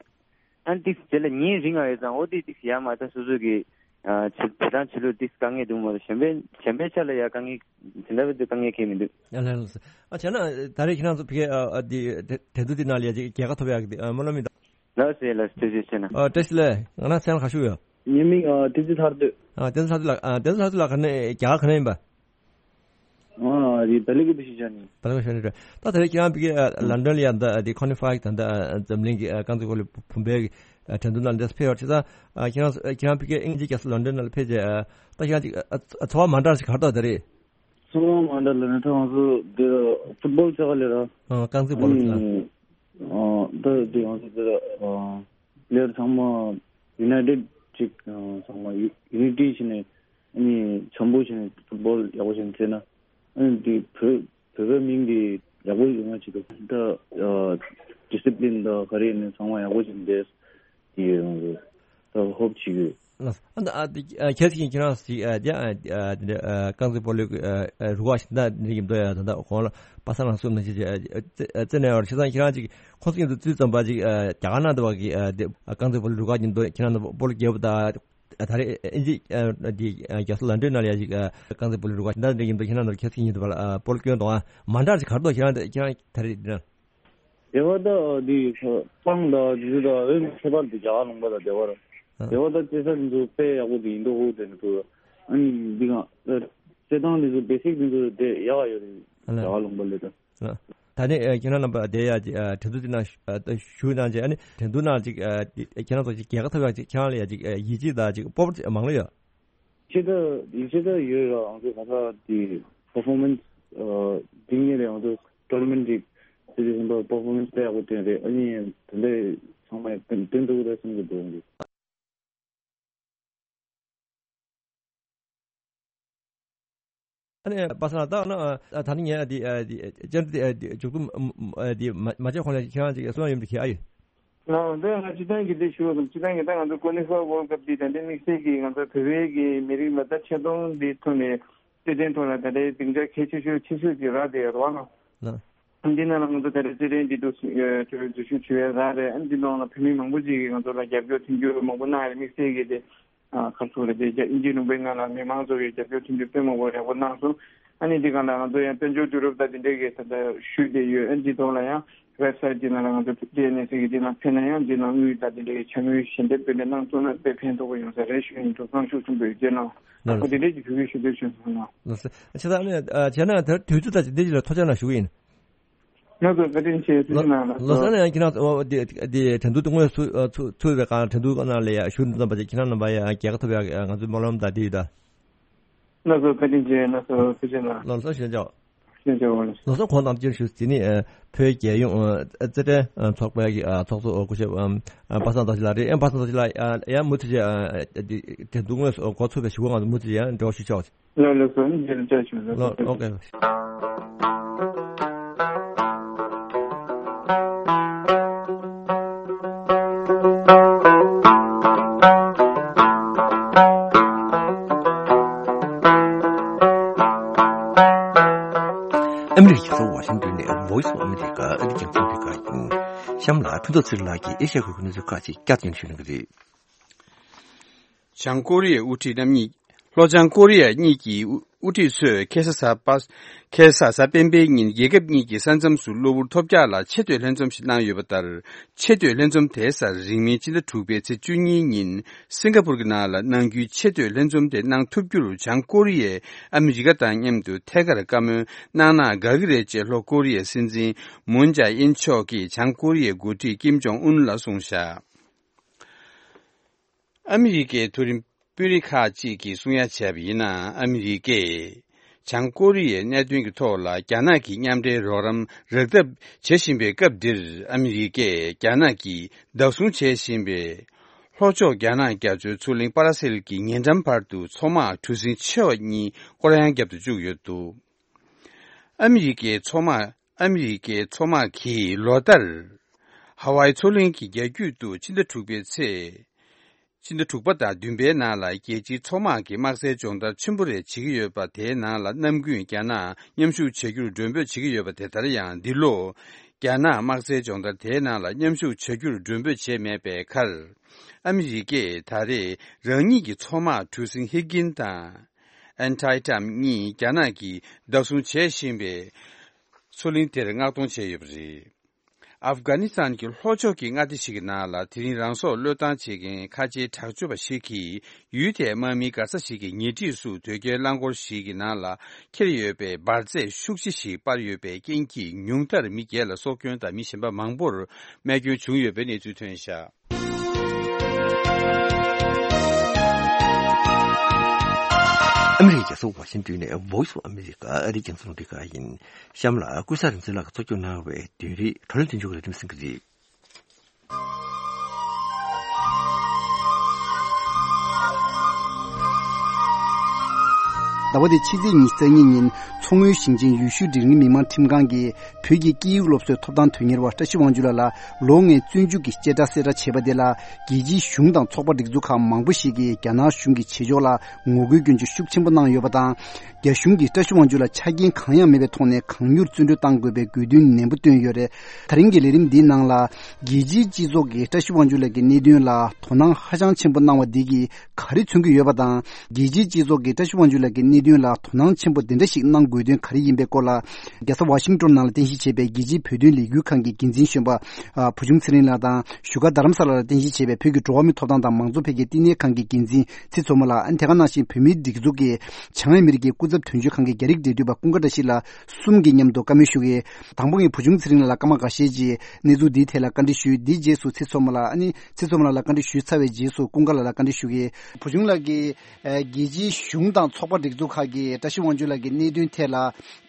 ཨ་ནི་ཏིག་དེ་ལ་ཉིན་རིང་ང་ཡོད་ཙང་འོ་དེ་ཏིག་ཡ་མ་ད་སོ་སོ་གི་ཨ་བྱེད་བྱེད་སྟངས་བྱེད་ལུགས་ཏིག་དཀའ་ངལ་འདུག་མ་གཏོགས་གཞན་པའི་གཞན་པའི་ཆ་ལ་ཡ་དཀའ་ངལ་དེ་འདྲ་བའི་དཀའ་ངལ་གང་ཡང་མི་འདུག་ཨ་ལ་ལ་ས། ཨ་བྱས་ན་ད་རེས་ཁྱེད་རང་ཚོ་ཕ་གིའི་ཨ་ཨ་དེ་དེ་དེ་དུས་དེ་ནང་ལ་ཡ་ཅིག་རྒྱལ་ཁ་ཐོབ་ཡག་གི་ཨ་སྨོན་ལམ་ཡིན་ད། ལགས་སེ་ལགས་སེ་ཐུགས་རྗེ་ཆེ་གནང་། ཨ་བཀྲ་ཤིས་བདེ་ལེགས། ང་རང་མཚན་ལ་ཁ་ཤུ་ཡོད། ངའི་མིང་ཨ་བསྟན་འཛིན་ཐར་འདོད། ཨ་བསྟན་འཛིན་ཐར་འདོད་ལགས། ཨ་བསྟན་འཛིན་ཐར་འདོད་ལགས་ག་ནས་རྒྱ་གར་ག་ནས་ཡིན་པ། ཨ་རི་བལ་ཡུལ་གྱི་བུ་ཞིག་བྱས་ནས། བལ་ཡུལ་ཤོར་ནས་འགྲོ། ད་དེ་རིང་ཁྱེད་རང་ཕ་གི་ཨ་ལོན་ཌོན་ལ་ཡང་ད་དེ་ཁོ་ནི་ཧྥའི་ད་ད་འཛམ་གླིང་གི་ཨ་རྐང་རྩེད་སྤོ་ལོ་བུམ་པའི་ཨ་འགྲན་བསྡུར་ནང་ལ་འདིར་ཕེབས་ཡོད་རེད། བྱས་ཙང་ཨ་ཁྱེད་རང་ཨ་ཁྱེད་རང་ཕ་གི་དབྱིན་ཇི་རྒྱལ་ས་ལོན་ཌོན་ནང་ལ་ཕེབས་རྗེས་ཨ་ད་ཁྱེད་རང་ཅིག་ཨ་ཨ་ཚོར་བ་མ་འདྲ་ཞིག་ག་རེ་འདུག་ད་རེས། ཚོར་བ་མ་འདྲ་ལབ་ན་ད་ང་ཚོ་འདིར་ཕུཊ་བོལ་རྩེད་ག་ལས་ར། ཨ་རྐང་རྩེད་སྤོ་ལོ་རྩེད། ཨ་ད་དེ་ང་ཚོ་འདིར་ཨ་པི་ལེ་ཡར་ཚང་མ་ཡུ་ནའི་ཊེཌ་ཅིག་ཨ་ཚང་མ་ཡུ་ཡུ་ནི་ཊི་བྱས་ནས། ཨ་ནི་འཆམ་པོ་བྱས་ནས་ཕུཊ་བོལ་ཡག་པོ་བྱས་ནས་རྩེས་ན། ཨ་ནི་འདི་བོད་བོད་པའི་མིང་འདི་ཡག་པོ་ཡོང་ང་ཅིག་འདུག་ད་ཨ་ཌི་སི་པི་ལིན་དང་ག་རེ་ཡིན་ནའི་ཚང་མ་ཡག་པོ་བྱས་ནས་བསྡད་ཡོད་རང་རེད། ད་ཧོབ་བྱེད་ཀྱི་ཡོད། ལགས། ཨ་ནི་ཨ་འདི་ཨ་ཁྱེད་ཀྱིས་ཁྱེད་རང་ཅིག་ཨ་འདི་ཨ་ཨ་འདི་འདྲ་ཨ་རྐང་རྩེད་སྤོ་ལོའི་ཨ་ཨ་རུ་ཁག་ཞིག་ད་འདི་ཡིན་འདུག་ཡ། ད་ད་གོང་ལ་པ་སངས་ལགས་གསུངས་ནང་བཞིན་ཅིག་ཨ་ཨ་རྩེ་རྩེ་ནས་ཡོད་རེད། བྱས་ཙང་ཁྱེད་རང་ཅིག་ཁོང་ཚོ་མཉམ་དུ་དུས་ཙམ་པ་ཅིག་ཨ་རྒྱ་གར་ནང་དུ་བ་གི་ཨ་འདི་ཨ་རྐང་རྩེད་སྤོ་ལོའི་རུ་ཁག་ཅིག་འདུག་ཁྱེད་རང་ཚོ་སྤོ་ལོ་རྒྱག་པ་ད། ད་རེས་ཨིན་ཇི་ཨ་འདི་ཨ་རྒྱལ་ས་ལོན་ཌོན་ནང་ལ་ཡ་ཅིག་ཨ་རྐང་རྩེད་སྤོ་ལོའི་རུ་ཁག་ཅིག་འདི་འདྲ་ཡིན་འདུག་ཁྱེད་རང་ཚོ་ཁྱེད་ཚོ་ཉིད་དུ་བ་ལ་ཨ་སྤོ་ལོ་སྐྱོན་དང་མ་འདྲ་ཅིག་ག་རེ་འདུག་ཁྱེད་རང་ཁྱེད་རང་ད་རེས་འདི་ན། སྡེ་བ་ད་འདི་སྤང་ད་འདི་ཚོ་ད་ཨོ་ཁྱད་པར་དུ་རྒྱ་གར་ལུང་པ་དང་སྡེ་བ་ར། ཨ་སྡེ་བ་ད་རྩེ་ས་འདི་ཚོ་དཔེ་ཡག་པོ་འདི་ཡིན་འདུག་ཧོ་དེ་འདྲ་འདུག་ཨ་ནི་འདི་ག་རྩེད་ཐང་འདི་ཚོ་བེ་སིག་འདི་ཚོ་དེ་ཡག་ཡོད་རེད། ཨ་ལ། རྒྱ་གར་ལུང་པ་ལས་ད། ད་ནི་ཨ་ཁྱེད་རང་རྣམ་པ་དེ་ཡ་ཨ་གྲོས་ཚོགས་དེ་ནང་ཨ་ཞུགས་གནང་རྗེས་ཨ་ནི་འགྲན་བསྡུར་ནང་ཅིག་ཨ་ཁྱེད་རང་ཚོ་ཅིག་རྒྱལ་ཁ་ཐོབ་ཡག་ཅིག་ཁྱེད་རང་ལ་ཡ་ཅིག་ཨ་ཡིད་ཆེས་དང་ཅིག་སྤོབས་པ་ཅིག་མང་ལོས་ཡོད། ཡིད་ཆེས་ད་ཡིད་ཆེས་ད་ཡོད་ར། ང་ཚོ་ད་ལྟ་དེ་པར་ཕོར་མན་སི་ཨ་འགྲིག་ངེས་རེད། ང་ཚོ་ཊོར་ན་མེན་ཊི་ཅིག་དེ་དུས་ཙམ་པ་པར་ཕོར་མན་སི་ད་ཡག་པོ་བསྟན་རེད། ཨ་ནི་དེ་འདྲའི་ཚང་མ་ཡང་བསྟན་བསྟན་འདུག་ད་བསམ་གྱི་འདུག་ཨང་ཀི། ཨ་ནི་པ་སངས་ལགས། ད་ཨ་ནི་ད་ནི་ངས་འདི་འདི་བཅར་འདི་འདི་མཇུག་བསྡོམས་འདི་མ་བྱས་གོང་ལ་ཁྱེད་རང་ཅིག་གསུང་ཡ་ཡོད་མེད་ཁྱེད་ཨ་ཡོད། ང་འདི་ང་སྤྱི་བཏང་གི་འདི་ཞུ་བ་དང་། སྤྱི་བཏང་གི་ད་ང་ཚོ་ཀོ་ནི་ཧྥ་ཝོལ་ཀབ་འདི་ད་ལྟའི་དམིགས་བསལ་གྱི་ང་ཚོ་བོད་པའི་གི་མི་རིགས་ལ་ད་ཆེ་མཐོང་འདི་ཐོག་ནས་རྩེད་འགྲན་ཐོག་ལ་ད་ལྟའི་སྡིངས་ཆ་གལ་ཆེ་ཤོས་ཆེ་ཤོས་ཅིག་རག་བསྡད་ཡོད་རེད་བ་ལགས། འདི་ནང་ལ་ང་ཚོ་ད་ལྟ་རྩེད་འགྲན་འདི་འདུག་འཛུལ་ཞུགས་བྱེད་པའི་རག་རེད། ཨ་འདི་ནང་ལ་བོད་མི་མང་པོ་ཅིག་གིས་ང་ཚོ་ལ་རྒྱབ་སྐྱོར་མཐུན་འགྱུར་མང་པོ་གནང་ཡོད་རེད། དམིགས་བསལ་གྱི་དེ་ཨ་ཁ་སོ་རེད་དེ་རྒྱ་དབྱིན་ཇིའི་ལུང་པའི་ནང་ལ་མི་མང་ཚོ་གིས་རྒྱབ་སྐྱོར་མཐུན་འགྱུར་དཔེ་མང་པོ་ཡག་པོ་གནང་སོང་། ཨ་ནི་འདི་གང་ལ་ང་ཚོ་ཡང་དཔལ་འབྱོར་དུས་རབས་ད་འདི་འདྲའི་གི་ད་ལྟ་ཞུས་བསྡད་ཡོད། ཨ་འདི་ཐོག་ལ་ཡང་ཝེབ་སའིཊ་འདི་ནང་ལ་ང་ཚོ་ཊི་ཨེན་ཨེ་སི་གི་འདི་ནང་ཕེབས་ན་ཡང་འདི་ནང་དངུལ་ད་འདི་འདྲའི་གི་འཆར་དངུལ་ཞལ་འདེབས་དེ་འདྲ་གནང་ཐུབ་ན་དཔེ་ཕན་ཐོགས་པོ་ཡོང་ས་རེད་ཞུ་ཡིན་འདུག། གཙང་ཤུགས་ཆེན་པོ་ཡོད་རྗེས་གནང་། ལགས་ཨ་ཁོ་འདི་འདྲའི་གི་ཞུ་གི་ཞུ་འདོད་བྱུང་སོང་ལགས། ལགས་སོ། ཨ་ཆེ་ད་ཨ་ནི་ཨ་བྱས་ན་ད་དུས་ཚོད་ད་འདི་ལ་ཐུགས་རྗེ་གནང་ཞུ་གི་ཡིན། ལགས་སོ། བཀའ་དྲིན་ཆེ། ཐུགས་རྗེ་གནང་། ལགས་སོ། ཨ་ནི་ཡང་ཁྱེད་རང་འདི་འདི་དྲན་གདུང་དེ་དངོས་སུ་ཚུགས་པའི་སྒང་དྲན་གདུང་ནང་ལ་ཡ་ཞུགས་འཛོམས་པ་ཅིག་ཁྱེད་རང་རྣམ་པ་ཡ་རྒྱལ་ཁ་ཐོབ་ཡ་ང་ཚོའི་སྨོན་ལམ་དང་འདི་ཡོད་ད། ལགས་སོ། བཀའ་དྲིན་ཆེ། ལགས་སོ། ཐུགས་རྗེ་གནང་། ལགས་སོ། ཞེས་བྱ། ཞེས་བྱ་བ་ལགས། ལགས་སོ། གོང་དང་སྤྱིར་ཞུ་ཟིན་ནི་བོད་རྒྱལ་ཡོངས་རྩེད་འགྲན་ཚོགས་པའི་ཚོགས་གཙོ་སྐུ་ཞབས་པ་སངས་རྡོ་རྗེ་ལགས་རེད། པ་སངས་རྡོ་རྗེ་ལགས་ཡང་མུ་མཐུད་བྱས་དྲན་གདུང་དངོས་སུ་འགོ་ཚུགས་པའི་ཞུ་སྒོ་ང་ཚོ་མུ་མཐུད་ཡང་འབྲེལ་བ་ཞུ་ཆོག། ལགས་ལགས་སོ། ཨ་ནི་མཇལ་བཅར་བྱུང་། ལགས་སོ། ཨོ་ཀེ། ཨ་མི་རི་ཀའི་རྒྱལ་ས་ཝ་ཤིང་ཏོན་ནས་Voice of America ཨ་རིའི་རྒྱང་སྲིང་ལས་ཁང་ཡིན། གཤམ་ལ་ཕུན་ཚོགས་ཚེ་རིང་ལགས་ཀྱིས་ཨེ་ཤ་ཡའི་ཁུལ་གྱི་གནས་ཚུལ་ཁག་ཅིག་བསྐྱར་དུ་ཞུ་གནང་གི་རེད། བྱང་ཀོ་རི་ཡའི་དབུ་ཁྲིད་རྣམ་གཉིས། ལྷོ་བྱང་ཀོ་རི་ཡ་གཉིས་ཀྱི་དབུ་ཁྲིད་ཚོས་ཁ་སང་གཟའ་པ། ཁ་སང་གཟའ་སྤེན་པའི་ཉིན་རྒྱལ་ཁབ་གཉིས་ཀྱི་ས་མཚམས་སུ་གློ་བུར་ཐོལ་རྒྱག་ལ་ཆེ་བསྟོད་ལྷན་འཛོམས་ཤིག་གནང་ཡོད་པ་ལྟར། ཆེ་བསྟོད་ལྷན་འཛོམས་དེའི་སར་རིང་མིན་ཕྱི་ཟླ་དྲུག་པའི་ཚེས་བཅུ་གཉིས་ཉིན་སིང་ག་པུར་གྱི་ནང་ལ་གནང་རྒྱུའི་ཆེ་བསྟོད་ལྷན་འཛོམས་དེ་གནང་ཐུབ་རྒྱུར་བྱང་ཀོ་རི་ཡས་ཨ་མི་རི་ཀ་དང་མཉམ་དུ་ཐད་ཀར་བཀའ་མོལ་གནང་ན་དགའ་གི་རེད་ཅེས་ལྷོ་ཀོ་རི་ཡའི་སྲིད་འཛིན་མུན་ཇཱ་ཨིན་མཆོག་གིས་བྱང་ཀོ་རི་ཡའི་འགོ་ཁྲིད་ཀིམ་ཇོང་ཨུན་ལ་གསུངས་བཞག། ཨ་མི་རི་ཀའི་མཐོ་རིམ་དཔོན་རིགས་ཁག་ཅིག་གིས་གསུང་ཡ་བྱས་པ་ཡིན་ན། ཨ་མི་རི་ཀས་བྱང་ཀོ་རི་ཡའི་གནད་དོན་གྱི་ཐོག་ལ་རྒྱ་ནག་གི་མཉམ་འབྲེལ་རོགས་རམ་རག་ཐབས་བྱེད་བཞིན་པའི་སྐབས་འདིར། ཨ་མི་རི་ཀས་རྒྱ་ནག་གིས་བདག་བཟུང་བྱེད་བཞིན་པའི་ལྷོ་ཕྱོགས་རྒྱ་ནག་རྒྱ་མཚོའི་མཚོ་གླིང་པ་ར་སེལ་གྱི་ཉེ་འགྲམ་བར་དུ་མཚོ་དམག་གྲུ་གཟིངས་ཆེ་བ་གཉིས་སྐོར་གཡང་བརྒྱབ་ཏུ་བཅུག་ཡོད་འདུག། ཨ་མི་རི་ཀའི་མཚོ་དམག་ཨ་མི་རི་ཀའི་མཚོ་དམག་གིས་ལོ་ལྟར་ཧ་ཝའི་མཚོ་གླིང་གི་རྒྱ་རྒྱུད་དུ་ཕྱི་ཟླ་དྲུག་པའི་ཚེས། ཕྱི་ཟླ་དྲུག་པ་དང་བདུན་པའི་ནང་ལ་རྒྱལ་སྤྱིའི་མཚོ་དམག་གི་དམག་རྩལ་སྦྱོང་བརྡར་ཆེན་པོ་རེ་བྱེད་ཀྱི་ཡོད་པ། དེའི་ནང་ལ་གནམ་དགུན་རྒྱ་ནག་མཉམ་ཞུགས་བྱ་རྒྱུར་མགྲོན་འབོད་བྱེད་ཀྱི་ཡོད་པ། དེ་ལྟར་ཡང་འདི་ལོ་རྒྱ་ནག་དམག་རྩལ་སྦྱོང་བརྡར་དེའི་ནང་ལ་མཉམ་ཞུགས་བྱ་རྒྱུར་མགྲོན་འབོད་བྱས་མེད་པའི་ཁར། ཨ་མི་རི་ཀས་ད་རེས་རང་ཉིད་ཀྱི་མཚོ་དམག་གྲུ་གཟིངས་ཧི་གིན་དང་ཨན་ཐའི་ཊམ་གཉིས་རྒྱ་ནག་གིས་བདག་བཟུང་བྱེད་བཞིན་པའི་མཚོ་གླིང་དེར་མངགས་གཏོང་བྱས་ཡོད་པ་རེད། ཨབ་གྷ་ནི་སི་ཐན་གྱི་ལྷོ་ཕྱོགས་ཀྱི་མངའ་སྡེ་ཞིག་གི་ནང་ལ་དེ་རིང་རང་སྲོག་བློས་བཏང་བྱེད་མཁན་ཁ་ཆེའི་དྲག་སྤྱོད་པ་ཞིག་གིས་ཡུལ་དེའི་དམག་མིའི་མགར་ས་ཞིག་གི་ཉེ་འཁྲིས་སུ་དོས་སྐྱེལ་རླངས་འཁོར་ཞིག་གི་ནང་ལ་འཁྱེར་ཡོད་པའི་འབར་རྫས་ཤུགས་ཆེ་ཞིག་སྤར་ཡོད་པའི་རྐྱེན་གྱིས་ཉུང་མཐར་མི་བརྒྱད་ལ་སྲོག་སྐྱོན་དང་མི་གཞན་པ་མང་པོར་རྨས་སྐྱོན་བྱུང་ཡོད་པའི་གནས་ཚུལ་ཐོན་བཞག། ཨ་མི་རི་ཀའི་རྒྱལ་ས་ཝ་ཤིང་ཏོན་ནས་Voice of America ཨ་རིའི་རྒྱང་སྲིང་རླུང་འཕྲིན་ཁང་ཡིན། གཤམ་ལ་ཀུན་བཟང་རིག་འཛིན་ལགས་ཀྱིས་གཙོ་སྐྱོང་གནང་བའི་བདུན་རེའི་བགྲོ་གླེང་སྟེང་འཇུག་ལ་རིམ་གསན་གྱི་རེད། ཟླ་བ་འདིའི་ཕྱི་ཚེས་ཉི་ཤུ་རྩ་གཉིས་ཉིན་མཚོ་སྔོན་ཞིང་ཆེན་ཡུལ་ཤུལ་སྒྲིག་རིམ་མི་དམངས་ཁྲིམས་ཁང་གིས་བོད་ཀྱི་དཀྱིལ་ཡིག་སློབ་གསོའི་ཐོབ་ཐང་དོན་གཉེར་བ་བཀྲ་ཤིས་དབང་ཕྱུག་ལགས་ལ་ལོ་ལྔའི་བཙོན་འཇུག་གི་བཤད་གྲྭ་གསལ་བསྒྲགས་བྱས་པ་དེ་ལ། རྒྱལ་སྤྱིའི་གཞུང་དང་ཚོགས་པ་སྒྲིག་འཛུགས་ཁག་མང་པོ་ཞིག་གིས་རྒྱ་ནག་གཞུང་གི་བྱེད་ཕྱོགས་ལ་ངོ་རྒོལ་སྐྱོན་བརྗོད་ཤུགས་ཆེན་པོ་གནང་ཡོད་པ་དང་། རྒྱ་གཞུང་གིས་བཀྲ་ཤིས་དབང་ཕྱུག་ལ་ཆ་རྐྱེན་གང་ཡང་མེད་པའི་ཐོག་ནས་གང་མྱུར་བཙོན་གྲོལ་གཏང་དགོས་པའི་དགོས་འདུན་ནན་པོ་བཏོན་ཡོད་རེད། ད་རིང་གི་ལས་རིམ་འདིའི་ནང་ལ། རྒྱལ་སྤྱིའི་སྤྱི་ཚོགས་ཀྱིས་བཀྲ་ཤིས་དབང་ཕྱུག་ལགས་ཀྱི་གནད་དོན་ལ་དོ་སྣང་ཧ་ཅང་ཆེན་པོ་གནང་བ་འདི་གིས་ག་རེ་མཚོན་གྱི་ཡོད་པ་དང་། རྒྱལ་སྤྱིའི་སྤྱི་ཚོགས་ཀྱིས་བཀྲ་ཤིས་དབང་ཕྱུག་ལགས་ཀྱི་གནད་དོན་ལ་དོ་སྣང་ཆེན་པོ་དེ་འདྲ་ཞིག་གནང་དགོས་དོན་ག་རེ་ཡིན་པའི་སྐོར་ལ། རྒྱལ་ས་ཝ་ཤིང་ཏོན་ནང་ལ་རྟེན་གཞི་བྱས་པའི་རྒྱལ་སྤྱིའི་བོད་དོན་ལས་འགུལ་ཁང་གི་འགན་འཛིན་གཞོན་པ་ཨ་བུ་ཆུང་ཚེ་རིང་ལགས་དང་། བཞུགས་སྒར་རྡ་རམ་ས་ལ་ལ་རྟེན་གཞི་བྱས་པའི་བོད་ཀྱི་འགྲོ་བ་མིའི་ཐོབ་ཐང་དང་མང་གཙོ་འཕེལ་རྒྱས་བསྟི་གནས་ཁང་གི་འགན་འཛིན་ཚེ་མཚོ་མོ་ལགས། ཨ་ནི་དེ་ག་ནང་བཞིན་བོད་མིའི་སྒྲིག་འཛུགས་ཀྱི་བྱང་ཨ་མི་རི་ཀའི་སྐུ་ཚབ་དོན་གཅོད་ཁང་གི་རྒྱ་རིགས་འབྲེལ་མཐུད་པ་ཀུན་དགའ་བཀྲ་ཤིས་ལགས་གསུམ་གྱིས་མཉམ་དུ་བཀའ་མོལ་ཞུ་གི། དང་པོ་ངས་བུ་ཆུང་ཚེ་རིང་ལགས་ལ་སྐར་མ་འགའ་ཤས་ཀྱི་གནས་ཚུལ་འདིའི་ཐད་ལ་བཀའ་འདྲི་ཞུས། འདིའི་རྗེས་སུ་ཚེ་མཚོ་མོ་ལགས། ཨ་ནི་ཚེ་མཚོ་མོ་ལགས་ལ་བཀའ་འདྲི་ཞུས་ཚར་བའི་རྗེས་སུ་ཀུན་དགའ་ལགས་ལ་བཀའ་འདྲི་ཞུ་གི། བུ་ཆུང་ལགས་ཀྱིས་ཨ་རྒྱལ་སྤྱིའི་གཞུང་དང་ཚོགས་པ་སྒྲིག་འཛུགས་ ཁག་གིས་བཀྲ་ཤིས་དབང་ཕྱུག་ལགས་ཀྱི་གནད་དོན་ཐད་ལ་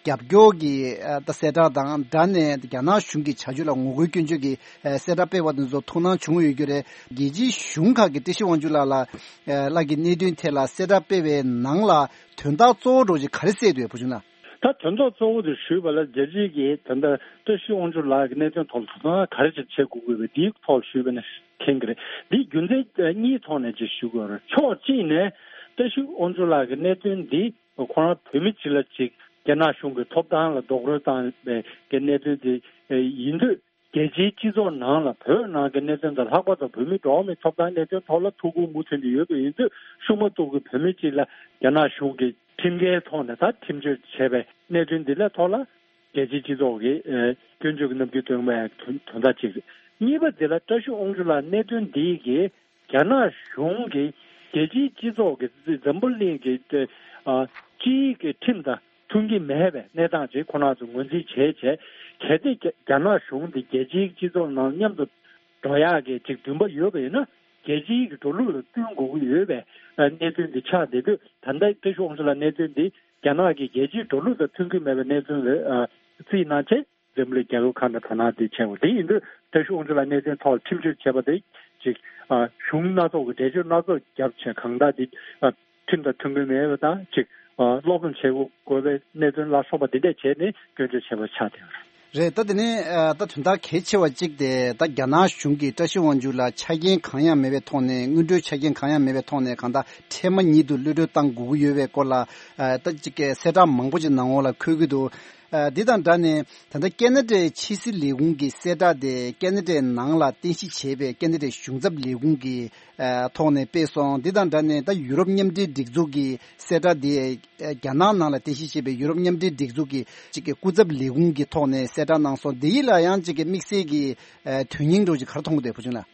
རྒྱབ་སྐྱོར་གྱི་ཨ་ད་གསལ་བསྒྲགས་དང་སྦྲགས་ནས་རྒྱ་ནག་གཞུང་གི་བྱ་སྤྱོད་ལ་ངོ་རྒོལ་སྐྱོན་བརྗོད་ཀྱི་ཨ་གསལ་བསྒྲགས་སྤེལ་བ་དེ་ཚོ་ཐུགས་སྣང་བྱུང་ཡོད་རྒྱུ་རེད། རྒྱལ་སྤྱིའི་གཞུང་ཁག་གིས་བཀྲ་ཤིས་དབང་ཕྱུག་ལགས་ལ་ཨ་ལགས་ཀྱི་གནད་དོན་ཐད་ལ་གསལ་བསྒྲགས་སྤེལ་བའི་ནང་ལ་དོན་དག་གཙོ་བོ་འདྲ་བོ་ཅིག་ག་རེ་གསལ་འདུག་བུ་ཆུང་ལགས། ད་དོན་དག་གཙོ་བོ་དེ་ཞུས་པ་ལ་རྒྱལ་སྤྱིའི་གི་ད་ལྟ་བཀྲ་ཤིས་དབང་ཕྱུག་ལགས་ཀྱི་གནད་དོན་ཐོག་ལ་ད་ལྟ་ག་རེ་ཅིག་བྱེད་དགོས་དགོས་པའི་དེའི་ཐོག་ཞུས་པ་ན་མཁྱེན་གྱི་རེད། འདི་རྒྱུ་མཚན་གཉིས་ཐོག་ནས་ཅིག་ཞུ་དགོས་རེད། ཕྱོགས་གཅིག་ནས་བཀྲ་ཤིས་དབང་ཕྱུག་ལགས་ཀྱི་གནད་དོན་འདི་ཁོ་རང་བོད་མི་གཅིག་ལ་གཅིག་རྒྱ་ནག་གཞུང་གི་ཐོབ་ཐང་ལ་རྡོག་རོལ་བཏང་བའི་གི་གནད་དོན་དེ་ཡིན་དུས། རྒྱལ་སྤྱིའི་སྤྱི་ཚོགས་ནང་ལ་བོད་ནང་གི་གནད་དོན་དང་། ལྷག་པར་དུ་བོད་མི་འགྲོ་བ་མིའི་ཐོབ་ཐང་གནད་དོན་ཐོག་ལ་ཐུགས་ཁུར་མུ་མཐུད་ནས་ཡོད་པ་ཡིན་དུས། ཤུགས་མ་གཏོགས་ཀྱི་བོད་མི་གཅིག་ལ་རྒྱ་ནག་གཞུང་གིས་ཁྲིམས་འགལ་ཐོག་ནས་ད་ཁྲིམས་གཅོད་བྱས་པའི་གནད་དོན་འདི་ལ་ཐོག་ལ་རྒྱལ་སྤྱིའི་སྤྱི་ཚོགས་ཀྱིས་ཨ་སྐྱོན་བརྗོད་ཀྱི་རྣམ་འགྱུར་སྟོན་པའི་དོན་དོན་དག་ཅིག་རེད། གཉིས་པ་འདི་ལ་བཀྲ་ཤིས་དབང་ཕྱུག་ལགས་གནད་དོན་འདི་གིས་རྒྱ་ནག་གཞུང་གིས་རྒྱལ་སྤྱིའི་སྤྱི་ཚོགས་ཀྱི་འཛམ་བུ་གླིང་གི་ཨ་སྤྱིའི་གི་ཁྲིམས་དང་མཐུན་གྱི་མེད་པའི་གནས་སྟངས་ཅིག་ཁོ་རང་ཚོ་ངོས་འཛིན་བྱས་བྱས། གལ་ཏེ་རྒྱ་རྒྱ་ནག་གཞུང་འདི་རྒྱལ་སྤྱིའི་སྤྱི་ཚོགས་ནང་མཉམ་དུ་འགྲོ་ཡག་གི་ཅིག་འདུན་པ་ཡོད་པ་ཡིན་ན། རྒྱལ་སྤྱིའི་གི་འགྲོ་ལུགས་ལ་བསྟུན་དགོས་ཀྱི་ཡོད་པའི་ཨ་གནད་དོན་འདི་ཆགས་བསྡད་དུས། ད་ལྟ་བཀྲ་ཤིས་དབང་ཕྱུག་ལགས་གནད་དོན་འདི་རྒྱ་ནག་གི་རྒྱལ་སྤྱིའི་འགྲོ་ལུགས་དང་མཐུན་གྱི་མེད་པའི་གནད་དོན་ལ་ཨ་རྩིས་གནང་བྱས། འཛམ་གླིང་རྒྱལ་ཁབ་ཁག་ནས་དོ་སྣང་དེ་བྱས་པ་དེ་ཡིན་དུས། བཀྲ་ཤིས་དབང་ཕྱུག་ལགས་གནད་དོན་ཐོག་ཁྲིམས་གཅོད་བྱས་པ་དེ་ཅིག་ཨ་གཞུང་སྣ་ཚོགས་ཀྱི་འགྲེལ་བརྗོད་སྣ་ཚོགས་བརྒྱབ་བྱས། གང་ལྟར་འདི་ཨ་ཁྲིམས་དང་མཐུན་གྱི་མེད་པ་དང་། ཅིག་ཨ་སློབ་སྦྱོང་བྱེད་དགོས་པའི་གནད་དོན་ལ་སོགས་པ་འདི་འདྲས་བྱས་ནས་སྐྱོན་བརྗོད་བྱས་པ་ཆགས་བསྡད་ཡོད་རེད། རེད། ད་དེ་ནས་ཨ་ད་དོན་དག་གལ་ཆེ་བ་གཅིག་དེ། ད་རྒྱ་ནག་གཞུང་གིས་བཀྲ་ཤིས་དབང་ཕྱུག་ལ་ཆ་རྐྱེན་གང་ཡང་མེད་པའི་ཐོག་ནས། སྔོན་འགྲོའི་ཆ་རྐྱེན་གང་ཡང་མེད་པའི་ཐོག་ནས་གང་ལྟར་འཕྲལ་མ་ཉིད་དུ་གློད་གྲོལ་བཏང་དགོས་ཀྱི་ཡོད་པའི་སྐོར་ལ་ཨ་ད་ཅིག་གསལ་བསྒྲགས་མང་པོ་ཅིག་ནང་འོག་ལ་འཁོད་ཀྱི་འདུག་ཨ་འདི་དང་སྦྲགས་ནས་ད་ལྟ་ཁེ་ན་ཌའི་ཕྱི་སྲིད་ལས་ཁུངས་ཀྱི་གསལ་བསྒྲགས་དེ་ཁེ་ན་ཌའི་ནང་ལ་རྟེན་གཞི་བྱས་པའི་ཁེ་ན་ཌའི་གཞུང་ཚབ་ལས་ཁུངས་ཀྱི་ཨ་ཐོག་ནས་སྤེལ་སོང་། འདི་དང་སྦྲགས་ནས་ད་ཡུ་རོབ་མཉམ་འབྲེལ་སྒྲིག་འཛུགས་ཀྱི་གསལ་བསྒྲགས་དེ་ཨ་རྒྱ་ནག་ནང་ལ་རྟེན་གཞི་བྱས་པའི་ཡུ་རོབ་མཉམ་འབྲེལ་སྒྲིག་འཛུགས་ཀྱི་ཅིག་གི་སྐུ་ཚབ་ལས་ཁུངས་ཀྱི་ཐོག་ནས་གསལ་བསྒྲགས་གནང་སོང་། འདི་ཡིད་ལ་ཡང་ཅིག་གི་དམིགས་བསལ་གྱི་ཨ་དོན་སྙིང་འདྲ་བོ་ཅིག་ག་རེ་མཐོང་གི་འདུག་བུ་ཆུང་ལགས།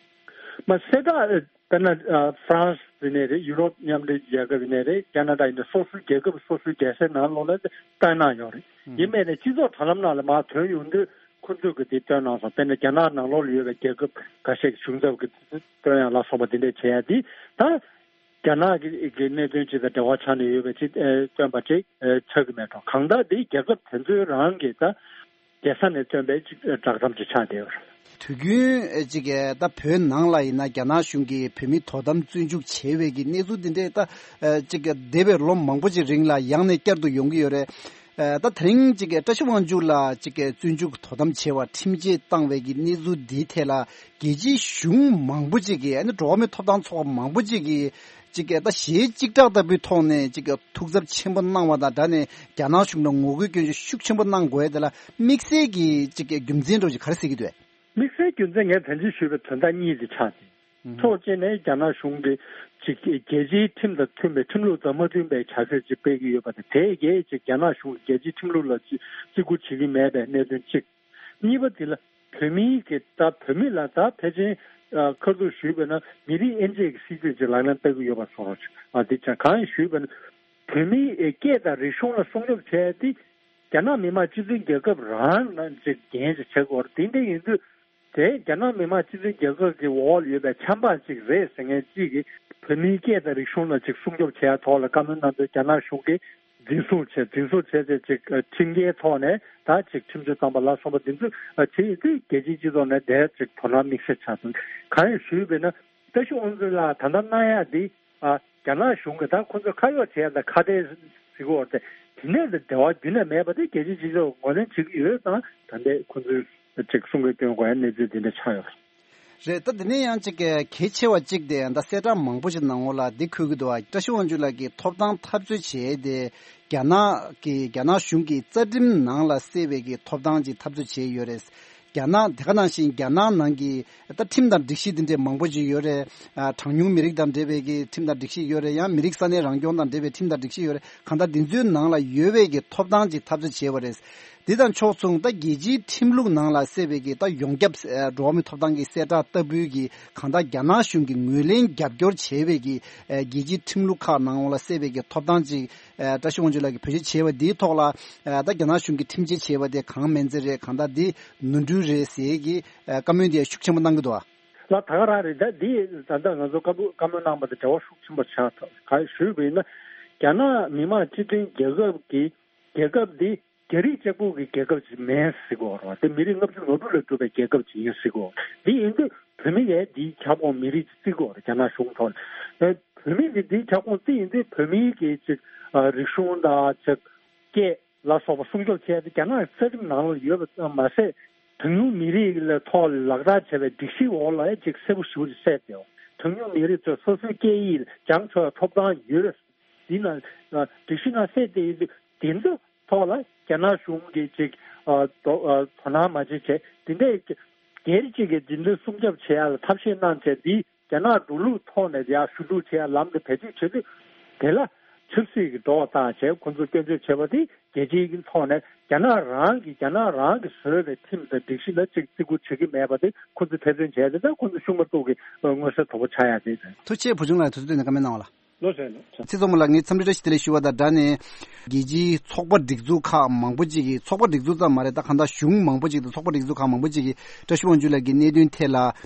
མ་གསལ་བསྒྲགས་དཔེར་ན་ཨ་ཧྥ་རན་སི་ཡིན་ནའི་རེད། ཡུ་རོབ་མཉམ་འབྲེལ་རྒྱལ་ཁབ་ཡིན་ནའི་རེད། ཁེ་ན་ཌ་ཡིན་ནའི། སོ་སོའི་རྒྱལ་ཁབ་སོ་སོའི་རྒྱལ་སའི་ནང་ལོགས་ལ་བཏོན་གནང་ཡོད་རེད། ཡིན་པས་ནས་སྤྱི་ཚོགས་དྲ་ལམ་ནང་ལ་མར་ཐོན་ཡོང་དུས་ཁོ་ཚོས་གི་དེ་བཏོན་གནང་སོང་། དཔེར་ན་རྒྱ་ནག་ནང་ལོགས་ལ་ཡོད་པའི་རྒྱལ་ཁབ་ཁ་ཤས་ཀྱི་གཞུང་ཚབ་ཀྱི་བཏོན་ཡག་ལ་སོགས་པ་དེ་འདྲས་བྱེད་ཡ་དེ། ད་རྒྱ་ནག་གི་གི་གནད་དོན་ཅིག་དང་འབྲེལ་བ་ཆགས་ནས་ཡོད་པའི་ཅིག་ཨེ་བཏོན་པ་ཅིག་ཨེ་ཆགས་ཀྱི་མེད་འགྲོ། གང་ལྟར་དེ་རྒྱལ་ཁབ་དེ་ཚོའི་རང་གི་ད་རྒྱལ་ས་ནས་བཏོན་པའི་ཅིག་བསྒྲགས་གཏམ་ཅིག་ཆགས་བསྡད་ཡོད་རེད། དུས་རྒྱུན་ཨེ་ཅིག་ཨེ་ད་བོད་ནང་ལ་ཡིན་ན་རྒྱ་ནག་གཞུང་གིས་བོད་མི་དོ་དམ་བཙོན་འཇུག་བྱས་པའི་གི་གནས་ཚུལ་འདི་འདྲས་ད་ཨེ་ཅིག་འདས་པའི་ལོ་མང་པོ་ཅིག་རིང་ལ་ཡང་ནས་བསྐྱར་དུ་ཡོང་གི་ཡོད་རེད། ཨེ་ད་དེ་རིང་ཅིག་བཀྲ་ཤིས་དབང་ཕྱུག་ལགས་ཅིག་བཙོན་འཇུག་དོ་དམ་བྱས་པ་ཁྲིམས་ཆད་བཏང་བའི་གི་གནས་ཚུལ་འདིའི་ཐད་ལ་རྒྱལ་སྤྱིའི་གཞུང་མང་པོ་ཅིག་གིས། ཨ་ནི་འགྲོ་བ་མིའི་ཐོབ་ཐང་ཚོགས་པ་མང་པོ་ཅིག་གིས་ཅིག་ད་ཞེ་གཅིག་གྲགས་ལྟ་བུའི་ཐོག་ནས་ཅིག་ཐུགས་འཚབ་ཆེན་པོ་གནང་བ་དང་སྦྲགས་ནས་རྒྱ་ནག་གཞུང་ལ་ངོ་རྒོལ་སྐྱོན་བརྗོད་ཤུགས་ཆེན་པོ་གནང་དགོས་ཡ་དེ་ལ་དམིགས་བསལ་གྱི་ཅིག་རྒྱུ་མཚན་འདྲ་བོ་ཅིག་ག་རེ་གཟིགས་ཀྱི་འདུག་དམིགས་བསལ་རྒྱུ་མཚན་ངས་ད་གིན་ཞུས་པའི་དོན་དག་གཉིས་དེ་ཆགས་ཏེ། ཕྱོགས་གཅིག་ནས་རྒྱ་ནག་གཞུང་གིས་ཅིག་རྒྱལ་སྤྱིའི་ཁྲིམས་དང་མཐུན་པའི། ཁྲིམས་ལུགས་དང་མ་མཐུན་པའི་བྱ་སྤྱོད་ཅིག་སྤེལ་གྱི་ཡོད་པ་དང་། དེ་གས་ཅིག་རྒྱ་ནག་གཞུང་གིས་རྒྱལ་སྤྱིའི་ཁྲིམས་ལུགས་ལ་ཅིག་བརྩི་བཀུར་བྱེད་ཀྱི་མེད་པའི་གནད་དོན་གཅིག་གཉིས་པ་དེ་ལ་བོད་མིའི་གི་ད་བོད་མི་ལ་ད་ཕལ་ཆེར་ཨ་ཁ་ཐུག་ཞུས་པ་ན་མི་རིགས་དབྱེ་འབྱེད་ཀྱི་སྲིད་ཇུས་ཅིག་ལག་ལེན་བསྟར་གྱི་ཡོད་པ་བཟོ་འདྲ་ཅིག་ཨ་དེ་ཅང་གང་ཡིན་ཞུས་པ་ན། བོད་མིའི་སྐད་དང་རིག་གཞུང་ལ་སྲུང་སྐྱོབ་བྱས་ཏེ། རྒྱ་ནག་མི་དམངས་སྤྱི་མཐུན་རྒྱལ་ཁབ་རང་ནང་ཅིག་འགན་ཅིག་བཞེས་དགོས་རེད། དེ་འདྲ་ཡིན་དུས་དེ་རྒྱ་ནག་མི་དམངས་སྤྱི་མཐུན་རྒྱལ་ཁབ་ཀྱི་འོག་ལ་ཡོད་པའི་ཆབ་འབངས་ཅིག་རེད་ཟེར་མཁན་ཅིག་གིས་བོད་མིའི་སྐད་དང་རིག་གཞུང་ལ་ཅིག་སྲུང་སྐྱོབ་བྱེད་ཡ་ཐོག་ལ་བཀའ་མོལ་གནང་དུས། རྒྱ་ནག་གཞུང་གིས་འཛིན་བཟུང་བྱས། འཛིན་བཟུང་བྱས་ཏེ་ཅིག་ཁྲིམས་འགལ་ཐོག་ནས་ད་ཅིག་ཁྲིམས་གཅོད་བཏང་པ་ལ་སོགས་པ་འདི་ཚོ་བྱེད་ཡོད་དུས། རྒྱལ་སྤྱིའི་སྤྱི་ཚོགས་ནས་དེ་ཅིག་དོ་སྣང་དམིགས་བསལ་ཆགས་སོང་། གང་ཡིན་ཞུས་པས་ན། བཀྲ་ཤིས་དབང་ཕྱུག་ལགས་ད་ལྟ་གནང་ཡག་འདི། ཨ་རྒྱ་ནག་གཞུང་གིས་ད་ཁོ་ཚོ་ཁ་གཡོག་བྱས་ཡ་དང་ཁ་བྲལ་ཟེར་གྱི་ཡོད་རེད། དེ་ནས་འབྲེལ་བ་རྒྱུན་ནས་མེད་པ་དེ་རྒྱལ་སྤྱིའི་སྤྱི་ཚོགས་ངོས་ལེན་བྱེད་ཀྱི་ཡོད་ཙང་། ད་ལྟའི་ཁོ་ཚོས་ཅིག་གསུང་གི་སྐྱོན་དགོས་ཡ་གནས་ཚུལ་འདི་འདྲ་ཆགས་ཡོད་རེད། རེད། ད་འདི་ནས་ཡང་ཅིག་གལ་ཆེ་བ་གཅིག་དེ་ད་གསལ་བསྒྲགས་མང་པོ་ཞིག་ནང་འོག་ལ་འདི་འཁོད་ཀྱི་འདུག་བ། བཀྲ་ཤིས་དབང་ཕྱུག་ལགས་ཀྱི་ཐོབ་ཐང་འཐབ་རྩོད་བྱས་ཏེ། རྒྱ་ནག་གི་རྒྱ་ནག་གཞུང་གི་རྩ་ཁྲིམས་ནང་ལ་གསལ་བའི་གི་ཐོབ་ཐང་ཅིག་འཐབ་རྩོད་བྱས་ཡོད་རེད། རྒྱ་ནག་དེ་ག་ནང་བཞིན་རྒྱ་ནག་ནང་གི་ད་ཁྲིམས་དང་སྒྲིག་གཞི་འདི་འདྲའི་མང་པོ་ཅིག་ཡོད་རེད། ཨ་གྲངས་ཉུང་མི་རིགས་དང་འབྲེལ་བའི་གི་ཁྲིམས་དང་སྒྲིག་གཞི་ཡོད་རེད། ཡང་མི་རིགས་ས་གནས་རང་སྐྱོང་དང་འབྲེལ་བའི་ཁྲིམས་དང་སྒྲིག་གཞི་ཡོད་རེད། གང་ལྟར་འདི་ཚོའི་ནང་ལ་ཡོད་པའི་གི་ཐོབ་ཐང་ཅིག་འཐབ་རྩོད་བྱས་པ་རེད། འདི་དང་ཕྱོགས་མཚུངས་ད་རྒྱལ་སྤྱིའི་ཁྲིམས་ལུགས་ནང་ལ་གསལ་བའི་གི་ད་ཡོངས་ཁྱབ་ཨ་འགྲོ་བ་མིའི་ཐོབ་ཐང་གི་གསལ་བསྒྲགས་ལྟ་བུའི་གི་གང་ལྟར་རྒྱ་ནག་གཞུང་གིས་ངོས་ལེན་རྒྱབ་སྐྱོར་བྱས་པའི་གི་ཨ་རྒྱལ་སྤྱིའི་ཁྲིམས་ལུགས་ཁག་ནང་ལ་གསལ་བའི་གི་ཐོབ་ཐང་ཅིག་ཨ་བཀྲ་ཤིས་དབང་ཕྱུག་ལགས་ཀྱིས་བེད་སྤྱོད་བྱས་པ་འདིའི་ཐོག་ལ། ཨ་ད་རྒྱ་ནག་གཞུང་གིས་ཁྲིམས་ཆད་བྱས་པ་དེ་གང་མིན་ཚད་རེད། གང་ལྟར་འདི་ནོར་འཁྲུལ་རེད་ཟེར་གྱི་ཨ་བཀའ་མོལ་འདི་ཤུགས་ཆེན་པོ་གནང་གི་འདུག་ཨ། ལགས། ད་ག་རང་རེད། ད་འདི་ད་ལྟ་ང་ཚོ་བཀའ་མོལ་བཀའ་མོལ་གནང་པ་དང་འབྲེལ་བ་ཤུགས་ཆེན་པོ་ཆགས་ཐུབ། གང་ཞུས་པ་ཡིན་ན། རྒྱ་ནག་མི་དམངས་སྤྱི་མཐུན་རྒྱལ་ཁབ་ཀྱི་རྒྱལ་ཁབ་འདི་རྒྱ་རིགས་གཅིག་པུ་གི་རྒྱལ་ཁབ་ཅིག་མིན་ཟེར་གོ་རེད་བ། དེ་མི་རིགས་ལྔ་བཅུ་ང་དྲུག་ལས་གྲུབ་པའི་རྒྱལ་ཁབ་ཅིག་ཡིན་ཟེར་གོ། འདི་ཡིན་དུས་བོད་མི་ཡས་འདིའི་ཁྱབ་ཁོངས་མི་རིགས་ཅིག་བརྩི་གོ་རེད། རྒྱ་ནག་གཞུང་ཐོག་ནས་བོད་མི་གི་འདིའི་ཁྱབ་ཁོངས་བརྩི་ཡིན་དུས་བོད་མིའི་གི་ཅིག་རིག་གཞུང་དང་ཅིག་སྐད་ལ་སོགས་པ་སྲུང་སྐྱོབ་བྱས་ཏེ་རྒྱ་ནག་རྩ་ཁྲིམས་ནང་ལ་ཡོད་པ་ཙམ་མ་ཟད། གྲངས་ཉུང་མི་རིགས་ལ་ཐོག་ལ་ལག་བསྟར་བྱས་པའི་སྒྲིག་གཞི་འོག་ལ་ཅིག་གསལ་པོ་ཞེ་པོ་ཅིག་གསལ་ཏེ། གྲངས་ཉུང་མི་རིགས་ཚོས་སོ་སོའི་སྐད་ཡིག་སྦྱང་ཆོག་པའི་ཐོབ་ཐང་ཡོད། འདི་ན་སྒྲིག་གཞི་ནང་གསལ་ཏེ་ཡོད་དུས་འདི་ཚོ་ཐོག་ལ་རྒྱ་ནག་གཞུང་གིས་ཅིག་དོ་དོ་སྣང་མ་བྱེད་བྱས་འདི་འདྲའི་སྒེར་གཅིག་གིས་འདི་འདྲའི་སྲུང་སྐྱོབ་བྱེད་ཡ་ལ་ཐབས་ཤེས་གནང་བྱས་འདི། རྒྱ་ནག་འགྲོ་ལུགས་ཐོག་ནས་ཡར་ཞུ་གཏུག་བྱེད་ཡ་ལམ་དུ་བེད་སྤྱོད་བྱེད་དུས། དེ་ལ་ཆབ་སྲིད་ཀྱི་འགྲོ་བ་བཏང་བྱས་ཁོ་ཚོ་སྐྱོན་བརྗོད་བྱེད་པ་དེ་རྒྱལ་སྤྱིའི་ཐོག་ནས་རྒྱ་ནག་རང་གིས་རྒྱ་ནག་རང་གིས་བཟོས་པའི་ཁྲིམས་དང་སྒྲིག་གཞི་ལ་ཅིག་བརྩི་བཀུར་བྱེད་ཀྱི་མེད་པ་དེ་ཁོ་ཚོས་ཐེར་འདོན་བྱས་ཏེ། ད་ཁོ་ཚོ་ཤུགས་མ་གཏོགས་ཀྱི་མངོན་གསལ་དོད་པོ་ཆགས་ཡ་དེ་རེད། ཐུགས་རྗེ་ཆེ། བུ་ཆུང་ལགས་དུས་ཚོད་བཏོན་ནས་བཀའ་མོལ་གནང་བ་ལ། ལོ་ཟེར་ནོ། ཚེ་རྫོང་མ་ལགས་ངས་འཚམས་འདྲི་བཀྲ་ཤིས་བདེ་ལེགས་ཞུ་བ་དང་སྦྲགས་ནས། རྒྱལ་སྤྱིའི་ཚོགས་པ་སྒྲིག་འཛུགས་ཁག་མང་པོ་ཅིག་གིས། ཚོགས་པ་སྒྲིག་འཛུགས་ཙམ་མ་རེད། ད་གང་ལྟར་གཞུང་མང་པོ་ཅིག་དང་ཚོགས་པ་སྒྲིག་འཛུགས་ཁག་མང་པོ་ཅིག་གིས་བཀྲ་ཤིས་དབང་ཕྱུག་ལགས་ཀྱི་གནད་དོན་ཐད་ལ་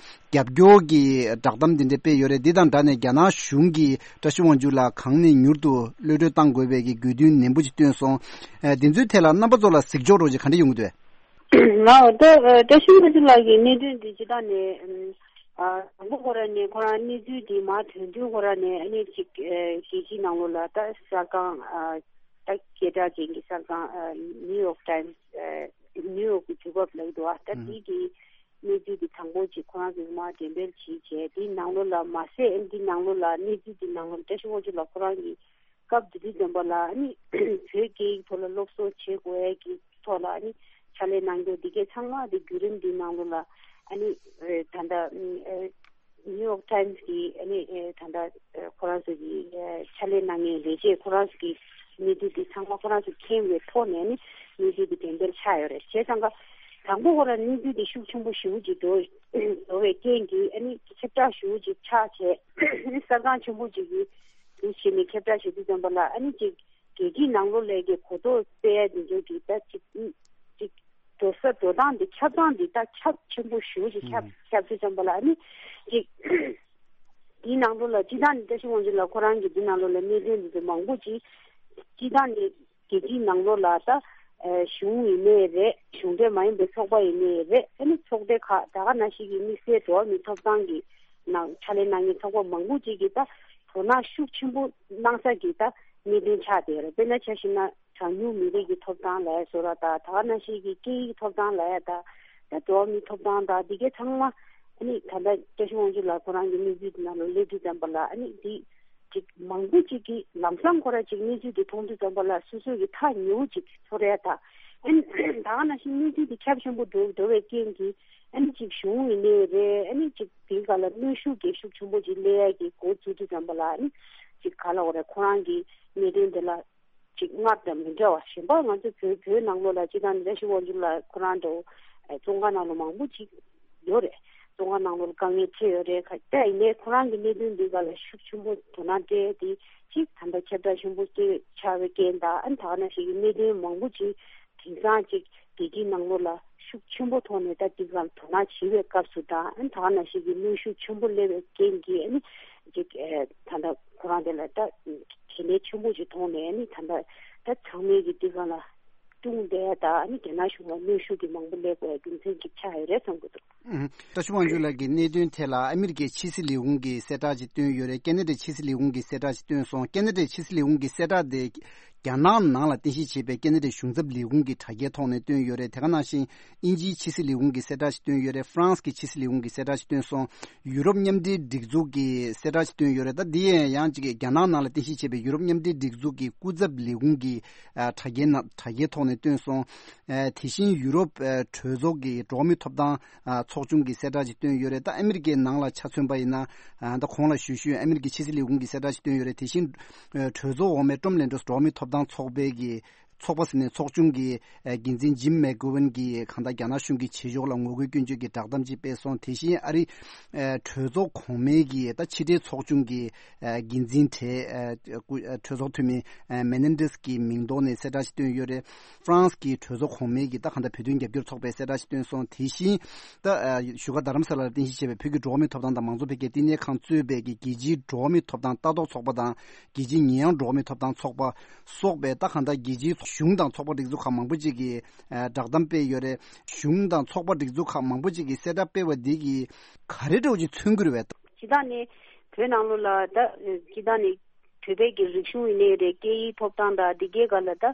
རྒྱབ་སྐྱོར་གྱི་བསྒྲགས་གཏམ་འདི་འདྲ་སྤེལ་ཡོད་རེད། འདི་དང་སྦྲགས་ནས་རྒྱ་ནག་གཞུང་གིས་བཀྲ་ཤིས་དབང་ཕྱུག་ལགས་གང་ནས་མྱུར་དུ་གློད་གྲོལ་གཏང་དགོས་པའི་གི་དགོས་འདུན་ནན་པོ་ཅིག་བཏོན་སོང་། ཨ། འདི་ཚོའི་ཐད་ལ་རྣམ་པ་ཚོ་ལ་གཟིགས་ཕྱོགས་རོགས་ཅིག་ག་འདྲ་ཡོང་གི་འདུག་ང་འོ་ད་ཨ་བཀྲ་ཤིས་དབང་ཕྱུག་ལགས་ཀྱི་གནད་དོན་འདི་སྤྱིར་བཏང་ནས་ཨ་དང་པོ་ཁོ་རང་ནས་ཁོ་རང་གནས་ཚུལ་འདི་མར་ཐོན་དུས་ཁོ་རང་ནས་ཨ་ནི་ཅིག་ཨ་རྒྱལ་སྤྱིའི་ནང་ལོགས་ལ་ད་གསར་ཁང་ཨ་ད་སྐད་གྲགས་ཅན་གྱི་གསར་ཁང་ཨ་ནིའུ་ཡོག་ཊའིམ་སི་ཨ་ནིའུ་ཡོག་གི་དུས་བབ་ལབ་འདུག་ཨ་ད་ཨུ་དེ་གི་གནས་ཚུལ་འདི་དང་པོ་ཅིག་ཁོ་རང་ཚོས་མར་འགྲེམས་སྤེལ་བྱས་བྱས་དེའི་ནང་ལོགས་ལ་མ་ཟད་ཨ་ནི་འདི་ནང་ལོགས་ལ་གནས་ཚུལ་འདི་ནང་ལོགས་བཀྲ་ཤིས་དབང་ཕྱུག་ལགས་ཁོ་རང་གི་སྐབས་དེ་དུས་ཙམ་པ་ལ་ཨ་ནི་བོད་སྐད་ཡིག་ཐོག་ལ་སློབ་གསོ་བྱེད་དགོས་ཡས་ཀྱི་ཐོག་ལ་ཨ་ནི་ཕྱག་ལས་གནང་རྒྱུ་འདི་གས་ཚང་མ་དེ་བརྒྱུད་རིམ་འདིའི་ནང་ལོགས་ལ་ཨ་ནི་ཨ་ད་ལྟ་ཨ་ནིའུ་ཡོག་ཊའིམ་སི་གི་ཨ་ནི་ཨ་ད་ལྟ་ཨ་ཁོ་རང་ཚོ་གི་ཨ་ཕྱག་ལས་གནང་མཁན་ལས་བྱེད་ཁོ་རང་ཚོ་གི་གནས་ཚུལ་འདི་ཚང་མ་ཁོ་རང་ཚོ་མཁྱེན་པའི་ཐོག་ནས་ཨ་ནི་གནས་ཚུལ་འདི་འགྲེམས་སྤེལ་ཆགས་ཡོད་རེད། བྱས་ཙང་ཀ་དང་པོ་ཁོ་རང་གནས་ཚུལ་འདི་ཤུགས་ཆེན་པོ་ཞེ་པོ་ཅིག་འགྲོ་འགྲོ་བའི་རྐྱེན་གྱིས་ཨ་ནི་ཁྱབ་བསྒྲགས་ཞེ་པོ་ཅིག་ཆགས་བྱས་ཨ་ནི་གསར་ཁང་ཆེན་པོ་ཅིག་གིས། དེ་བྱས་ནས་ཁྱབ་བསྒྲགས་བྱེད་དུས་ཙམ་པ་ལ་ཨ་ནི་ཅིག་རྒྱལ་སྤྱིའི་ནང་ལོགས་ལ་གི་གོ་རྟོགས་སྤེལ་ཡ་དེ་ཚོ་གི་ད་ཅིག་ཅིག་འགྲོ་ས་འགྲོ་སྟངས་དེ་ཁྱབ་སྟངས་དེ་ད་ཁྱབ་ཆེན་པོ་ཞེ་པོ་ཅིག་ཁྱབ་ཁྱབ་དུས་ཙམ་པ་ལ་ཨ་ནི་ཅིག་དེའི་ནང་ལོགས་ལ་སྤྱིར་བཏང་ནི་བཀྲ་ཤིས་དབང་ཕྱུག་ལགས་ཁོ་རང་གི་དེ་ནང་ལོགས་ལ་གནད་དོན་དེ་ཚོ་མང་པོ་ཅིག་སྤྱིར་བཏང་ནི་རྒྱལ་སྤྱིའི་ནང་ལོགས་ལ་ད་གཞུང་ཡིན་ནའི་རེད། གཞུང་འབྲེལ་མ་ཡིན་པའི་ཚོགས་པ་ཡིན་ནའི་རེད། ཨ་ནི་ཚོགས་སྡེ་ཁག་ད་ག་ནང་བཞིན་གྱི་དམིགས་བསལ་འགྲོ་བ་མིའི་ཐོབ་ཐང་གི་ནང་ཕྱག་ལས་གནང་མཁན་ཚོགས་པ་མང་པོ་ཅིག་གིས་ད་དོ་སྣང་ཤུགས་ཆེན་པོ་གནང་ས་གི་ད་གནད་དོན་ཆགས་བསྡད་ཡོད་རེད། དཔེར་ན་ཆ་བཞག་ན་གྲངས་ཉུང་མི་རིགས་ཀྱི་ཐོབ་ཐང་ལབ་ཡ་བཟོ་འདྲ་དང་ད་ག་ནང་བཞིན་གྱི་སྐད་ཡིག་ཐོབ་ཐང་ལབ་ཡ་དང་ད་འགྲོ་བ་མིའི་ཐོབ་ཐང་དང་འདི་གའི་ཚང་མ་ཨ་ནི་ད་ལྟ་བཀྲ་ཤིས་དབང་ཕྱུག་ལགས་ཁོ་རང་གི་གནས་ཚུལ་འདི་ནང་ལ་སླེབས་དུས་ཙམ་པ་ལ་ཨ་ནི་འདི་ཅིག་མང་པོ་ཅིག་གིས་ལམ་སང་ཁོ་རང་ཅིག་གནས་ཚུལ་འདི་མཐོང་དུས་ཙམ་པ་ལ་སོ་སོ་གི་ཐག་ཉེ་བོ་ཅིག་ཚོར་ཡ་དང་ཨ་ནི་ད་ག་ནང་བཞིན་གནས་ཚུལ་འདི་ཁྱབ་ཆེན་པོ་འགྲོ་འགྲོ་བའི་རྐྱེན་གྱིས་ཨ་ནི་ཅིག་གཞུང་ཡིན་ནའི་རེད། ཨ་ནི་ཅིག་དེའི་སྒང་ལ་གནོན་ཤུགས་རྒྱབ་ཤུགས་ཆེན་པོ་ཅིག་སླེབས་ཡ་གི་འགོ་བཙུགས་དུས་ཙམ་པ་ལ་ཨ་ནི་ཅིག་ག་ལབ་དགོས་རེད། ཁོ་རང་གི་གནད་དོན་དེ་ལ་ཅིག་སྔར་དང་མི་འདྲ་བ་གཞན་པ་ང་ཚོ་བོད་བོད་ནང་ལོགས་ལ་སྤྱིར་བཏང་ནི་བཀྲ་ཤིས་དབང་ཕྱུག་ལགས་ཁོ་རང་འདྲ་བོ་ཨ་བཙོན་ཁང་ནང་ལ་མང་པོ་ཅིག་ཡོད་རེད། བཙོན་ཁང་ནང་ལོགས་ལ་དཀའ་ངལ་འཕྲད་ཡོད་རེད། ཁ་ད་ཡིན་ནའི་ཁོ་རང་གི་གནད་དོན་འདི་སྒང་ལ་ཤུགས་ཆེན་པོ་དོ་སྣང་སྤྲད་དེ་ཅིག་ད་ལྟ་ཁྱབ་བསྒྲགས་ཆེན་པོ་སྤྲད་ཆགས་པའི་རྐྱེན་དང་ཨ་ནི་ད་ག་ནང་བཞིན་གྱི་གནད་དོན་མང་པོ་ཅིག་དེང་སང་ཅིག་རྒྱལ་སྤྱིའི་ནང་ལོགས་ལ་ཤུགས་ཆེན་པོ་ཐོག་ནས་ད་འདི་སྒང་ལ་དོ་སྣང་བྱེད་པའི་སྐབས་སུ་དང་ཨ་ནི་ད་ག་ནང་བཞིན་གྱི་གནོན་ཤུགས་ཆེན་པོ་སླེབས་པའི་རྐྱེན་གྱིས་ཨ་ནི་ཅིག་ཨ་ད་ལྟ་ཁོ་རང་དེ་ལ་ད་གལ་གནད་ཆེན་པོ་ཅིག་མཐོང་ནས་ཨ་ནི་ད་ལྟ་ད་ཚང་མས་ཀྱི་འདི་སྒང་ལ་ཀྲུང་ཏེ་དང་ཨ་ནི་རྒྱ་ནག་གཞུང་ལ་གནོན་ཤུགས་ཀྱི་མང་པོ་སླེབས་དགོས་རྒྱུ་མཚན་ཅིག་ཆགས་ཡོད་རེད་བསམ་གྱི་འདུག་ཨུ། བཀྲ་ཤིས་དབང་ཕྱུག་ལགས་ཀྱི་གནད་དོན་ཐད་ལ་ཨ་མི་རི་ཀའི་ཕྱི་སྲིད་ལས་ཁུངས་ཀྱིས་གསལ་བསྒྲགས་ཅིག་བཏོན་ཡོད་རེད། ཁེ་ན་ཌའི་ཕྱི་སྲིད་ལས་ཁུངས་ཀྱིས་གསལ་བསྒྲགས་ཅིག་བཏོན་སོང་། ཁེ་ན་ཌའི་ཕྱི་སྲིད་ལས་ཁུངས་ཀྱི་གསལ་བསྒྲགས་དེ་རྒྱ་ནག་ནང་ལ་རྟེན་གཞི་བྱས་པའི་ཁེ་ན་ཌའི་གཞུང་ཚབ་ལས་ཁུངས་ཀྱི་དྲ་རྒྱའི་ཐོག་ནས་བཏོན་ཡོད་རེད། དེ་ག་ནང་བཞིན་དབྱིན་ཇིའི་ཕྱི་སྲིད་ལས་ཁུངས་ཀྱིས་གསལ་བསྒྲགས་ཅིག་བཏོན་ཡོད་རེད། ཧྥ་རན་སི་གི་ཕྱི་སྲིད་ལས་ཁུངས་ཀྱིས་གསལ་བསྒྲགས་ཅིག་བཏོན་སོང་། ཡུ་རོབ་མཉམ་འབྲེལ་སྒྲིག་འཛུགས་ཀྱིས་གསལ་བསྒྲགས་ཅིག་བཏོན་ཡོད་རེད། ད་འདི་ཡང་ཡང་ཅིག་རྒྱ་ནག་ནང་ལ་རྟེན་གཞི་བྱས་པའི་ཡུ་རོབ་མཉམ་འབྲེལ་སྒྲིག་འཛུགས་ཀྱི་སྐུ་ཚབ་ལས་ཁུངས་ཀྱི་ཨ་དྲ་རྒྱའི་ནང་དྲ་རྒྱའི་ཐོག་ནས་བཏོན་སོང་། ཨ་དེ་བཞིན་ཡུ་རོབ་ཨ་གྲོས་ཚོགས་ཀྱི་འགྲོ་བ་མིའི་ཐོབ་ཐང་ཨ་ཚོགས་ཆུང་གིས་གསལ་བསྒྲགས་ཅིག་བཏོན་ཡོད་རེད། ད་ཨ་མི་རི་ཀའི་ནང་ལ་ཆ་མཚོན་པ་ཡིན་ན་ཨ་ད་གོང་ལ་ཞུས་ཞུས་ཨ་མི་རི་ཀའི་ཕྱི་སྲིད་ལས་ཁུངས་ཀྱིས་གསལ་བསྒྲགས་ཅིག་བཏོན་ཡོད་རེད། དེ་བཞིན་ཨ་གྲོས་ཚོགས་འོག་མའི་ཀྲུམ་ལན་ཀྲོས་འགྲོ་བ་མིའི་ཐོབ་ཐང་ཚོགས་པའི་གི་ ཚོགས་པ་ཟེར་ནས་ཚོགས་ཆུང་གི་འགན་འཛིན་ཇིམ་མེག་གོ་ཝན་གྱིས་གང་ལྟར་རྒྱ་ནག་གཞུང་གི་བྱེད་ཕྱོགས་ལ་ངོ་རྒོལ་སྐྱོན་བརྗོད་ཀྱི་བསྒྲགས་གཏམ་ཅིག་སྤེལ་སོང་། དེ་བཞིན་ཨ་རི་གྲོས་ཚོགས་གོང་མའི་གི་ད་ཕྱི་དྲིལ་ཚོགས་ཆུང་གི་འགན་འཛིན་གྲས་གྲོས་ཚོགས་འཐུས་མི་མེ་ནན་ཏེས་ཀྱི་མིང་ཐོག་ནས་གསལ་བསྒྲགས་ཤིག་བཏོན་ཡོད་རེད། ཧྥ་རན་སི་གི་གྲོས་ཚོགས་གོང་མའི་གི་ད་གང་ལྟར་བོད་དོན་རྒྱབ་སྐྱོར་ཚོགས་པས་གསལ་བསྒྲགས་ཤིག་བཏོན་སོང་། དེ་བཞིན་ད་བཞུགས་སྒར་རྡ་རམ་ས་ལར་རྟེན་གཞི་བྱས་པའི་བོད་ཀྱི་འགྲོ་བ་མིའི་ཐོབ་ཐང་དང་མང་གཙོ་འཕེལ་རྒྱས་བསྟི་གནས་ཁང་གཙོས་པའི་གི་རྒྱལ་སྤྱིའི་འགྲོ་བ་མིའི་ཐོབ་ཐང་ལྟ་རྟོག་ཚོགས་པ་དང་རྒྱལ་སྤྱིའི་ཉེ་ཡངས་འགྲོ་བ་མིའི་ཐོབ་ཐང་ཚོགས་པ་སོགས་པའི་ད་གང་ལྟར་རྒྱལ་སྤྱིའི་གཞུང་དང་ཚོགས་པ་སྒྲིག་འཛུགས་ཁག་མང་པོ་ཅིག་གིས་བསྒྲགས་གཏམ་སྤེལ་ཡོད་རེད། གཞུང་དང་ཚོགས་པ་སྒྲིག་འཛུགས་ཁག་མང་པོ་ཅིག་གིས་གསལ་བསྒྲགས་སྤེལ་བ་འདི་གིས་ག་རེ་འདྲ་བོ་ཅིག་མཚོན་གྱི་རེད་པས། སྤྱིར་བཏང་ནས་བོད་ནང་ལོགས་ལ་ད་སྤྱིར་བཏང་ནས་བོད་པའི་གི་རིག་གཞུང་ཡིན་ནའི་རེད། སྐད་ཡིག་ཐོབ་ཐང་དང་འདི་གའི་སྒང་ལ་ད་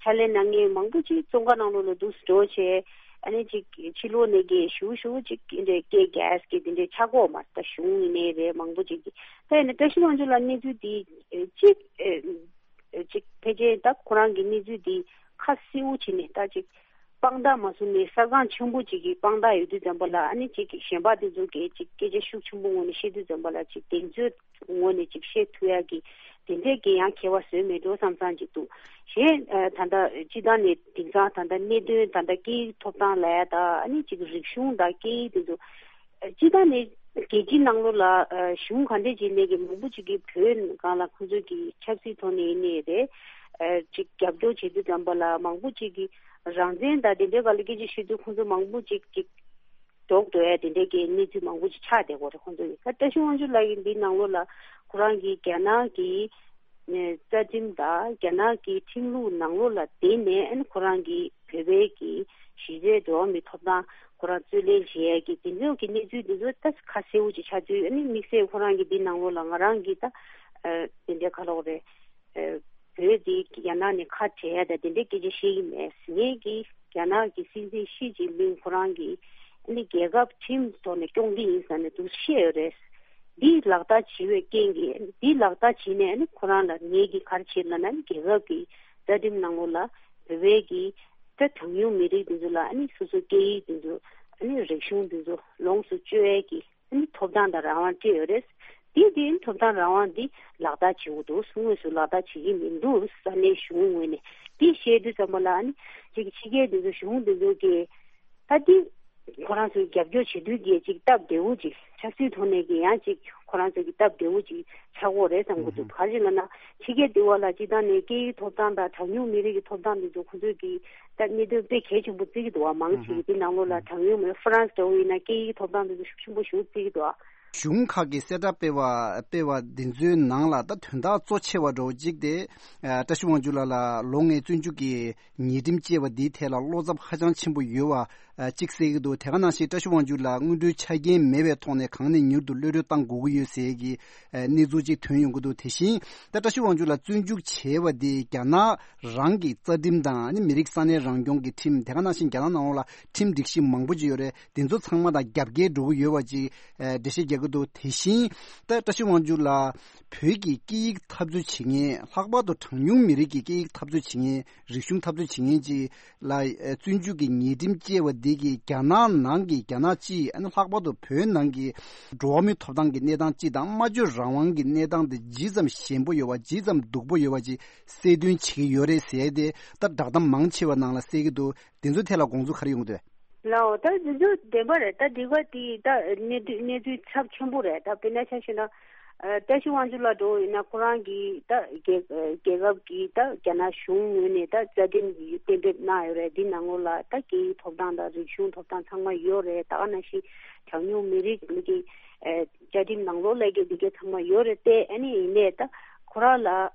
ཕྱག་ལས་གནང་མཁན་མང་པོ་ཅིག་བཙོན་ཁང་ནང་ལོགས་ལ་འདུག་སེ་འགྲོ་བྱས། ཨ་ནི་ཅིག་ཕྱི་ལོགས་ནས་གི་ཞུ་ཞུ་ཅིག་འདི་འདྲའི་སྐད་རྒྱག་གི་འདི་འདྲའི་ཆགས་ཀྱི་ཡོད་མ་རེད། ད་གཞུང་ཡིན་ནའི་རེད། མང་པོ་ཅིག་གིས་ད་ཡིན་ན་བཀྲ་ཤིས་དབང་ཕྱུག་ལགས་གནས་ཚུལ་འདི་ཅིག་ཅིག་ཕལ་ཆེར་ད་ཁོ་རང་གི་གནས་ཚུལ་འདི་ཁ་གསལ་པོ་བྱས་ནས་ད་ཅིག་དཔང་རྟགས་མ་བཟུང་ནས་གསར་ཁང་ཆེན་པོ་ཅིག་གིས་དཔང་རྟགས་ཡོད་དུས་ཙམ་པ་ལ། ཨ་ནི་ཅིག་གཞན་པ་དེ་ཚོ་གིས་ཅིག་སྐད་ཆ་ཤུགས་ཆེན་པོ་ངོས་ནས་བཤད་དུས་ཙམ་པ་ལ་ཅིག་གདེང་ཚོད་ངོས་ནས་ཅིག་བཤད་ཐུབ་ཡག་གི་དེ་འདྲས་ཀྱི་ཡང་ཁྱད་པར་བཟོས་མེད་འགྲོ་བསམ་བསམ་ཅིག་འདུག་གཞན་ད་ལྟ་སྤྱིར་བཏང་ནས་དེང་སང་ད་ལྟ་གནད་དོན་ད་ལྟ་སྐད་ཡིག་ཐོབ་ཐང་ལབ་ཡ་ད་ཨ་ནི་ཅིག་རིག་གཞུང་དང་སྐད་ཡིག་དེ་ཚོ་སྤྱིར་བཏང་ནས་རྒྱལ་སྤྱི་ནང་ལོགས་ལ་གཞུང་ག་འདྲས་བྱས་ནས་ཀྱི་མང་པོ་ཅིག་གིས་བོད་སྒང་ལ་ཁོང་ཚོས་ཀྱི་ཆབ་སྲིད་ཐོག་ནས་ཡིན་ནའི་རེད། ཅིག་རྒྱབ་སྐྱོར་བྱེད་དུས་ཙམ་པ་ལ་མང་པོ་ཅིག་གིས་རང་བཙན་དང་དེ་འདྲའི་སྒང་ལ་སྐད་ཆ་བཤད་དུས་ཁོང་ཚོ་མང་པོ་ཅིག་ཅིག་ལྡོག་འགྲོ་ཡ་དེ་འདྲའི་གི་གནས་ཚུལ་མང་པོ་ཅིག་ཆགས་བསྡད་ཀྱི་ཡོད་རེད། ཁོང་ཚོ་ཡིན་ད་བཀྲ་ཤིས་དབང་ཕྱུག་ལགས་ཀྱིས་འདི་ནང་ལོགས་ལ་ཁོ་རང་གིས་རྒྱ་ནག་གི་རྩ་ཁྲིམས་དང་རྒྱ་ནག་གི་ཁྲིམས་ལུགས་ནང་ལོགས་ལ་བརྟེན་ནས་ཨ་ནི་ཁོ་རང་གིས་བོད་པའི་གི་གཞི་རྩའི་འགྲོ་བ་མིའི་ཐོབ་ཐང་ཁོ་རང་རྩོད་ལེན་བྱེད་ཡས་ཀྱི་དེ་ཚོ་གི་གནས་ཚུལ་དེ་ཚོ་ད་ཁ་གསལ་པོ་ཅིག་ཆགས་དུས། ཨ་ནི་དམིགས་བསལ་ཁོ་རང་གིས་འདི་ནང་ལོགས་ལ་ང་རང་གིས་ད་དེ་འདྲའི་ཁ་ལོག་རེད། བོད་དེ་རྒྱ་ནག་ནས་ཁ་བྲལ་ཡ་ད་དེ་འདྲའི་སྐད་ཆ་བཤད་ཀྱི་མེད། ངས་ཀྱིས་རྒྱ་ནག་གི་སྲིད་འཛིན་ཞི་ཅིན་ཕིང་ཁོ་རང་གིས་ཨ་ནི་རྒྱལ་ཁབ་ཁྲིམས་ཐོག་ནས་སྐྱོང་གི་ཡིན་ཟེར་ནས་འདུག་བཤད་ཡོད་རེད། འདི་ལག་བསྟར་བྱེད་པའི་རྐྱེན་གྱིས་འདི་ལག་བསྟར་བྱས་ནས་ཨ་ནི་ཁོ་རང་ལ་ངས་ཀྱིས་ག་རེ་བྱེད་ལབ་ན། ཨ་ནི་རྒྱལ་ཁབ་ཀྱི་རྩ་ཁྲིམས་ནང་ལོགས་ལ་བོད་པའི་གི་ད་གྲངས་ཉུང་མི་རིགས་འདི་ཚོ་ལ་ཨ་ནི་སོ་སོའི་སྐད་ཡིག་འདི་ཚོ་ཨ་ནི་རིག་གཞུང་འདི་ཚོ་ལོངས་སུ་སྤྱོད་ཡས་ཀྱི་ཨ་ནི་ཐོབ་ཐང་དང་རང་དབང་སྤྲད་ཡོད་རེད། དེ་དེ་ཐོབ་ཐང་རང་དབང་འདི་ལག་བསྟར་བྱེད་དགོས་འདུག་དངོས་སུ་ལག་བསྟར་བྱེད་ཀྱི་མི་འདུག་ས་གནས་གཞུང་ངོས་ནས་དེ་བཤད་དུས་ཙམ་པ་ལ་ཨ་ནི་ཅིག་ཕྱི་རྒྱལ་འདི་ཚོ་གཞུང་འདི་ཚོ་གིས་ད་འདི་ཁོ་རང་ཚོའི་རྒྱབ་སྐྱོར་བྱེད་དུས་ཀྱི་ཅིག་སྟབས་བདེ་བོ་ཅིག་ཆབ་སྲིད་ཐོག་ནས་ཀྱི་ཡང་ཅིག་ཁོ་རང་ཚོ་གི་སྟབས་བདེ་བོ་ཅིག་ཆགས་ཀྱི་ཡོད་རེད་བསམ་གྱི་འདུག་ག་རེ་ཡིན་ལབ་ན་ཕྱི་རྒྱལ་འདི་བ་ལ་སྤྱིར་བཏང་ནས་སྐད་ཡིག་ཐོབ་ཐང་དང་གྲངས་ཉུང་མི་རིགས་ཀྱི་ཐོབ་ཐང་འདི་ཚོ་ཁོ་ཚོས་ཀྱི་ད་གནད་དོན་དཔེ་གལ་ཆེན་པོ་བརྩི་གི་འདུག་བ། མང་ཆེ་གི་འདི་ནང་ལོགས་ལ་གྲངས་ཉུང་མི་ཧྥ་རན་སི་འདྲ་བོ་ཡིན་ན་སྐད་ཡིག་ཐོབ་ཐང་འདི་ཚོ་ཤུགས་ཆེན་པོ་ཞེ་པོ་བརྩི་གི་འདུག་གཞུང་ཁག་གིས་གསལ་བསྒྲགས་སྤེལ་བ་སྤེལ་བ་འདི་ཚོའི་ནང་ལ་ད་དོན་དག་གཙོ་ཆེ་བ་འདྲ་བོ་གཅིག་དེ་བཀྲ་ཤིས་དབང་ཕྱུག་ལགས་ལ་ལོ་ལྔའི་བཙོན་འཇུག་གི་ཉེས་ཁྲིམས་བཅད་པ་འདིའི་ཐད་ལ་བློ་འཚབ་ཧ་ཅང་ཆེན་པོ་ཡོད་པ་གཅིག་གསལ་གྱི་འདུག་དེ་ག་ནང་བཞིན་བཀྲ་ཤིས་དབང་ཕྱུག་ལགས་སྔོན་འགྲོའི་ཆ་རྐྱེན་མེད་པའི་ཐོག་ནས་གང་ནས་མྱུར་དུ་གློད་གྲོལ་གཏང་དགོས་ཀྱི་ཡོད་ཟེར་གྱི་གནས་ཚུལ་གཅིག་ཐོན་ཡོང་གི་འདུག་དེ་བཞིན་ད་བཀྲ་ཤིས་དབང་ཕྱུག་ལགས་བཙོན་འཇུག་བྱས་པ་འདི་རྒྱ་ནག་རང་གི་རྩ་ཁྲིམས་དང་ཨ་ནི་མི་རིགས་ས་གནས་རང་སྐྱོང་གི་ཁྲིམས། དེ་ག་ནང་བཞིན་རྒྱ་ནག་ནང་ལོགས་ལ་ཁྲིམས་སྒྲིག་གཞི་མང་པོ་ཅིག་ཡོད་རེད། དེ་ཚོ་ཚང་མ་དང་རྒྱབ་འགལ་འགྲོ་གི་ཡོད་པ་ཅིག་ཨ་འགྲེལ་བཤད་རྒྱག་གི་འདུག་དེ་བཞིན་ད་བཀྲ་ཤིས་དབང་ཕྱུག་ལགས་བོད་ཀྱི་སྐད་ཡིག་འཐབ་རྩོད་བྱེད་མཁན། ལྷག་པར་དུ་གྲངས་ཉུང་མི་རིགས་ཀྱི་སྐད་ཡིག་འཐབ་རྩོད་བྱེད་མཁན། རིག་གཞུང་འཐབ་རྩོད་བྱེད་མཁན་ཅིག་ལ་ཨ་བཙོན་འཇུག་གི་ཉེས་ཁྲིམས་བཅད་པ་འདི་གིས་རྒྱ་ནག་ནང་གི་རྒྱ་ནག་སྤྱི་ཨ་ནི་ལྷག་པར་དུ་བོད་ནང་གི་འགྲོ་བ་མིའི་ཐོབ་ཐང་གི་གནས་སྟངས་སྤྱི་དང་སྨྲ་བརྗོད་རང་དབང་གི་གནས་སྟངས་དེ་ཇི་ཙམ་ཞན་པོ་ཡོད་པ་ཇི་ཙམ་སྡུག་པོ་ཡོད་པ་ཅིག་གསལ་སྟོན་བྱེད་ཀྱི་ཡོད་རེད་ཟེར་ཏེ་ད་བསྒྲགས་གཏམ་མང་ཆེ་བ་ནང་ལ་གསལ་གྱི་འདུག་དེ་ཚོའི་ཐད་ལ་དགོངས་ཚུལ་ག་རེ་ཡོང་གི་འདུག་ལའོ། ད་དེ་ཚོ་བདེན་པ་རེད། ད་འདི་ག་དེ་ད་གནས་དུས་གནས་ཚུལ་ཚབས་ཆེན་པོ་རེད། ད་དཔེར་ན་ཆ་བཞག་ན་ཨ་བཀྲ་ཤིས་དབང་ཕྱུག་ལགས་འདྲ་བོ་ཡིན་ན་ཁོ་རང་གིས་ད་རྒྱལ་རྒྱལ་ཁབ་ཀྱི་ད་རྒྱ་ནག་གཞུང་ངོས་ནས་ད་རྩ་ཁྲིམས་གཏན་འབེབས་གནང་ཡོད་རེད། འདི་ནང་ལོགས་ལ་ད་སྐད་ཡིག་ཐོབ་ཐང་དང་རིག་གཞུང་ཐོབ་ཐང་ཚང་མ་ཡོད་རེད། ད་ག་ནང་བཞིན་གྲངས་ཉུང་མི་རིགས་ཀྱི་ཨ་བཅའ་ཁྲིམས་ནང་ལོགས་ལ་གི་འདི་གའི་ཚང་མ་ཡོད་རེད་དེ། ཨ་ནི་ཡིན་ནའི་ད་ཁོ་རང་ལ་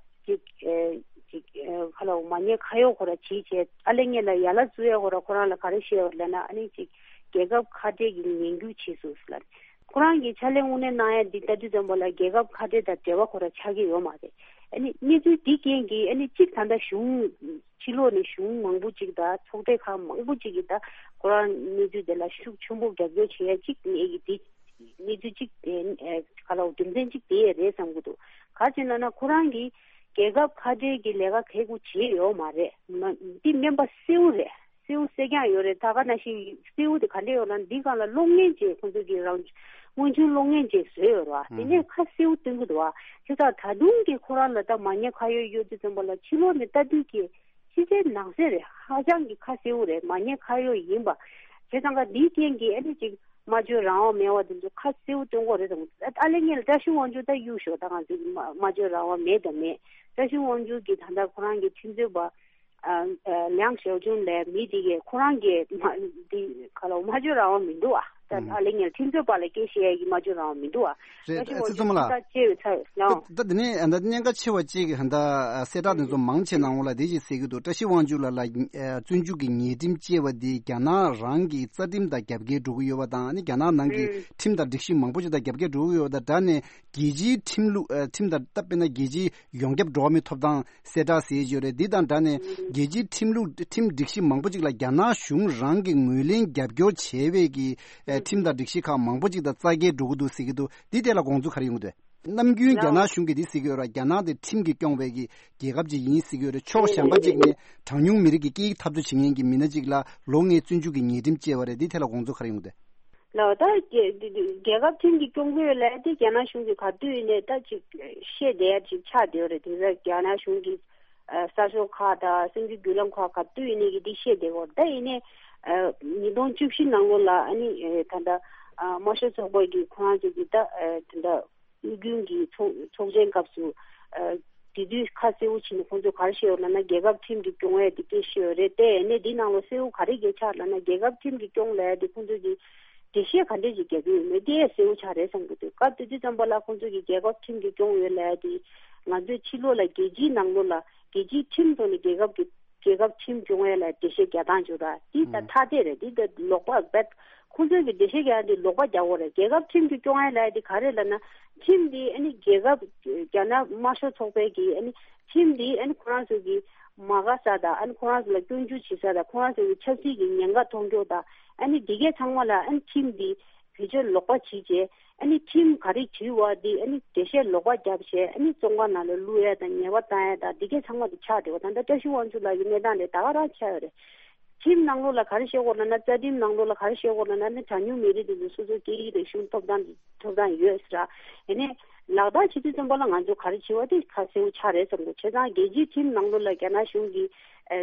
ཅིག་ཨ་ཅིག་ཨ་ཁ་ལ་མ་ཉེས་ཁ་གཡོག་ཁོ་ར་བྱེད་བྱས་ཨ་ལས་ངེད་ལ་ཡ་ལ་བཙུགས་ཡ་ཁོ་ར་ཁོ་རང་ལ་ག་རེ་བཤད་ཡོད་ལབ་ན། ཨ་ནི་ཅིག་རྒྱལ་ཁབ་ཁ་བྲལ་གྱི་ངན་སྐུལ་བྱས་སོང་ལབ། ཁོ་རང་གིས་ཕྱག་ལས་དངོས་གནས་གནང་ཡ་འདི་ལྟ་དུས་ཙམ་པ་ལ་རྒྱལ་ཁབ་ཁ་བྲལ་དང་འབྲེལ་བ་ཁོ་ར་ཆགས་ཀྱི་ཡོད་མ་རེད། ཨ་ནི་གནས་ཚུལ་འདི་རྐྱེན་གྱིས་ཨ་ནི་གཅིག་ད་ལྟ་གཞུང་ཕྱི་ལོགས་ནས་གཞུང་མང་པོ་ཅིག་དང་ཚོགས་སྡེ་ཁག་མང་པོ་ཅིག་གིས་ད་ཁོ་རང་གནས་ཚུལ་དེ་ལ་ཤུགས་ཆེན་པོ་རྒྱབ་སྐྱོར་བྱེད་ཡ་གཅིག་གནས་ཀྱི་འདི་གནས་ཚུལ་གཅིག་དེ་ཨ་ག་ལ་རྒྱུ་མཚན་གཅིག་དེ་རེད་བསམ་གྱི་འདུག་ག་རེ་བྱས་ན་ན་ཁོ་རང་གིས་རྒྱལ་ཁབ་ཁ་བྲལ་གྱི་ལས་ཀ་གལ་ཁུ་བྱེད་ཡོད་མ་རེད། མ་འདི་སྨན་པ་གསལ་བོ་རེད། གསལ་བོ་གསལ་རྐྱང་ཡོད་རེད། ད་ག་ནང་བཞིན་གསལ་བོ་དེ་ག་འདྲ་ཡོད་ན་འདི་སྒང་ལ་གློག་བརྙན་ཅིག་ཁོང་ཚོ་གི་རང་སྔོན་བྱུང་གློག་བརྙན་ཅིག་བཟོས་ཡོད་རེད་བ། དེ་ནས་ཁ་གསལ་བོ་སྟོན་གྱི་འདུག་བ། དེ་ཙང་ད་དུང་གི་ཁོ་རང་ལ་ད་མ་ཉེས་ཁ་གཡོག་ཡོད་དུས་ཙམ་པ་ལ་ཕྱི་ལོགས་ནས་ལྟ་དུས་ཀྱི་ ཕྱི་གསལ་ནང་གསལ་རེད། ཧ་ཅང་གི་ཁ་གསལ་བོ་རེད། མ་ཉེས་ཁ་གཡོག་ཡིན་པ། བྱས་ཙང་ཀ་འདིའི་རྐྱེན་གྱིས་ཨ་ནི་ཅིག་སྨྲ་བརྗོད་རང་དབང་མེད་པ་དེ་ཚོ་ཁ་གསལ་བོ་སྟོན་དགོས་རེད་དང་། ཨ་ལེ་ངས་ལ་བཀྲ་ཤིས་དབང་ཕྱུག་ད་གཡུག་ཞོག་ད་ང་ཚོ་སྨྲ་སྨྲ་བརྗོད་རང་དབང་མེད་དང་མེད། བཀྲ་ཤིས་དབང་ཕྱུག་གིས་ད་ལྟ་ཁོ་རང་གི་ཁྲིམས་རྩོད་པ། ཨ་ཨ་ལིའང་ཞའོ་ཅུན་ལས་མི་དེ་གས་ཁོ་རང་གིས་མ་དེ་ག་ལ་སྨྲ་བརྗོད་རང་དབང་མི་འདུག་ཨ། ད་ཨ་ལེ་ངས་ཁྲིམས་རྩོད་པ་ལ་སྐད་བཤད་ཡ་གི་སྨྲ་བརྗོད་རང་དབང་མི་འདུག་ཨ། རེད། བཀྲ་ཤིས་དབང་ཕྱུག་ད་ཅེས་ཚར་ལ། ད་ད་དེ་ནས་ད་གནད་འགག་ཆེ་བ་གཅིག་གི་ཧ་ད་གསལ་བསྒྲགས་དེ་ཚོ་མང་ཆེ་གནང་འོང་ལ་དེ་ཅིག་ཟེར་གི་འདུག་བཀྲ་ཤིས་དབང་ཕྱུག་ལགས་ལ་བཙོན་འཇུག་གི་ཉེས་ཁྲིམས་བཅས་པ་དེ་རྒྱ་ནག་རང་གི་རྩ་ཁྲིམས་དང་རྒྱབ་འགལ་འགྲོ་གི་ཡོད་པ་དང་ཨ་ནི་རྒྱ་ནག་ནང་གི་ཁྲིམས་དང་སྒྲིག་གཞི་མང་པོ་ཅིག་དང་རྒྱབ་འགལ་འགྲོ་གི་ཡོད་པ་དང་སྦྲགས་ནས། རྒྱལ་སྤྱིའི་ཁྲིམས་ལུགས་ཨ་ཁྲིམས་དང་སྟབས་བསྟུན་ན་རྒྱལ་སྤྱིའི་ཡོངས་ཁྱབ་འགྲོ་བ་མིའི་ཐོབ་ཐང་གསལ་བསྒྲགས་ཟེར་གྱི་ཡོད་རེད། འདི་དང་སྦྲགས་ནས་རྒྱལ་སྤྱིའི་ཁྲིམས་ལུགས་ཁྲིམས་སྒྲིག་གཞི་མང་པོ་ཅིག་ལ་རྒྱ་ནག་གཞུང་རང་གིས་ངོས་ལེན་རྒྱབ་སྐྱོར་བྱས་པའི་གི་ཨ་ཁྲིམས་དང་སྒྲིག་གཞི་ཁག་མང་པོ་ཅིག་དང་རྩ་འགལ་འགྲོ་གི་འདུག་ཟེར་གྱི་འདུག་འདི་ཐད་ལ་དགོངས་ཚུལ་ག་རེ་ཡོང་གི་འདུག་ནམ་རྒྱུན་རྒྱ་ནག་གཞུང་གིས་འདི་ཟེར་གྱི་ཡོད་རེད། རྒྱ་ནག་དེ་ཁྲིམས་ཀྱིས་སྐྱོང་བའི་གི་རྒྱལ་ཁབ་ཅིག་ཡིན་ཟེར་གྱི་ཡོད་རེད། ཕྱོགས་གཞན་པ་ཅིག་ནས་གྲངས་ཉུང་མི་རིགས་ཀྱི་སྐད་ཡིག་འཐབ་རྩོད་བྱེད་མཁན་གྱི་མི་སྣ་ཅིག་ལ་ལོ་ལྔའི་བཙོན་འཇུག་གི་ཉེས་ཁྲིམས་བཅས་པ་རེད། འདི་ཐད་ལ་དགོངས་ཚུལ་ག་རེ་ཡོང་གི་འདུག་ལགས། ད་རྒྱལ་རྒྱལ་ཁབ་ཁྲིམས་ཀྱིས་སྐྱོང་གི་ཡོད་ལབ་དེ་རྒྱ་ནག་གཞུང་གིས་ག་དུས་ཡིན་ནའི་ད་ཅིག་བཤད་བསྡད་ཡ་ཅིག་ཆགས་བསྡད་ཡོད་རེད། དེ་ཚོ་རྒྱ་ནག་གཞུང་གི་ཨ་གསར་ཤོག་ཁག་དང་གསར་འགྱུར་བརྒྱུད་ལམ་ཁག་ག་དུས་ཡིན་ནའི་གི་འདི་བཤད་བསྡད་ཡོད་རེད། ད་ཡིན་ནའི་ཨ་ཉིས་སྟོང་བཅུ་བཞི་ནང་ལོགས་ལ་ཨ་ནི་ཨ་ད་ལྟ་ཨ་དམར་ཤོག་ཚོགས་པ་གི་ཁོ་རང་ཚོ་གི་ད་ཨ་ད་ལྟ་དབུས་རྒྱུན་གྱི་ཚོགས་ཚོགས་ཆེན་སྐབས་སུ་ཨ་དེ་དུས་ཁ་གསལ་པོ་བྱས་ནས་ཁོང་ཚོས་ག་རེ་བཤད་ཡོད་ལབ་ན། རྒྱལ་ཁབ་ཁྲིམས་ཀྱིས་སྐྱོང་ཡས་དེ་སྐད་བཤད་ཡོད་རེད། དེ་ནས་འདི་ནང་ལ་གསལ་པོ་ག་རེ་གལ་ཆགས་ལབ་ན། རྒྱལ་ཁབ་ཁྲིམས་ཀྱིས་སྐྱོང་ལབ་ཡས་དེ་ཁོང་ཚོས་ཀྱི་འགྲེལ་བཤད་ག་འདྲས་ཅིག་རྒྱག་གི་ཡོད་མེད་དེ་གསལ་པོ་ཆགས་རེད་བསམ་གྱི་འདུག་སྐབས་དེ་དུས་ཙམ་པ་ལ་ཁོང་ཚོས་ཀྱི་རྒྱལ་ཁབ་ཁྲིམས་ཀྱིས་སྐྱོང་ཡོད་ལབ་ཡས་དེ་ང་ཚོས་ཕྱི་ལོགས་ལ་རྒྱལ་སྤྱིའི་ནང་ལོགས་ལ་རྒྱལ་སྤྱིའི་ཁྲིམས་ཐོག་ནས་རྒྱལ་ཁབ་ཀྱི་རྒྱལ་ཁབ་ཁྲིམས་སྐྱོང་ཡས་ལ་འགྲེལ་བཤད་རྒྱག་སྟངས་བྱུང་ར། འདི་ད་ཐ་དད་རེད། འདི་ད་ལོག་པ་རྦད། ཁོང་ཚོས་ཀྱི་འགྲེལ་བཤད་རྒྱག་ཡ་འདི་ལོག་པ་རྒྱག་དགོས་རེད། རྒྱལ་ཁབ་ཁྲིམས་ཀྱིས་སྐྱོང་ཡ་ལབ་ཡ་འདི་ག་རེ་ལབ་ན། ཁྲིམས་འདི་ཨ་ནི་རྒྱལ་ཁབ་རྒྱ་ནག་དམར་ཤོག་ཚོགས་པའི་གི་ཨ་ནི་ཁྲིམས་འདི་ཨ་ནི་ཁོ་རང་ཚོ་གི་མ་དགའ་ས་དང་ཨ་ནི་ཁོ་རང་ཚོ་ལ་སྐྱོན་བརྗོད་བྱེད་ས་དང་ཁོ་རང་ཚོ་གི་ཆབ་སྲིད་ཀྱི་ཉེན་ཁ་མཐོང་ཕྱོགས་དང་ཨ་ནི་འདི་གས་ཚང་མ་ལ་ཨ་ནི་ཁྲིམས་འདི་བེད་སྤྱོད་ལོག་པ་བྱེད་བྱས། ཨ་ནི་ཁྲིམས་ག་རེ་བྲིས་པ་འདི་ཨ་ནི་འགྲེལ་བཤད་ལོག་པ་བརྒྱབ་བྱས་ཨ་ནི་བཙོན་ཁང་ནང་ལ་བླུག་ཡ་དང་ཉེས་པ་བཏང་ཡ་དང་འདི་གས་ཚང་མ་དེ་ཆགས་བསྡད་པ། ད་ལྟ་བཀྲ་ཤིས་དབང་ཕྱུག་ལགས་ཀྱི་གནས་སྟངས་དེ་ད་ག་རང་ཆགས་ཡོད་རེད། ཁྲིམས་ནང་ལོགས་ལ་ག་རེ་བཤད་དགོས་ལབ་ན། རྩ་ཁྲིམས་ནང་ལོགས་ལ་ག་རེ་བཤད་དགོས་ལབ་ན་ཨ་ནི་གྲངས་ཉུང་མི་རིགས་དེ་ཚོ་སོ་སོའི་སྐད་ཡིག་རིག་གཞུང་ཐོབ་ཐང་ཐོབ་ཐང་ཡོད་ཟེར་ར། ཡིན་ནའི་ལག་བསྟར་བྱེད་དུས་ཙམ་པ་ལ་ང་ཚོ་ག་རེ་བྱེད་པ་དེ་ཁ་གསལ་པོ་ཆགས་རེད་བསམ་གྱི་འདུག་བྱས་ཙང་རྒྱལ་སྤྱིའི་ཁྲིམས་ནང་ལོགས་ལ་རྒྱ་ནག་གཞུང་གིས་ཨ་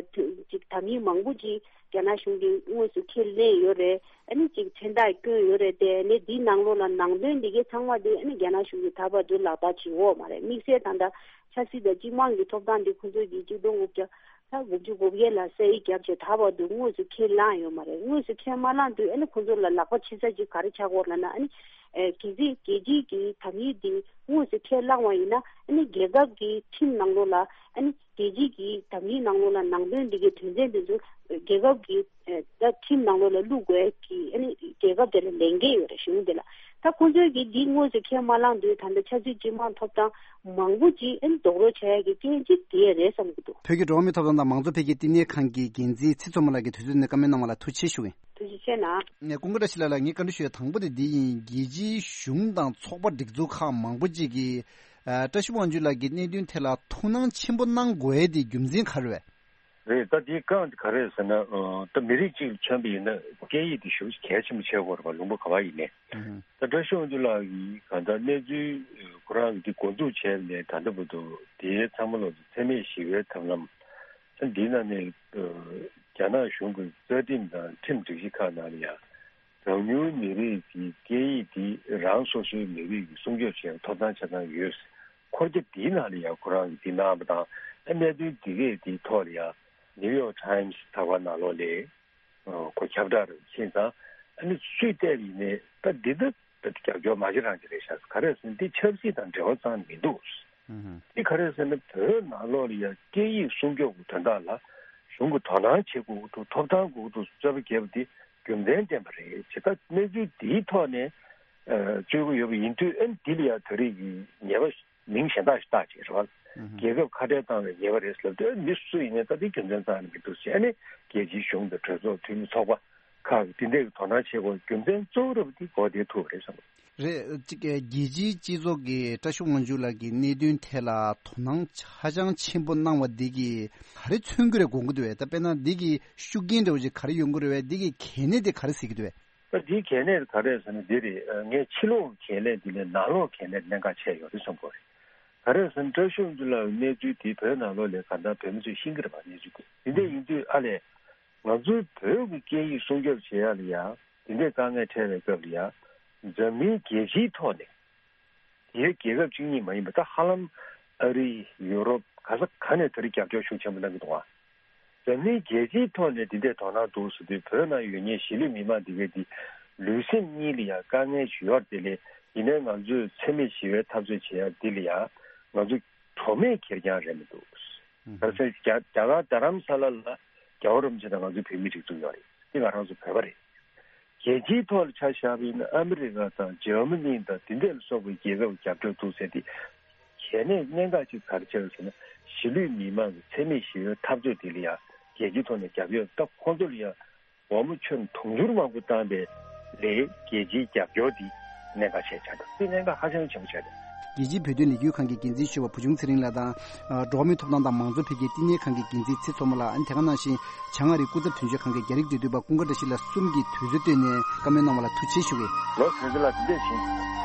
ཅིག་དམ་ཡིག་མང་པོ་ཅིག་རྒྱ་ནག་གཞུང་གིས་དངོས་སུ་ཁས་ལེན་ཡོད་རེད། ཨ་ནི་ཅིག་མཚན་རྟགས་བསྐྱོན་ཡོད་རེད། དེ་ནས་འདིའི་ནང་ལོགས་ལ་ནང་དོན་འདི་གའི་ཚང་མ་དེ་ཨ་ནི་རྒྱ་ནག་གཞུང་གིས་ད་བར་དུ་ལག་བསྟར་བྱེད་ཡོད་མ་རེད། དམིགས་བསལ་ད་ལྟ་ཆབ་སྲིད་དང་སྤྱི་དམངས་ཀྱི་ཐོབ་ཐང་འདི་ཁོ་ཚོས་ཀྱིས་གཅིག་སྟོང་དགུ་བརྒྱ་ད་དགུ་བཅུ་གོ་བརྒྱད་ལ་ས་ཡིག་བརྒྱབ་བྱས་ད་བར་དུ་དངོས་སུ་ཁས་བླངས་ཡོད་མ་རེད། དངོས་སུ་ཁས་མ་བླངས་དུས་ཨ་ནི་ཁོ་ཚོ་ལ་ལག་པ་འཆང་ས་ཅིག་ག་རེ་ཆགས་ཀྱི་ཡོད་ལབ་ན། ཨ་ནི་ཨེ་གལ་སྲིད་རྒྱལ་སྤྱིའི་གི་དམ་ཡིག་འདི་དངོས་སུ་ཁས་བླངས་པ་ཡིན་ན་ཨ་ནི་རྒྱལ་ཁབ་ཀྱི་ཁྲིམས་ནང་ལོགས་ལ་ཨ་ནི་རྒྱལ་སྤྱིའི་གི་དམ་ཡིག་ནང་ལོགས་ལ་ནང་དོན་འདི་གའི་དོན་ཚན་འདི་ཚོ་རྒྱལ་ཁབ་ཀྱི་ཨེ་ད་ཁྲིམས་ནང་ལོགས་ལ་བླུག་དགོས་ཀྱི་ཨ་ནི་རྒྱལ་ཁབ་དེ་ལ་ལས་འགན་ཡོད་རེད། གཞུང་དེ་ལ། ད་ཁོང་ཚོས་ཀྱིས་འདི་དངོས་སུ་ཁས་མ་བླངས་དུས་ད་ལྟ་ཆབ་སྲིད་སྤྱི་དམངས་ཐོབ་ཐང་མང་པོ་ཅིག་ཨ་ནི་རྡོག་རོལ་བྱ་ཡ་གི་རྐྱེན་གཅིག་དེ་རེད་བསམ་གྱི་འདུག་བོད་ཀྱི་འགྲོ་བ་མིའི་ཐོབ་ཐང་དང་མང་གཙོ་འཕེལ་རྒྱས་བསྟི་གནས་ཁང་གི་འགན་འཛིན་ཚེ་མཚོ་མོ་ལགས་ཀྱིས་དུས་ཚོད་ནས་བཀའ་མོལ་གནང་བ་ལ་ཐུགས་རྗེ་ཆེ་ཞུ་གི་ཡིན། ཐུགས་རྗེ་ཆེ་གནང་། ནས་ཀུན་དགའ་བཀྲ་ཤིས་ལགས་ལ་ངས་བཀའ་འདྲི་ཞུ་ཡ་དང་པོ་དེ་འདི་ཡིན། རྒྱལ་སྤྱིའི་གཞུང་དང་ཚོགས་པ་སྒྲིག་འཛུགས་ཁག་མང་པོ་ཅིག་གིས་ཨ་བཀྲ་ཤིས་དབང་ཕྱུག་ལགས་ཀྱི་གནད་དོན་ཐད་ལ་ཐུགས་སྣང་ཆེན་པོ་གནང་དགོས་ཡ་དེ་རྒྱུ་མཚན་ག་རེ་རེད། རེད། ད་དེའི་རྐང་དེ་ག་རེ་རེད་ཟེར་ན། ཨ་ད་མི་རིགས་གཅིག་ལ་མཚོན་པ་ཡིན་ན་སྐད་ཡིག་དེ་ཞེ་པོ་ཅིག་གལ་ཆེན་པོ་ཆགས་ཀྱི་ཡོད་རེད་པ། ལུང་པ་ག་པར་ཡིན་ནའི། ཨུ་ཧུ། ད་བཀྲ་ཤིས་དབང་ཕྱུག་ལགས་ཀྱིས་གང་ལྟར་གནས་ཚུལ་ཁོ་རང་གིས་འདི་འགོ་འཛུགས་བྱས་ནས་ད་ལྟ་བར་དུ་དེའི་ཚང་མ་ལོག་ཏུ་འཚེ་མེད་ཞི་བའི་ཐབས་ལམ། ཨ་འདིའི་ནང་ནས་ཨ་རྒྱ་ནག་གཞུང་གི་རྩ་ཁྲིམས་དང་ཁྲིམས་སྒྲིག་གཞི་ཁག་ནང་ལ་ཡང་གྲངས་ཉུང་མི་རིགས་ཀྱི་སྐད་ཡིག་འདི་རང་སོ་སོའི་མི་རིགས་ཀྱི་སྲུང་སྐྱོབ་བྱེད་ཡག་ཐོབ་ཐང་ཆ་ཚང་ཡོད། འཁོར་རྒྱ་འདིའི་ནང་ལ་ཡང་ཁོ་རང་གིས་འདི་གནང་བ་དང་། ཨ་གནད་དོན་འདི་གས་འདིའི་ཐོག་ལ་ཡང་ནིའུ་ཡོག་ཊའིམ་སི་ད་ག་ནང་ལོགས་ལ་ཨ་ཁོ་ཁྱབ་བསྒྲགས་རེ་ཕྱིན་ཙང་། ཨ་ནི་སུས་བལྟས་པ་ཡིན་ནའི་ད་འདི་ད་ད་རྒྱབ་སྐྱོར་མ་བྱེད་རང་བྱེད་རེད་ཤག་ག་རེ་ཟེར་ན་འདི་ཆབ་སྲིད་དང་འབྲེལ་བ་རྩ་ནས་མི་འདུག་ཨུ་ཧུ། འདི་ག་རེ་ཟེར་ན་བོད་ནང་ལོགས་ལ་ཡང་སྐད་ཡིག་སྲུང་སྐྱོབ་ཀྱི་དོན་དག་ལ་གཞུང་གིས་དོ་སྣང་བྱེད་དགོས་ཀྱི་འདུག་ཐོབ་ཐང་དགོས་ཀྱི་འདུག་རྩོད་པ་རྒྱབ་པ་འདི་རྒྱུ་མཚན་ལྡན་པ་རེད། བྱས་ཙང་གནས་ཚུལ་འདིའི་ཐོག་ནས་ཨ་རྩོད་ཀྱི་ཡོད་པ་ཡིན་དུས། ཨ་ནི་འདི་ལ་ཡང་ད་རེས་ཀྱི་ཉེས་པ་མིང་གཞན་དག་ཞིག་བཏགས་བྱས་རེད་པ། ཨུ་ཧུ། རྒྱལ་ཁབ་ཁ་བྲལ་བཏང་བའི་ཉེས་པ་རེད་ཟེར་ལབ་དུས། ཨ་མི་སུ་ཡིན་ནའི་ད་འདི་རྒྱུ་མཚན་རྩ་ནས་མི་འདུག་ཟེར། ཨ་ནི་རྒྱལ་སྤྱིའི་གཞུང་དང་གྲོས་ཚོགས་འཐུས་མི་ཚོགས་པ་ཁག་གིས་འདི་འདྲའི་དོ་སྣང་བྱེད་དགོས་རྒྱུ་མཚན་གཙོ་བོ་ར་བ་འདི་གོ་བདེ་ཐུབ་པ་རེད་བསམ། རེད། གཅིག་རྒྱལ་སྤྱིའི་སྤྱི་ཚོགས་ཀྱིས་བཀྲ་ཤིས་དབང་ཕྱུག་ལགས་ཀྱི་གནད་དོན་ཐད་ལ་དོ་སྣང་ཧ་ཅང་ཆེན་པོ་གནང་བ་འདི་གིས་ག་རེ་མཚོན་གྱི་རེད་དགོངས་ཀྱི་འདུག་པས། ད་དཔེར་ན་འདི་གི་ཤུགས་རྐྱེན་འདྲ་བོ་ཞིག་ག་རེ་ཡོང་གི་རེད་པས། འདི་གི་གལ་གནད་དེ་ག་རེ་གཟིགས་ཀྱི་འདུག་པས། ད་འདིའི་གལ་གནད་ག་རེ་ཟེར་ན་འདི་རེད། ངས་ཕྱི་ལོགས་གལ་གནད་འདི་ལས་ནང་ལོགས་གལ་གནད་གནད་འགག་ཆེ་ཡོད་རེད་བསམ་གྱི་ཡོད་རེད། ག་རེ་ཟེར་ན་བཀྲ་ཤིས་དབང་ཕྱུག་ལགས་ཀྱི་གནས་ཚུལ་དེ་བོད་ནང་ལོགས་ལ་གང་ལྟར་བོད་མི་ཚོས་ཤེས་ཀྱི་རེད་པ། གནས་ཚུལ་དེ་འདི་འདྲ་ཡིན་དུས་ཨ་ལས། ང་ཚོའི་བོད་ཀྱི་སྐད་ཡིག་སྲུང་སྐྱོབ་བྱེད་ཡག་ལ་ཡང་དེ་འདྲའི་དཀའ་ངལ་འཕྲད་པའི་སྐབས་ལ་ཡང་འཛམ་གླིང་རྒྱལ་སྤྱིའི་ཐོག་ནས་དེའི་རྒྱལ་ཁབ་གཅིག་གཉིས་མ་ཡིན་པ་ད་ཧ་ལམ་ཨ་རི། ཡུ་རོབ། ག་ས་ག་ནས་ད་རེས་རྒྱབ་སྐྱོར་ཤུགས་ཆེན་པོ་གནང་གི་འདུག་ཨ། འཛམ་གླིང་རྒྱལ་སྤྱིའི་ཐོག་ནས་དེ་འདྲའི་དོ་སྣང་འདུག་ཟེར་དུས་བོད་ནང་ཡོད་མཁན་གཞིས་ལུས་མི་མང་དེ་གའི་དེ་ལུས་སེམས་གཉིས་ལ་ཡང་དཀའ་ངལ་ཞིག་ཡོད་རེད། དེ་ལས་ཡིན་ནའི་ང་ཚོས་འཚེ་མེད་ཞི་བའི་འཐབ་རྩོད་བྱེད་ཡག་འདི་ལ་ཡང་ང་ཚོ་གྲོགས་མེད་ཁེར་རྐྱང་རེད་མི་འདུག་ག་ཚོད་རྒྱ་རྒྱ་གར་རྡ་རམ་ས་ལ་ལ་རྒྱལ་བ་རིན་པོ་ཆེ་དང་ང་ཚོའི་བོད་མི་སྒྲིག་འཛུགས་ཡོད་རེད། འདི་ང་རང་ཚོ་བོད་པ་རེད། རྒྱལ་སྤྱིའི་ཐོག་ལ་ཆ་བཞག་པ་ཡིན་ན་ཨ་མི་རི་ཀ་དང་འཇར་མ་ནི་དང་དེ་འདྲ་ལ་སོགས་པའི་རྒྱལ་ཁབ་རྒྱབ་སྐྱོར་འདུག་ཟེར་ཏེ། གལ་གནད་གནད་འགག་ཅིག་ག་རེ་ཆགས་ཡོད་ཟེར་ན་གཞིས་ལུས་མི་མང་གི་འཚེ་མེད་ཞི་བའི་འཐབ་རྩོད་དེ་ལ་ཡང་རྒྱལ་སྤྱིའི་ཐོག་ནས་རྒྱབ་སྐྱོར་ད་ཁོང་ཚོ་ལ་ཡང་སྒོར་མོ་ཁྱོན་དུང་ཕྱུར་མང་པོ་བཏང་པའི་ལས་རྒྱལ་སྤྱིའི་རྒྱབ་སྐྱོར་འདི་གནད་འགག་ཆེ་ཆགས་འདུག་འདི་གནད་འགག་ཧ་ཅང་ཆེན་པོ་ཆགས་འདུག་རྒྱལ་སྤྱིའི་བོད་དོན་ལས་འགུལ་ཁང་གི་འགན་འཛིན་ཞུ་བ་བུ་ཆུང་ཚེ་རིང་ལགས་དང་། ཨ། འགྲོ་བ་མིའི་ཐོབ་ཐང་དང་མང་གཙོ་འཕེལ་རྒྱས་བསྟི་གནས་ཁང་གི་འགན་འཛིན་ཚེ་མཚོ་མོ་ལགས། ཨ་ནི་དེ་ག་ནང་བཞིན་བྱང་ཨ་རིའི་སྐུ་ཚབ་དོན་གཅོད་ཁང་གི་རྒྱ་རིགས་འབྲེལ་མཐུད་པ་ཀུན་དགའ་བཀྲ་ཤིས་ལགས་གསུམ་གྱིས་དུས་ཚོད་བཏོན་ནས་བཀའ་མོལ་གནང་བ་ལ་ཐུགས་རྗེ་ཆེ་ཞུ་གི་ཡོད། ལོ་དོན་གཅོད་ལགས་འདི་འདྲས་ཞིག་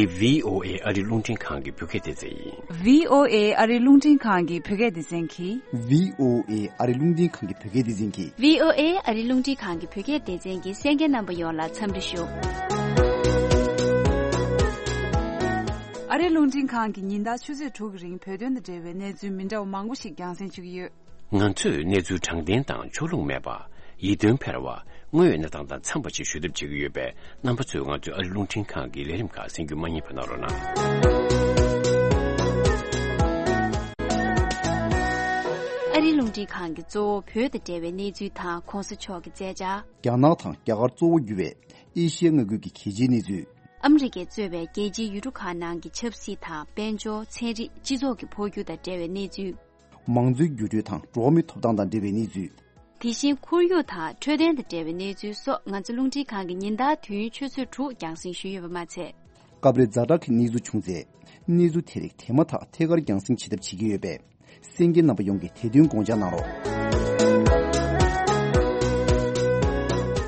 འདི་བྷི་ཨོ་ཨེ་ཨ་རི་རླུང་འཕྲིན་ཁང་གི་བོད་སྐད་སྡེ་ཚན་ཡིན། བྷི་ཨོ་ཨེ་ཨ་རི་རླུང་འཕྲིན་ཁང་གི་བོད་སྐད་སྡེ་ཚན་གྱིས། བྷི་ཨོ་ཨེ་ཨ་རི་རླུང་འཕྲིན་ཁང་གི་བོད་སྐད་སྡེ་ཚན་གྱིས། བྷི་ཨོ་ཨེ་ཨ་རི་རླུང་འཕྲིན་ཁང་གི་བོད་སྐད་སྡེ་ཚན་གྱི་གསན་མཁན་རྣམ་པ་ཡོངས་ལ་འཚམས་འདྲི་ཞུ། ཨ་རི་རླུང་འཕྲིན་ཁང་གིས་ཉིན་ལྟར་ཆུ་ཚོད་དྲུག་གི་རིང་བོད་དོན་དང་འབྲེལ་བའི་གནས་ཚུལ་མི་འདྲ་བ་མང་པོ་ཞིག་རྒྱང་སྲིང་ཞུ་གི་ཡོད། ང་ཚོས་གནས་ཚུལ་དྲང་བདེན་དང་ཕྱོགས་ལྷུང་མེད་པ། ཡིད་རྟོན་འཕེར་བ། དངོས་ཡོད་གནས་སྟངས་དང་འཚམས་པ་ཞིག་ཞུ་ཐབས་བྱེད་ཀྱི་ཡོད་པས། རྣམ་པ་ཚོས་ང་ཚོའི་ཨ་རི་རླུང་འཕྲིན་ཁང་གི་ལས་རིམ་ཁག་གསན་རྒྱུ་མ་བསྙེལ་བ་གནང་རོགས་གནང་། ཨ་རི་རླུང་འཕྲིན་ཁང་གིས་གཙོ་བོ་བོད་དང་འབྲེལ་བའི་གནས་ཚུལ་དང་གོང་ས་མཆོག་གི་མཛད་འཆར། རྒྱ་ནག་དང་རྒྱ་གར་གཙོ་བོ་གྱུར་བའི་ཨེ་ཤི་ཡ་མངའ་ཁུལ་གྱི་གལ་ཆེའི་གནས་ཚུལ། ཨ་མི་རི་ཀས་གཙོས་པའི་རྒྱལ་སྤྱིའི་ཡུལ་གྲུ་ཁག་ནང་གི་ཆབ་སྲིད་དང་དཔལ་འབྱོར། ཚན་རིག་སྤྱི་ཚོགས་ཀྱི་འཕོ་འགྱུར་དང་འབྲེལ་བའི་གནས་ཚུལ། མང་གཙོའི་འགྱུར་འགྲོས་དང་འགྲོ་བ་མིའི་ཐོབ་ཐང་དང་འབྲེལ་བའི་གནས་ཚུལ། དེ་བཞིན་ཁོར་ཡུག་དང་འཕྲོད་བསྟེན་དང་འབྲེལ་བའི་གནས་ཚུལ་སོགས་ང་ཚོ་རླུང་འཕྲིན་ཁང་གིས་ཉིན་ལྟར་དུས་ཡུན་ཆུ་ཚོད་དྲུག་རྒྱང་སྲིང་ཞུས་ཡོད་པ་མ་ཚད། སྐབས་རེ་ཛ་དྲག་གི་གནས་ཚུལ་བྱུང་ཚེ། གནས་ཚུལ་དེ་རིགས་དེ་མ་ཐག་ཐད་ཀར་རྒྱང་སྲིང་བྱེད་ཐབས་བྱེད་ཀྱི་ཡོད་པས། གསན་མཁན་རྣམ་པ་ཡོངས་ཀྱིས་དེ་དོན་དགོངས་འཇགས་གནང་རོགས།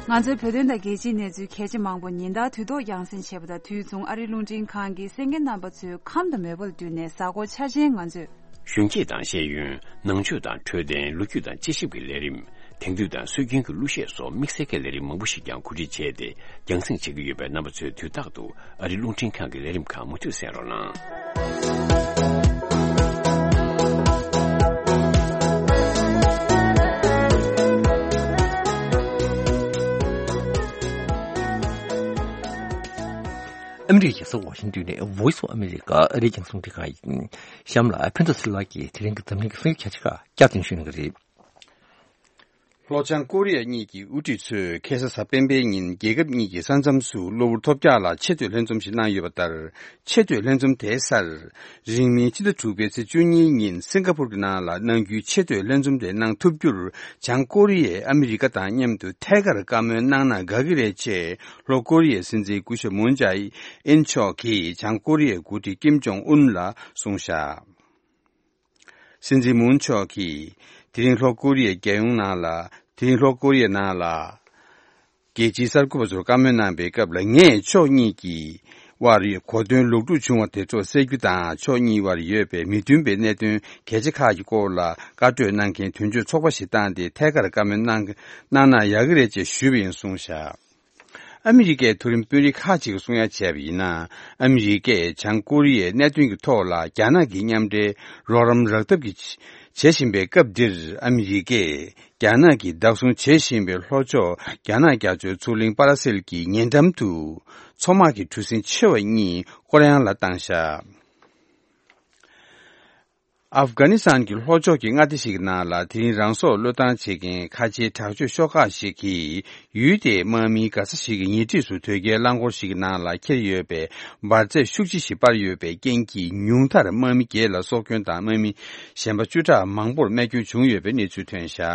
ང་ཚོའི་བོད་དོན་དང་རྒྱལ་སྤྱིའི་གནས་ཚུལ་གལ་ཆེ་མང་པོ་ཉིན་ལྟར་དུས་ཐོག་རྒྱང་སྲིང་བྱེད་པ་དང་དུས་མཚུངས་ཨ་རིའི་རླུང་འཕྲིན་ཁང་གིས་གསན་མཁན་རྣམ་པ་ཚོའི་ཁམས་དང་མོས་པ་ལ་བསྟུན་ནས་གཟའ་འཁོར་འཆར་ཅན་ང་ཚོས། གཞོན་སྐྱེས་དང་ཤེས་ཡོན། ནང་ཆོས་དང་འཕྲོད་བསྟེན། ལོ་རྒྱུས་དང་དཔྱད་ཞིབ་ཀྱི་ལས་རིམ། དེང་དུས་དང་སྲོལ་རྒྱུན་གྱི་གླུ་གཞས་སོགས་དམིགས་བསལ་གྱི་ལས་རིམ་མང་པོ་ཞིག་ཀྱང་གོ་སྒྲིག་བྱས་ཏེ་རྒྱང་སྲིང་བྱེད་ཀྱི་ཡོད་པས། རྣམ་པ་ཚོས་དུས་རྟག་ཏུ་ཨ་རིའི་རླུང་འཕྲིན་ཁང་གི་ལས་རིམ་ཁག་མུ་མཐུད་གསན་རོགས་གནང་། ཨ་མི་རི་ཀའི་རྒྱལ་ས་ཝ་ཤིང་ཏོན་ནས་Voice of America ཨ་རིའི་རྒྱང་སྲིང་ལས་ཁང་ཡིན། གཤམ་ལ་ཕན་ཚུན་སི་ལགས་ཀྱིས་དེ་རིང་གི་འཛམ་གླིང་གི་གསར་འགྱུར་ཁྱད་ཆོས་ཁག་བསྐྱར་དུ་ཞུ་གནང་གི་རེད། ལྷོ་བྱང་ཀོ་རི་ཡ་གཉིས་ཀྱི་དབུ་ཁྲིད་ཚོས་ཁ་སང་གཟའ་སྤེན་པའི་ཉིན་རྒྱལ་ཁབ་གཉིས་ཀྱི་ས་མཚམས་སུ་གློ་བུར་ཐོལ་རྒྱག་ལ་ཆེ་བསྟོད་ལྷན་འཛོམས་ཤིག་གནང་ཡོད་པ་ལྟར། ཆེ་བསྟོད་ལྷན་འཛོམས་དེའི་སར། རིང་མིན་ཕྱི་ཟླ་དྲུག་པའི་ཚེས་བཅུ་གཉིས་ཉིན་སིང་ག་པུར་གྱི་ནང་ལ་གནང་རྒྱུའི་ཆེ་བསྟོད་ལྷན་འཛོམས་དེ་གནང་ཐུབ་རྒྱུར། བྱང་ཀོ་རི་ཡས་ཨ་མི་རི་ཀ་དང་མཉམ་དུ་ཐད་ཀར་བཀའ་མོལ་གནང་ན་དགའ་གི་རེད་ཅེས། ལྷོ་ཀོ་རི་ཡའི་སྲིད་འཛིན་སྐུ་ཞབས་མུན་ཇཱ་ཨིན་མཆོག་གིས་བྱང་ཀོ་རི་ཡའི་འགོ་ཁྲིད་ཀིམ་ཇོང་ཨུན་ལ་གསུངས་བཞག། སྲིད་འཛིན་མུན་མཆོག་གིས་དེ་རིང་ལྷོ་ཀོ་རི་ཡའི་རྒྱལ་ཡོངས་ནང་ལ། དེ་རིང་ལྷོ་ཀོ་རི་ཡའི་ནང་ལ། རྒྱལ་སྤྱིའི་གསར་འགོད་པ་ཚོར་བཀའ་མོལ་གནང་པའི་སྐབས་ལ། ངས་ཕྱོགས་གཉིས་ཀྱི་དབར་གོ་དོན་ལོག་སྒྲུབ་བྱུང་བ་དེ་ཚོ་སེལ་རྒྱུ་དང་། ཕྱོགས་གཉིས་དབར་ཡོད་པའི་མི་མཐུན་པའི་གནད་དོན་གལ་ཆེ་ཁག་གི་སྐོར་ལ་བཀའ་གྲོས་གནང་མཁན་དོན་གཅོད་ཚོགས་པ་ཞིག་བཏང་སྟེ་ཐད་ཀར་བཀའ་མོལ་གནང་གནང་ན་ཡག་གི་རེད་ཅེས་ཞུས་པ་ཡིན་གསུངས་བཞག། ཨ་མི་རི་ཀའི་མཐོ་རིམ་དཔོན་རིགས་ཁག་ཅིག་གིས་གསུང་ཡ་བྱས་པ་ཡིན་ན། ཨ་མི་རི་ཀས་བྱང་ཀོ་རི་ཡའི་གནད་དོན་གྱི་ཐོག་ལ་རྒྱ་ནག་གི་མཉམ་འབྲེལ་རོགས་རམ་རག་ཐབས་ཀྱི་བྱེད་བཞིན་པའི་སྐབས་འདིར། ཨ་མི་རི་ཀས་རྒྱ་ནག་གིས་བདག་བཟུང་བྱེད་བཞིན་པའི་ལྷོ་ཕྱོགས་རྒྱ་ནག་རྒྱ་མཚོའི་མཚོ་གླིང་པ་ར་སེལ་གྱི་ཉེ་འགྲམ་དུ་མཚོ་དམག་གི་གྲུ་གཟིངས་ཆེ་བ་གཉིས་སྐོར་གཡང་ལ་བཏང་བཞག། ཨབ་གྷ་ནི་སི་ཐན་གྱི་ལྷོ་ཕྱོགས་ཀྱི་མངའ་སྡེ་ཞིག་གི་ནང་ལ་དེ་རིང་རང་སྲོག་བློས་བཏང་བྱེད་མཁན་ཁ་ཆེའི་དྲག་སྤྱོད་ཤོག་ཁག་ཞིག་གིས། ཡུལ་དེའི་དམག་མིའི་མགར་ས་ཞིག་གི་ཉེ་འཁྲིས་སུ་དོས་སྐྱེལ་རླངས་འཁོར་ཞིག་གི་ནང་ལ་འཁྱེར་ཡོད་པའི་འབར་རྫས་ཤུགས་ཆེ་ཞིག་སྤར་ཡོད་པའི་རྐྱེན་གྱིས། ཉུང་མཐར་དམག་མི་བརྒྱད་ལ་སྲོག་སྐྱོན་དང་། དམག་མི་གཞན་པ་བཅུ་ཕྲག་མང་པོར་རྨས་སྐྱོན་བྱུང་ཡོད་པའི་གནས་ཚུལ་ཐོན་བཞག།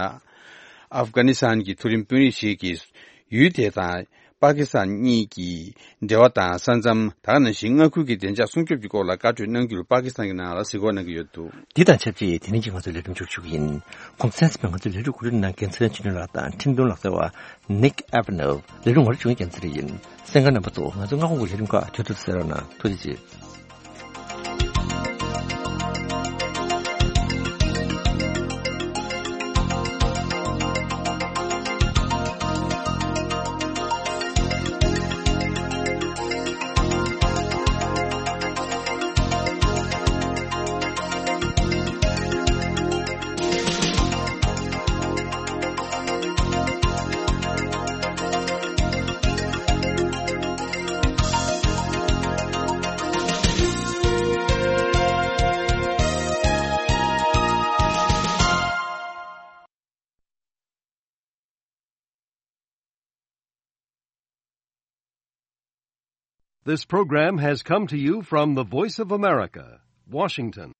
ཨབ་གྷ་ནི་སི་ཐན་གྱི་མཐོ་རིམ་དཔོན་རིགས་ཤིག་གིས། ཡུལ་དེ་དང་ པ་ཀི་སི་ཐན་གཉིས་ཀྱི་འབྲེལ་བ་དང་ས་མཚམས། ད་ག་ནང་བཞིན་མངའ་ཁུལ་གྱི་བདེ་འཇགས་སྲུང་སྐྱོབ་ཀྱི་སྐོར་ལ་བཀའ་གྲོས་གནང་རྒྱུར་པ་ཀི་སི་ཐན་གྱི་ནང་ལ་གཟིགས་སྐོར་གནང་གི་ཡོད་འདུག་འདི་དང་ཆབས་ཅིག་དེ་རིང་གི་ང་ཚོའི་ལས་རིམ་མཇུག་ཞུ་གི་ཡིན། གོང་གསལ་ཟིན་པའི་ང་ཚོའི་ལས་རིམ་གོ་སྒྲིག་གནང་མཁན་ཚེ་རིང་ཆོས་སྒྲོན་ལགས་དང་ཁྲིན་ཏུང་ལགས་ཟེར་བ། Nick Avenel། ལས་རིམ་ངོ་སྤྲོད་བྱུང་རྒྱལ་མཚན་རེ་ཡིན། གསན་མཁན་རྣམ་པ་ཚོ། ང་ཚོའི་སྔ་དགོང་གི་ལས་རིམ་ཁག་དུས་ཐོག་ཏུ་གསན་རོགས་གནང་། ཐུགས་རྗེ་ཆེ། This program has come to you from the Voice of America, Washington.